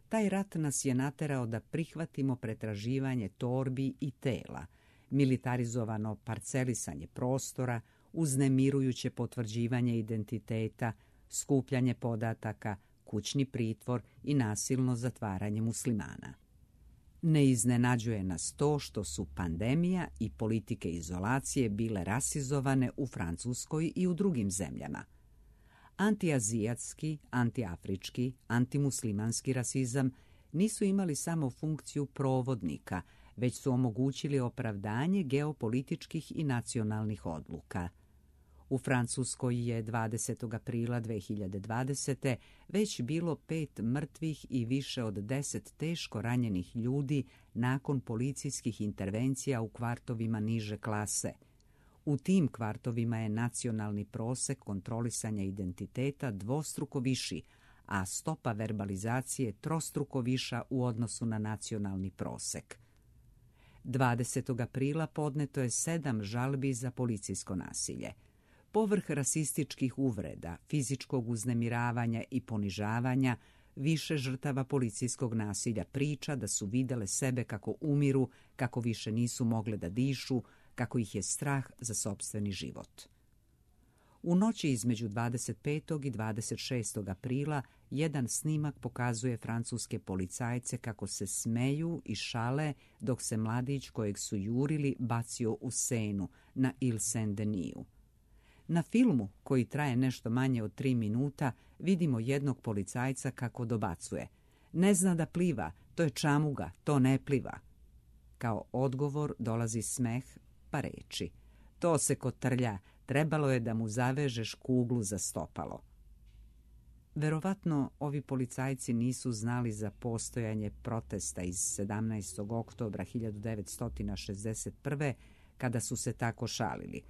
Taj rat nas je naterao da prihvatimo pretraživanje torbi i tela, militarizovano parcelisanje prostora, uznemirujuće potvrđivanje identiteta, skupljanje podataka, kućni pritvor i nasilno zatvaranje muslimana. Ne iznenađuje nas to što su pandemija i politike izolacije bile rasizovane u Francuskoj i u drugim zemljama. Antiazijatski, antiafrički, antimuslimanski rasizam nisu imali samo funkciju provodnika, već su omogućili opravdanje geopolitičkih i nacionalnih odluka. U Francuskoj je dvadesetog aprila dve hiljade dvadesete. već bilo pet mrtvih i više od deset teško ranjenih ljudi nakon policijskih intervencija u kvartovima niže klase. U tim kvartovima je nacionalni prosek kontrolisanja identiteta dvostruko viši, a stopa verbalizacije trostruko viša u odnosu na nacionalni prosek. dvadesetog aprila podneto je sedam žalbi za policijsko nasilje. Povrh rasističkih uvreda, fizičkog uznemiravanja i ponižavanja, više žrtava policijskog nasilja priča da su videle sebe kako umiru, kako više nisu mogle da dišu, kako ih je strah za sopstveni život. U noći između dvadeset petog i dvadeset šestog aprila jedan snimak pokazuje francuske policajce kako se smeju i šale dok se mladić kojeg su jurili bacio u Senu na Ile Saint-Deniju. Na filmu, koji traje nešto manje od tri minuta, vidimo jednog policajca kako dobacuje: "Ne zna da pliva, to je čamuga, to ne pliva." Kao odgovor dolazi smeh pa reči: "To se kotrlja, trebalo je da mu zavežeš kuglu za stopalo." Verovatno ovi policajci nisu znali za postojanje protesta iz sedamnaestog oktobra hiljadu devetsto šezdeset prve. kada su se tako šalili.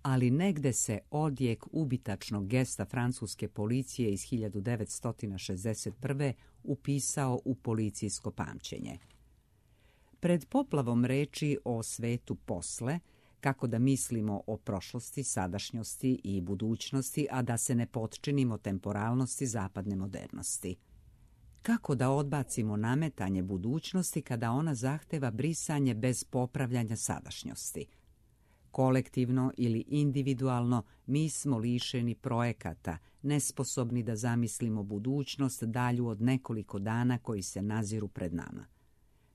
Ali negde se odjek ubitačnog gesta francuske policije iz hiljadu devetsto šezdeset prve. upisao u policijsko pamćenje. Pred poplavom reči o svetu posle, kako da mislimo o prošlosti, sadašnjosti i budućnosti, a da se ne potčinimo temporalnosti zapadne modernosti. Kako da odbacimo nametanje budućnosti kada ona zahteva brisanje bez popravljanja sadašnjosti? Kolektivno ili individualno mi smo lišeni projekata, nesposobni da zamislimo budućnost dalju od nekoliko dana koji se naziru pred nama.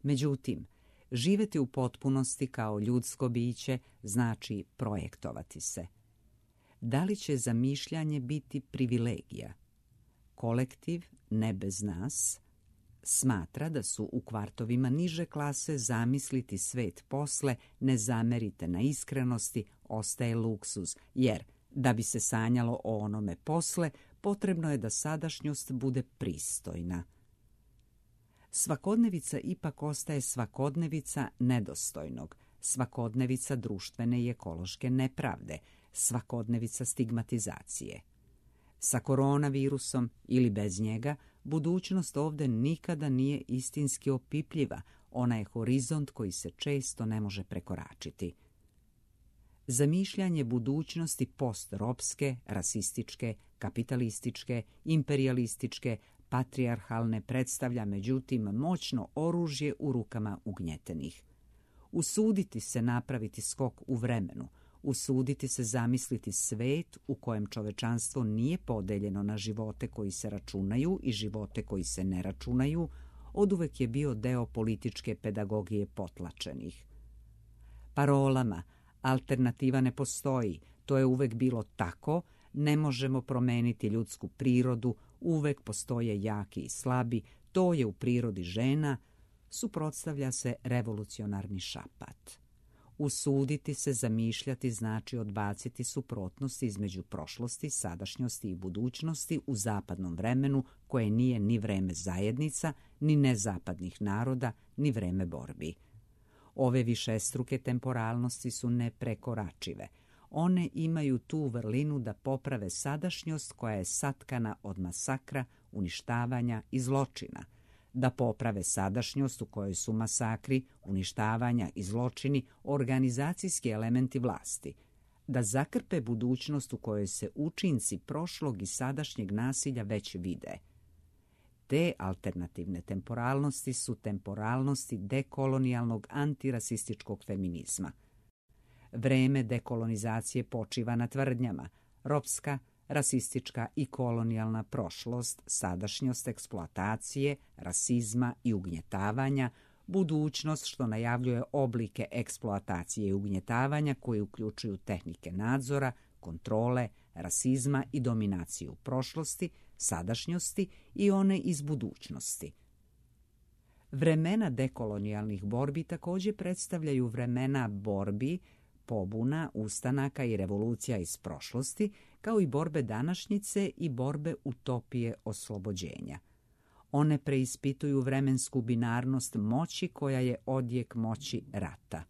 Međutim, živeti u potpunosti kao ljudsko biće znači projektovati se. Da li će zamišljanje biti privilegija? Kolektiv, ne bez nas, smatra da su u kvartovima niže klase zamisliti svet posle, ne zamerite na iskrenosti, ostaje luksuz, jer da bi se sanjalo o onome posle, potrebno je da sadašnjost bude pristojna. Svakodnevica ipak ostaje svakodnevica nedostojnog, svakodnevica društvene i ekološke nepravde, svakodnevica stigmatizacije. Sa koronavirusom ili bez njega, budućnost ovde nikada nije istinski opipljiva, ona je horizont koji se često ne može prekoračiti. Zamišljanje budućnosti postropske, rasističke, kapitalističke, imperialističke, patrijarhalne predstavlja međutim moćno oružje u rukama ugnjetenih. Usuditi se napraviti skok u vremenu, usuditi se zamisliti svet u kojem čovečanstvo nije podeljeno na živote koji se računaju i živote koji se ne računaju, oduvek je bio deo političke pedagogije potlačenih. Parolama alternativa ne postoji, to je uvek bilo tako, ne možemo promeniti ljudsku prirodu, uvek postoje jaki i slabi, to je u prirodi žena, suprotstavlja se revolucionarni šapat. Usuditi se zamišljati znači odbaciti suprotnosti između prošlosti, sadašnjosti i budućnosti u zapadnom vremenu koje nije ni vreme zajednica, ni nezapadnih naroda, ni vreme borbi. Ove višestruke temporalnosti su neprekoračive. One imaju tu vrlinu da poprave sadašnjost koja je satkana od masakra, uništavanja i zločina, da poprave sadašnjost u kojoj su masakri, uništavanja i zločini organizacijski elementi vlasti, da zakrpe budućnost u kojoj se učinci prošlog i sadašnjeg nasilja već vide. Te alternativne temporalnosti su temporalnosti dekolonijalnog antirasističkog feminizma. Vreme dekolonizacije počiva na tvrdnjama: ropska, rasistička i kolonijalna prošlost, sadašnjost eksploatacije, rasizma i ugnjetavanja, budućnost što najavljuje oblike eksploatacije i ugnjetavanja koji uključuju tehnike nadzora, kontrole, rasizma i dominaciju prošlosti, sadašnjosti i one iz budućnosti. Vremena dekolonijalnih borbi također predstavljaju vremena borbi pobuna, ustanaka i revolucija iz prošlosti, kao i borbe današnjice i borbe utopije oslobođenja. One preispituju vremensku binarnost moći koja je odjek moći rata.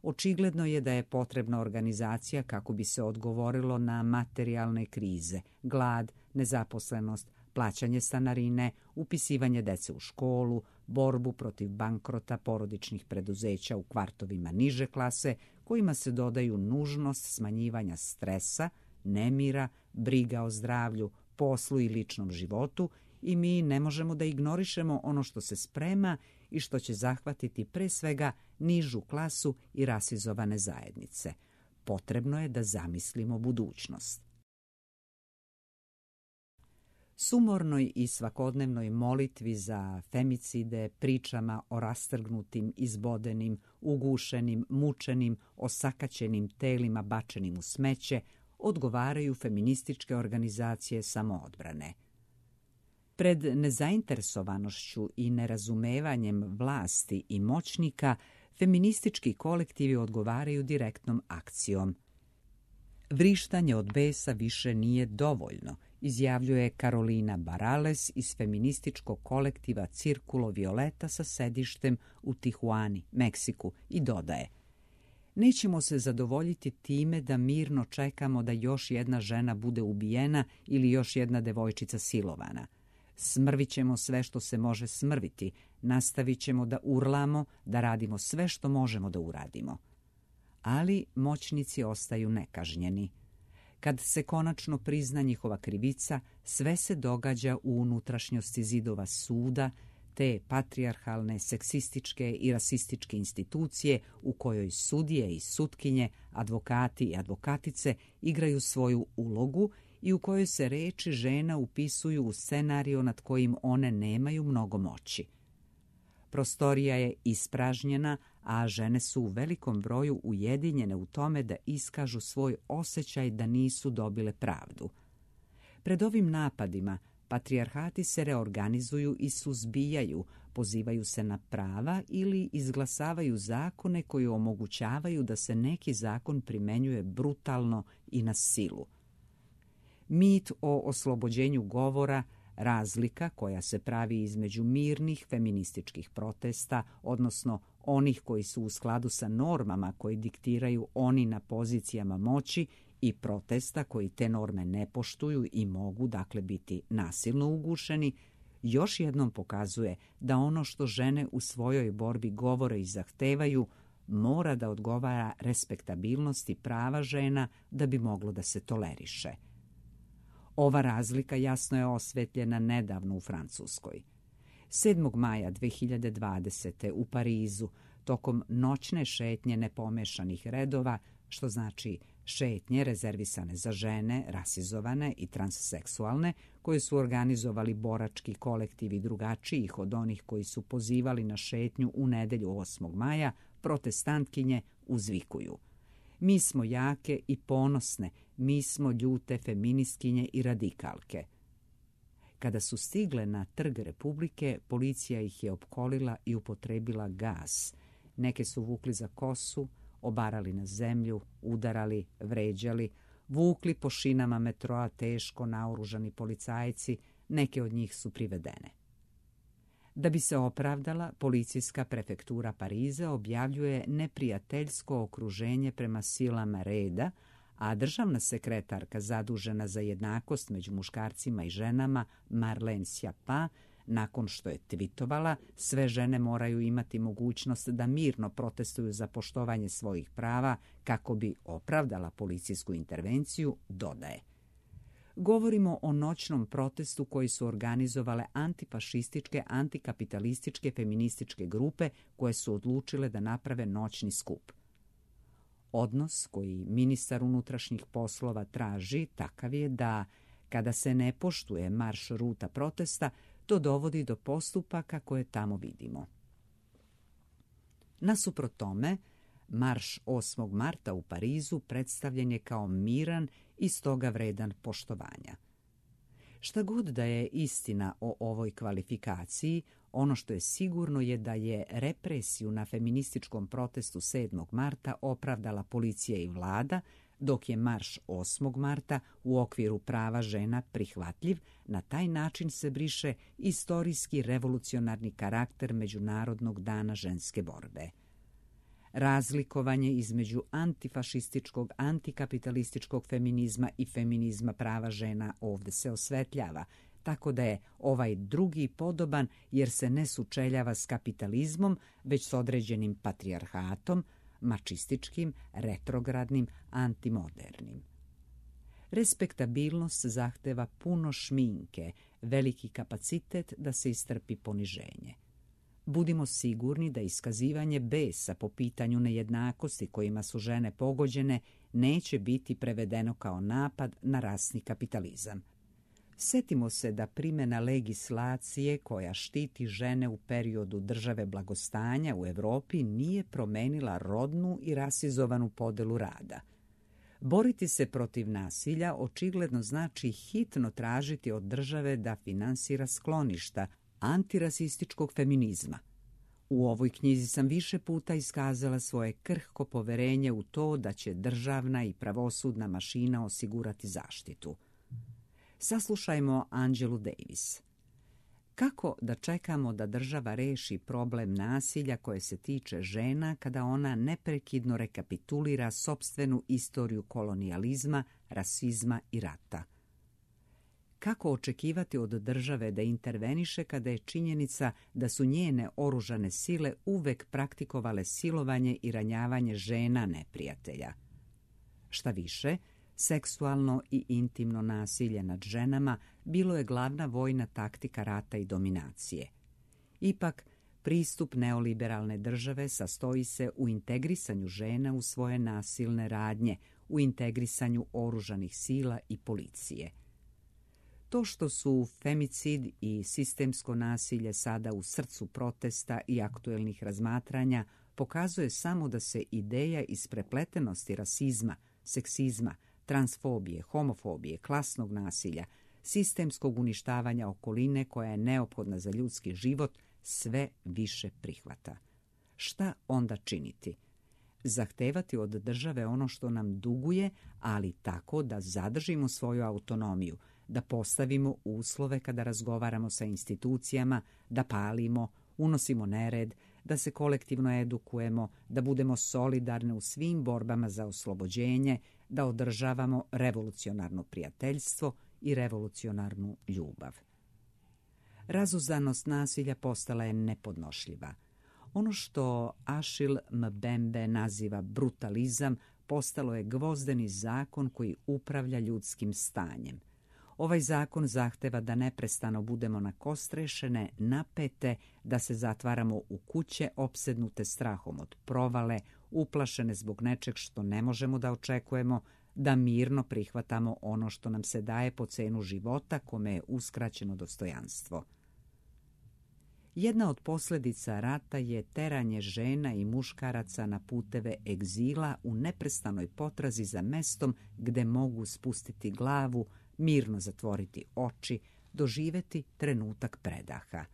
Očigledno je da je potrebna organizacija kako bi se odgovorilo na materijalne krize, glad, nezaposlenost, plaćanje stanarine, upisivanje dece u školu, borbu protiv bankrota porodičnih preduzeća u kvartovima niže klase, kojima se dodaju nužnost smanjivanja stresa, nemira, briga o zdravlju, poslu i ličnom životu, i mi ne možemo da ignorišemo ono što se sprema i što će zahvatiti pre svega nižu klasu i rasizovane zajednice. Potrebno je da zamislimo budućnost. Sumornoj i svakodnevnoj molitvi za femicide, pričama o rastrgnutim, izbodenim, ugušenim, mučenim, osakaćenim telima bačenim u smeće odgovaraju feminističke organizacije samoodbrane. Pred nezainteresovanošću i nerazumevanjem vlasti i moćnika, feministički kolektivi odgovaraju direktnom akcijom. Vrištanje od besa više nije dovoljno, izjavljuje Karolina Barales iz feminističkog kolektiva Cirkulo Violeta sa sedištem u Tijuani, Meksiku, i dodaje: nećemo se zadovoljiti time da mirno čekamo da još jedna žena bude ubijena ili još jedna devojčica silovana. Smrvit ćemo sve što se može smrviti, nastavit ćemo da urlamo, da radimo sve što možemo da uradimo. Ali moćnici ostaju nekažnjeni. Kad se konačno prizna njihova krivica, sve se događa u unutrašnjosti zidova suda, te patrijarhalne, seksističke i rasističke institucije u kojoj sudije i sutkinje, advokati i advokatice igraju svoju ulogu i u kojoj se reči žena upisuju u scenario nad kojim one nemaju mnogo moći. Prostorija je ispražnjena, a žene su u velikom broju ujedinjene u tome da iskažu svoj osjećaj da nisu dobile pravdu. Pred ovim napadima patrijarhati se reorganizuju i suzbijaju, pozivaju se na prava ili izglasavaju zakone koji omogućavaju da se neki zakon primenjuje brutalno i na silu. Mit o oslobođenju govora, razlika koja se pravi između mirnih feminističkih protesta, odnosno onih koji su u skladu sa normama koji diktiraju oni na pozicijama moći, i protesta koji te norme ne poštuju i mogu dakle biti nasilno ugušeni, još jednom pokazuje da ono što žene u svojoj borbi govore i zahtevaju mora da odgovara respektabilnosti prava žena da bi moglo da se toleriše. Ova razlika jasno je osvetljena nedavno u Francuskoj. sedmog maja dve hiljade dvadesete. u Parizu, tokom noćne šetnje nepomešanih redova, što znači šetnje rezervisane za žene, rasizovane i transseksualne, koje su organizovali borački kolektivi drugačijih od onih koji su pozivali na šetnju u nedelju osmog maja, protestantkinje uzvikuju: mi smo jake i ponosne, mi smo ljute feministkinje i radikalke. Kada su stigle na Trg Republike, policija ih je opkolila i upotrebila gas. Neke su vukli za kosu, obarali na zemlju, udarali, vređali, vukli po šinama metroa teško naoružani policajci, neke od njih su privedene. Da bi se opravdala, policijska prefektura Pariza objavljuje neprijateljsko okruženje prema silama reda, a državna sekretarka zadužena za jednakost među muškarcima i ženama, Marlene Schiappa, nakon što je tvitovala sve žene moraju imati mogućnost da mirno protestuju za poštovanje svojih prava kako bi opravdala policijsku intervenciju, dodaje: govorimo o noćnom protestu koji su organizovale antifašističke, antikapitalističke, feminističke grupe koje su odlučile da naprave noćni skup. Odnos koji ministar unutrašnjih poslova traži takav je da, kada se ne poštuje marš ruta protesta, to dovodi do postupaka koje tamo vidimo. Nasuprot tome, marš osmog marta u Parizu predstavljen je kao miran i stoga vredan poštovanja. Šta god da je istina o ovoj kvalifikaciji, ono što je sigurno je da je represiju na feminističkom protestu sedmog marta opravdala policija i vlada, dok je marš osmog marta u okviru prava žena prihvatljiv. Na taj način se briše istorijski revolucionarni karakter Međunarodnog dana ženske borbe. Razlikovanje između antifašističkog, antikapitalističkog feminizma i feminizma prava žena ovdje se osvetljava, tako da je ovaj drugi podoban jer se ne sučeljava s kapitalizmom, već s određenim patrijarhatom, mačističkim, retrogradnim, antimodernim. Respektabilnost zahteva puno šminke, veliki kapacitet da se istrpi poniženje. Budimo sigurni da iskazivanje besa po pitanju nejednakosti kojima su žene pogođene neće biti prevedeno kao napad na rasni kapitalizam. Setimo se da primjena legislacije koja štiti žene u periodu države blagostanja u Europi nije promenila rodnu i rasizovanu podelu rada. Boriti se protiv nasilja očigledno znači hitno tražiti od države da finansira skloništa antirasističkog feminizma. U ovoj knjizi sam više puta iskazala svoje krhko poverenje u to da će državna i pravosudna mašina osigurati zaštitu. Saslušajmo Angelu Davis. Kako da čekamo da država reši problem nasilja koje se tiče žena kada ona neprekidno rekapitulira sopstvenu istoriju kolonijalizma, rasizma i rata? Kako očekivati od države da interveniše kada je činjenica da su njene oružane sile uvek praktikovale silovanje i ranjavanje žena neprijatelja? Šta više, seksualno i intimno nasilje nad ženama bilo je glavna vojna taktika rata i dominacije. Ipak, pristup neoliberalne države sastoji se u integrisanju žena u svoje nasilne radnje, u integrisanju oružanih sila i policije. To što su femicid i sistemsko nasilje sada u srcu protesta i aktuelnih razmatranja pokazuje samo da se ideja isprepletenosti rasizma, seksizma, transfobije, homofobije, klasnog nasilja, sistemskog uništavanja okoline koja je neophodna za ljudski život sve više prihvata. Šta onda činiti? Zahtevati od države ono što nam duguje, ali tako da zadržimo svoju autonomiju, da postavimo uslove kada razgovaramo sa institucijama, da palimo, unosimo nered, da se kolektivno edukujemo, da budemo solidarni u svim borbama za oslobođenje, da održavamo revolucionarno prijateljstvo i revolucionarnu ljubav. Razuzanost nasilja postala je nepodnošljiva. Ono što Achille Mbembe naziva brutalizam postalo je gvozdeni zakon koji upravlja ljudskim stanjem. Ovaj zakon zahteva da neprestano budemo nakostrešene, napete, da se zatvaramo u kuće opsednute strahom od provale, uplašene zbog nečeg što ne možemo da očekujemo, da mirno prihvatamo ono što nam se daje po cenu života kome je uskraćeno dostojanstvo. Jedna od posljedica rata je teranje žena i muškaraca na puteve egzila u neprestanoj potrazi za mestom gde mogu spustiti glavu, mirno zatvoriti oči, doživeti trenutak predaha.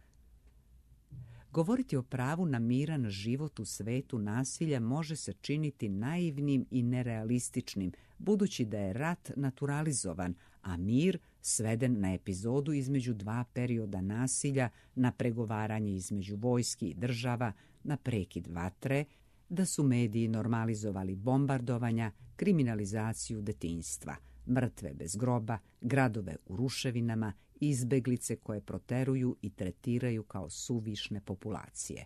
Govoriti o pravu na miran život u svetu nasilja može se činiti naivnim i nerealističnim, budući da je rat naturalizovan, a mir sveden na epizodu između dva perioda nasilja, na pregovaranje između vojski i država, na prekid vatre, da su mediji normalizovali bombardovanja, kriminalizaciju detinjstva, mrtve bez groba, gradove u ruševinama, izbeglice koje proteruju i tretiraju kao suvišne populacije.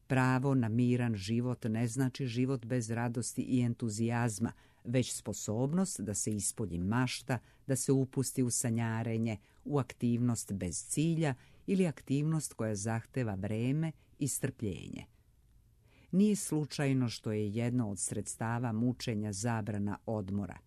Pravo na miran život ne znači život bez radosti i entuzijazma, već sposobnost da se ispolji mašta, da se upusti u sanjarenje, u aktivnost bez cilja ili aktivnost koja zahteva vreme i strpljenje. Nije slučajno što je jedno od sredstava mučenja zabrana odmora.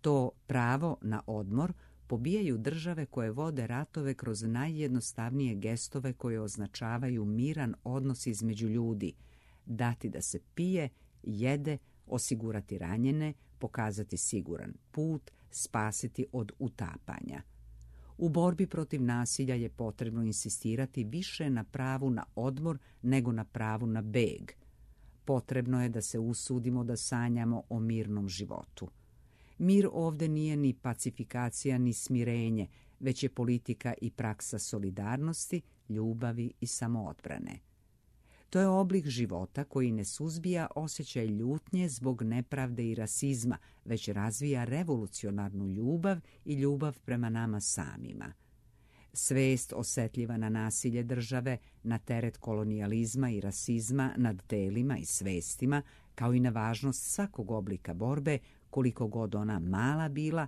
To pravo na odmor pobijaju države koje vode ratove kroz najjednostavnije gestove koje označavaju miran odnos između ljudi, dati da se pije, jede, osigurati ranjene, pokazati siguran put, spasiti od utapanja. U borbi protiv nasilja je potrebno insistirati više na pravu na odmor nego na pravu na beg. Potrebno je da se usudimo da sanjamo o mirnom životu. Mir ovde nije ni pacifikacija ni smirenje, već je politika i praksa solidarnosti, ljubavi i samoodbrane. To je oblik života koji ne suzbija osjećaj ljutnje zbog nepravde i rasizma, već razvija revolucionarnu ljubav i ljubav prema nama samima. Svest osetljiva na nasilje države, na teret kolonijalizma i rasizma nad telima i svestima, kao i na važnost svakog oblika borbe, koliko god ona mala bila,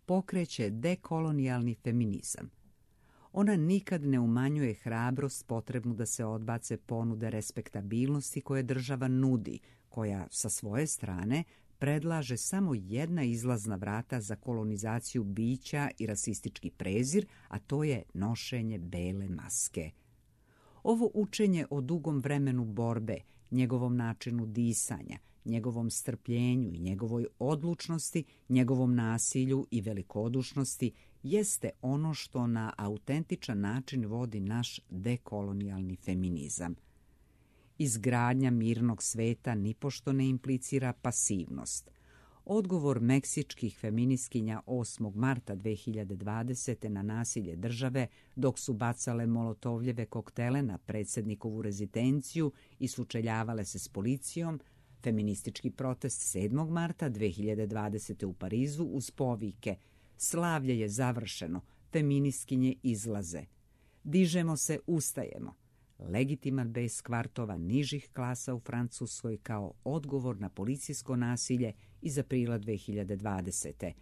pokreće dekolonijalni feminizam. Ona nikad ne umanjuje hrabrost potrebnu da se odbace ponude respektabilnosti koje država nudi, koja sa svoje strane predlaže samo jedna izlazna vrata za kolonizaciju bića i rasistički prezir, a to je nošenje bele maske. Ovo učenje o dugom vremenu borbe, njegovom načinu disanja, njegovom strpljenju i njegovoj odlučnosti, njegovom nasilju i velikodušnosti jeste ono što na autentičan način vodi naš dekolonijalni feminizam. Izgradnja mirnog sveta nipošto ne implicira pasivnost. Odgovor meksičkih feministkinja osmog marta dve hiljade dvadesete. na nasilje države, dok su bacale molotovljeve koktele na predsjednikovu rezidenciju i sučeljavale se s policijom, feministički protest sedmog marta dve hiljade dvadesete. u Parizu uz povike "Slavlje je završeno, feministkinje izlaze. Dižemo se, ustajemo." Legitiman bes kvartova nižih klasa u Francuskoj kao odgovor na policijsko nasilje iz aprila dve hiljade dvadesete.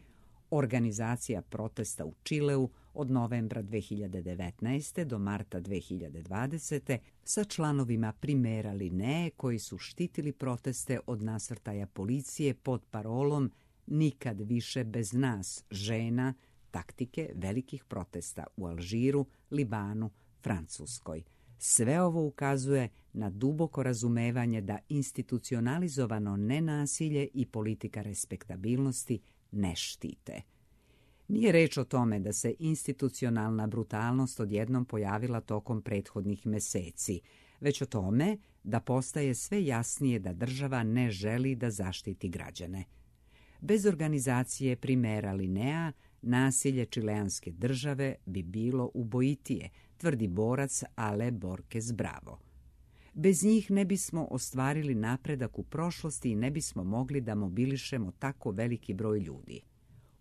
Organizacija protesta u Čileu od novembra dve hiljade devetnaeste. do marta dve hiljade dvadesete. sa članovima Primera Linee koji su štitili proteste od nasrtaja policije pod parolom "Nikad više bez nas, žena", taktike velikih protesta u Alžiru, Libanu, Francuskoj. Sve ovo ukazuje na duboko razumevanje da institucionalizovano nenasilje i politika respektabilnosti ne štite. Nije reč o tome da se institucionalna brutalnost odjednom pojavila tokom prethodnih meseci, već o tome da postaje sve jasnije da država ne želi da zaštiti građane. Bez organizacije Primera Linea nasilje čileanske države bi bilo ubojitije, tvrdi borac Ale Borges Bravo. Bez njih ne bismo ostvarili napredak u prošlosti i ne bismo mogli da mobilišemo tako veliki broj ljudi.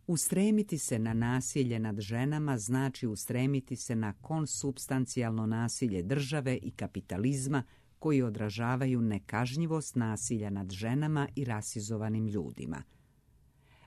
Ustremiti se na nasilje nad ženama znači ustremiti se na konsubstancijalno nasilje države i kapitalizma koji odražavaju nekažnjivost nasilja nad ženama i rasizovanim ljudima.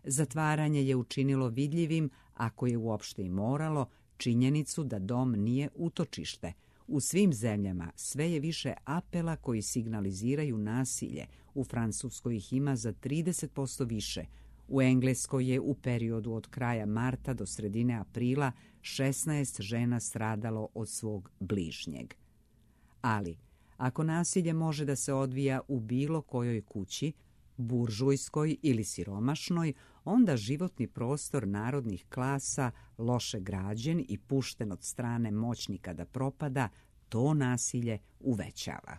Zatvaranje je učinilo vidljivim, ako je uopšte i moralo, činjenicu da dom nije utočište. U svim zemljama sve je više apela koji signaliziraju nasilje. U Francuskoj ih ima za trideset posto više. U Engleskoj je u periodu od kraja marta do sredine aprila šesnaest žena stradalo od svog bližnjeg. Ali, ako nasilje može da se odvija u bilo kojoj kući, buržujskoj ili siromašnoj, onda životni prostor narodnih klasa, loše građen i pušten od strane moćnika da propada, to nasilje uvećava.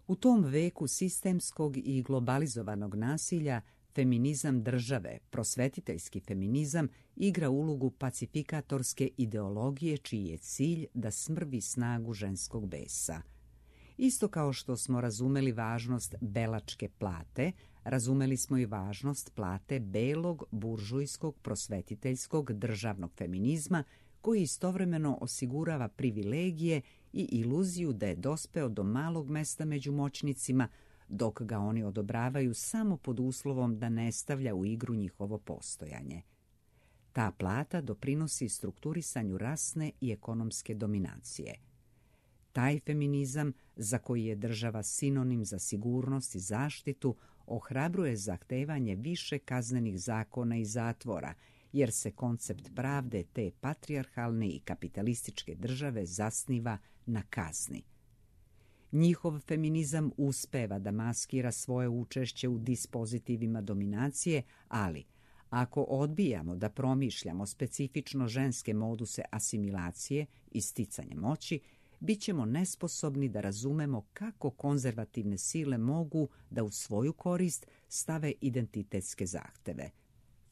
U tom veku sistemskog i globalizovanog nasilja feminizam države, prosvetiteljski feminizam, igra ulogu pacifikatorske ideologije čiji je cilj da smrvi snagu ženskog besa. Isto kao što smo razumeli važnost belačke plate, razumeli smo i važnost plate belog, buržujskog, prosvetiteljskog, državnog feminizma, koji istovremeno osigurava privilegije i iluziju da je dospeo do malog mesta među moćnicima, dok ga oni odobravaju samo pod uslovom da ne stavlja u igru njihovo postojanje. Ta plata doprinosi strukturisanju rasne i ekonomske dominacije. Taj feminizam, za koji je država sinonim za sigurnost i zaštitu, ohrabruje zahtevanje više kaznenih zakona i zatvora, jer se koncept pravde te patrijarhalne i kapitalističke države zasniva na kazni. Njihov feminizam uspeva da maskira svoje učešće u dispozitivima dominacije, ali Ako odbijamo da promišljamo specifično ženske moduse asimilacije i sticanja moći, bit ćemo nesposobni da razumemo kako konzervativne sile mogu da u svoju korist stave identitetske zahteve.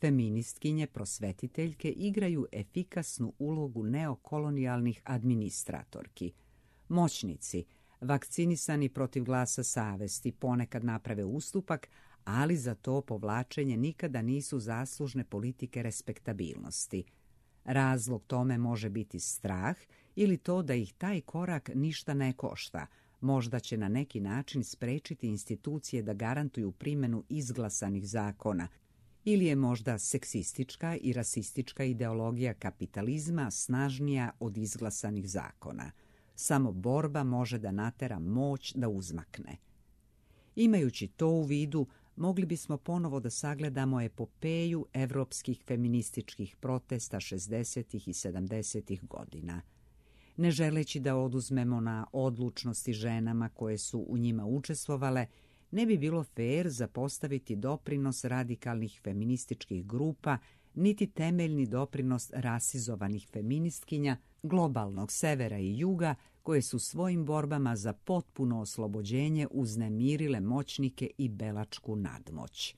Feministkinje prosvetiteljke igraju efikasnu ulogu neokolonijalnih administratorki. Moćnici, vakcinisani protiv glasa savesti, ponekad naprave ustupak, ali za to povlačenje nikada nisu zaslužne politike respektabilnosti. Razlog tome može biti strah ili to da ih taj korak ništa ne košta, možda će na neki način sprečiti institucije da garantuju primjenu izglasanih zakona, ili je možda seksistička i rasistička ideologija kapitalizma snažnija od izglasanih zakona. Samo borba može da natera moć da uzmakne. Imajući to u vidu, mogli bismo ponovo da sagledamo epopeju evropskih feminističkih protesta šezdesetih i sedamdesetih godina. Ne želeći da oduzmemo na odlučnosti ženama koje su u njima učestvovale, ne bi bilo fer zapostaviti doprinos radikalnih feminističkih grupa, niti temeljni doprinos rasizovanih feministkinja, globalnog severa i juga, koje su svojim borbama za potpuno oslobođenje uznemirile moćnike i belačku nadmoć.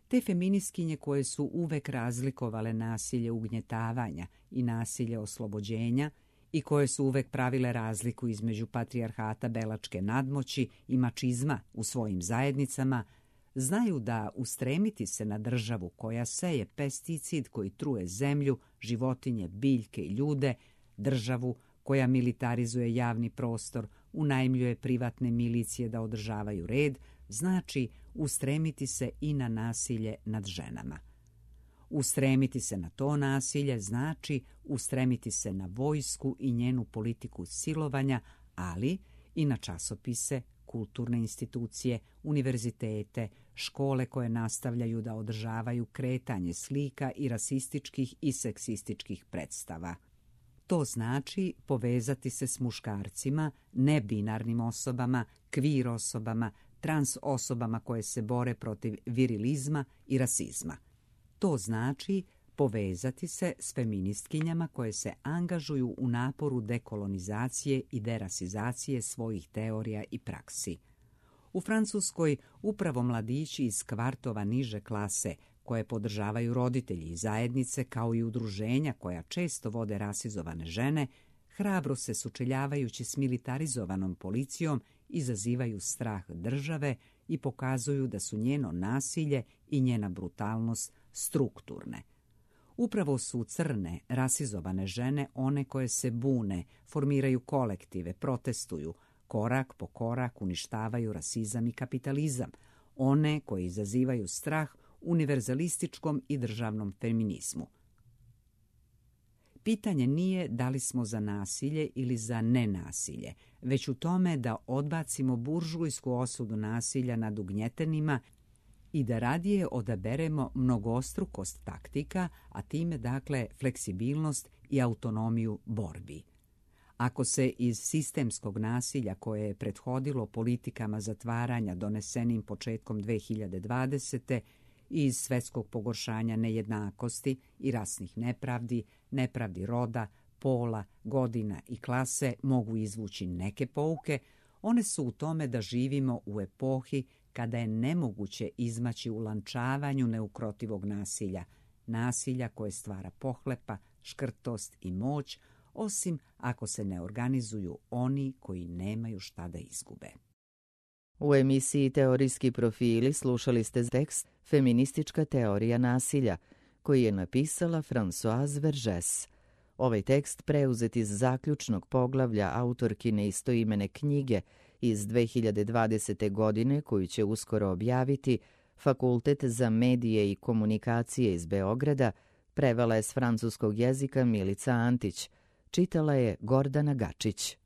Te feministkinje koje su uvek razlikovale nasilje ugnjetavanja i nasilje oslobođenja i koje su uvek pravile razliku između patrijarhata belačke nadmoći i mačizma u svojim zajednicama, znaju da ustremiti se na državu koja seje pesticid koji truje zemlju, životinje, biljke i ljude, državu koja militarizuje javni prostor, unajmljuje privatne milicije da održavaju red, znači ustremiti se i na nasilje nad ženama. Ustremiti se na to nasilje znači ustremiti se na vojsku i njenu politiku silovanja, ali i na časopise, kulturne institucije, univerzitete, škole koje nastavljaju da održavaju kretanje slika i rasističkih i seksističkih predstava. To znači povezati se s muškarcima, nebinarnim osobama, kvir osobama, trans osobama koje se bore protiv virilizma i rasizma. To znači povezati se s feministkinjama koje se angažuju u naporu dekolonizacije i derasizacije svojih teorija i praksi. U Francuskoj upravo mladići iz kvartova niže klase, koje podržavaju roditelji i zajednice, kao i udruženja koja često vode rasizovane žene, hrabro se sučeljavajući s militarizovanom policijom izazivaju strah države i pokazuju da su njeno nasilje i njena brutalnost strukturne. Upravo su crne, rasizovane žene one koje se bune, formiraju kolektive, protestuju, korak po korak uništavaju rasizam i kapitalizam, one koje izazivaju strah univerzalističkom i državnom feminizmu. Pitanje nije da li smo za nasilje ili za nenasilje, već u tome da odbacimo buržujsku osudu nasilja nad ugnjetenima i da radije odaberemo mnogostrukost taktika, a time dakle fleksibilnost i autonomiju borbi. Ako se iz sistemskog nasilja koje je prethodilo politikama zatvaranja donesenim početkom dve hiljade dvadesete i iz svetskog pogoršanja nejednakosti i rasnih nepravdi, nepravdi roda, pola, godina i klase mogu izvući neke pouke, one su u tome da živimo u epohi kada je nemoguće izmaći u lančavanju neukrotivog nasilja, nasilja koje stvara pohlepa, škrtost i moć, osim ako se ne organizuju oni koji nemaju šta da izgube. U emisiji Teorijski profili slušali ste tekst Feministička teorija nasilja, koji je napisala Françoise Vergès. Ovaj tekst preuzet iz zaključnog poglavlja autorkine istoimene knjige iz dve hiljade dvadesete. godine, koju će uskoro objaviti Fakultet za medije i komunikacije iz Beograda, prevela je s francuskog jezika Milica Antić, čitala je Gordana Gačić.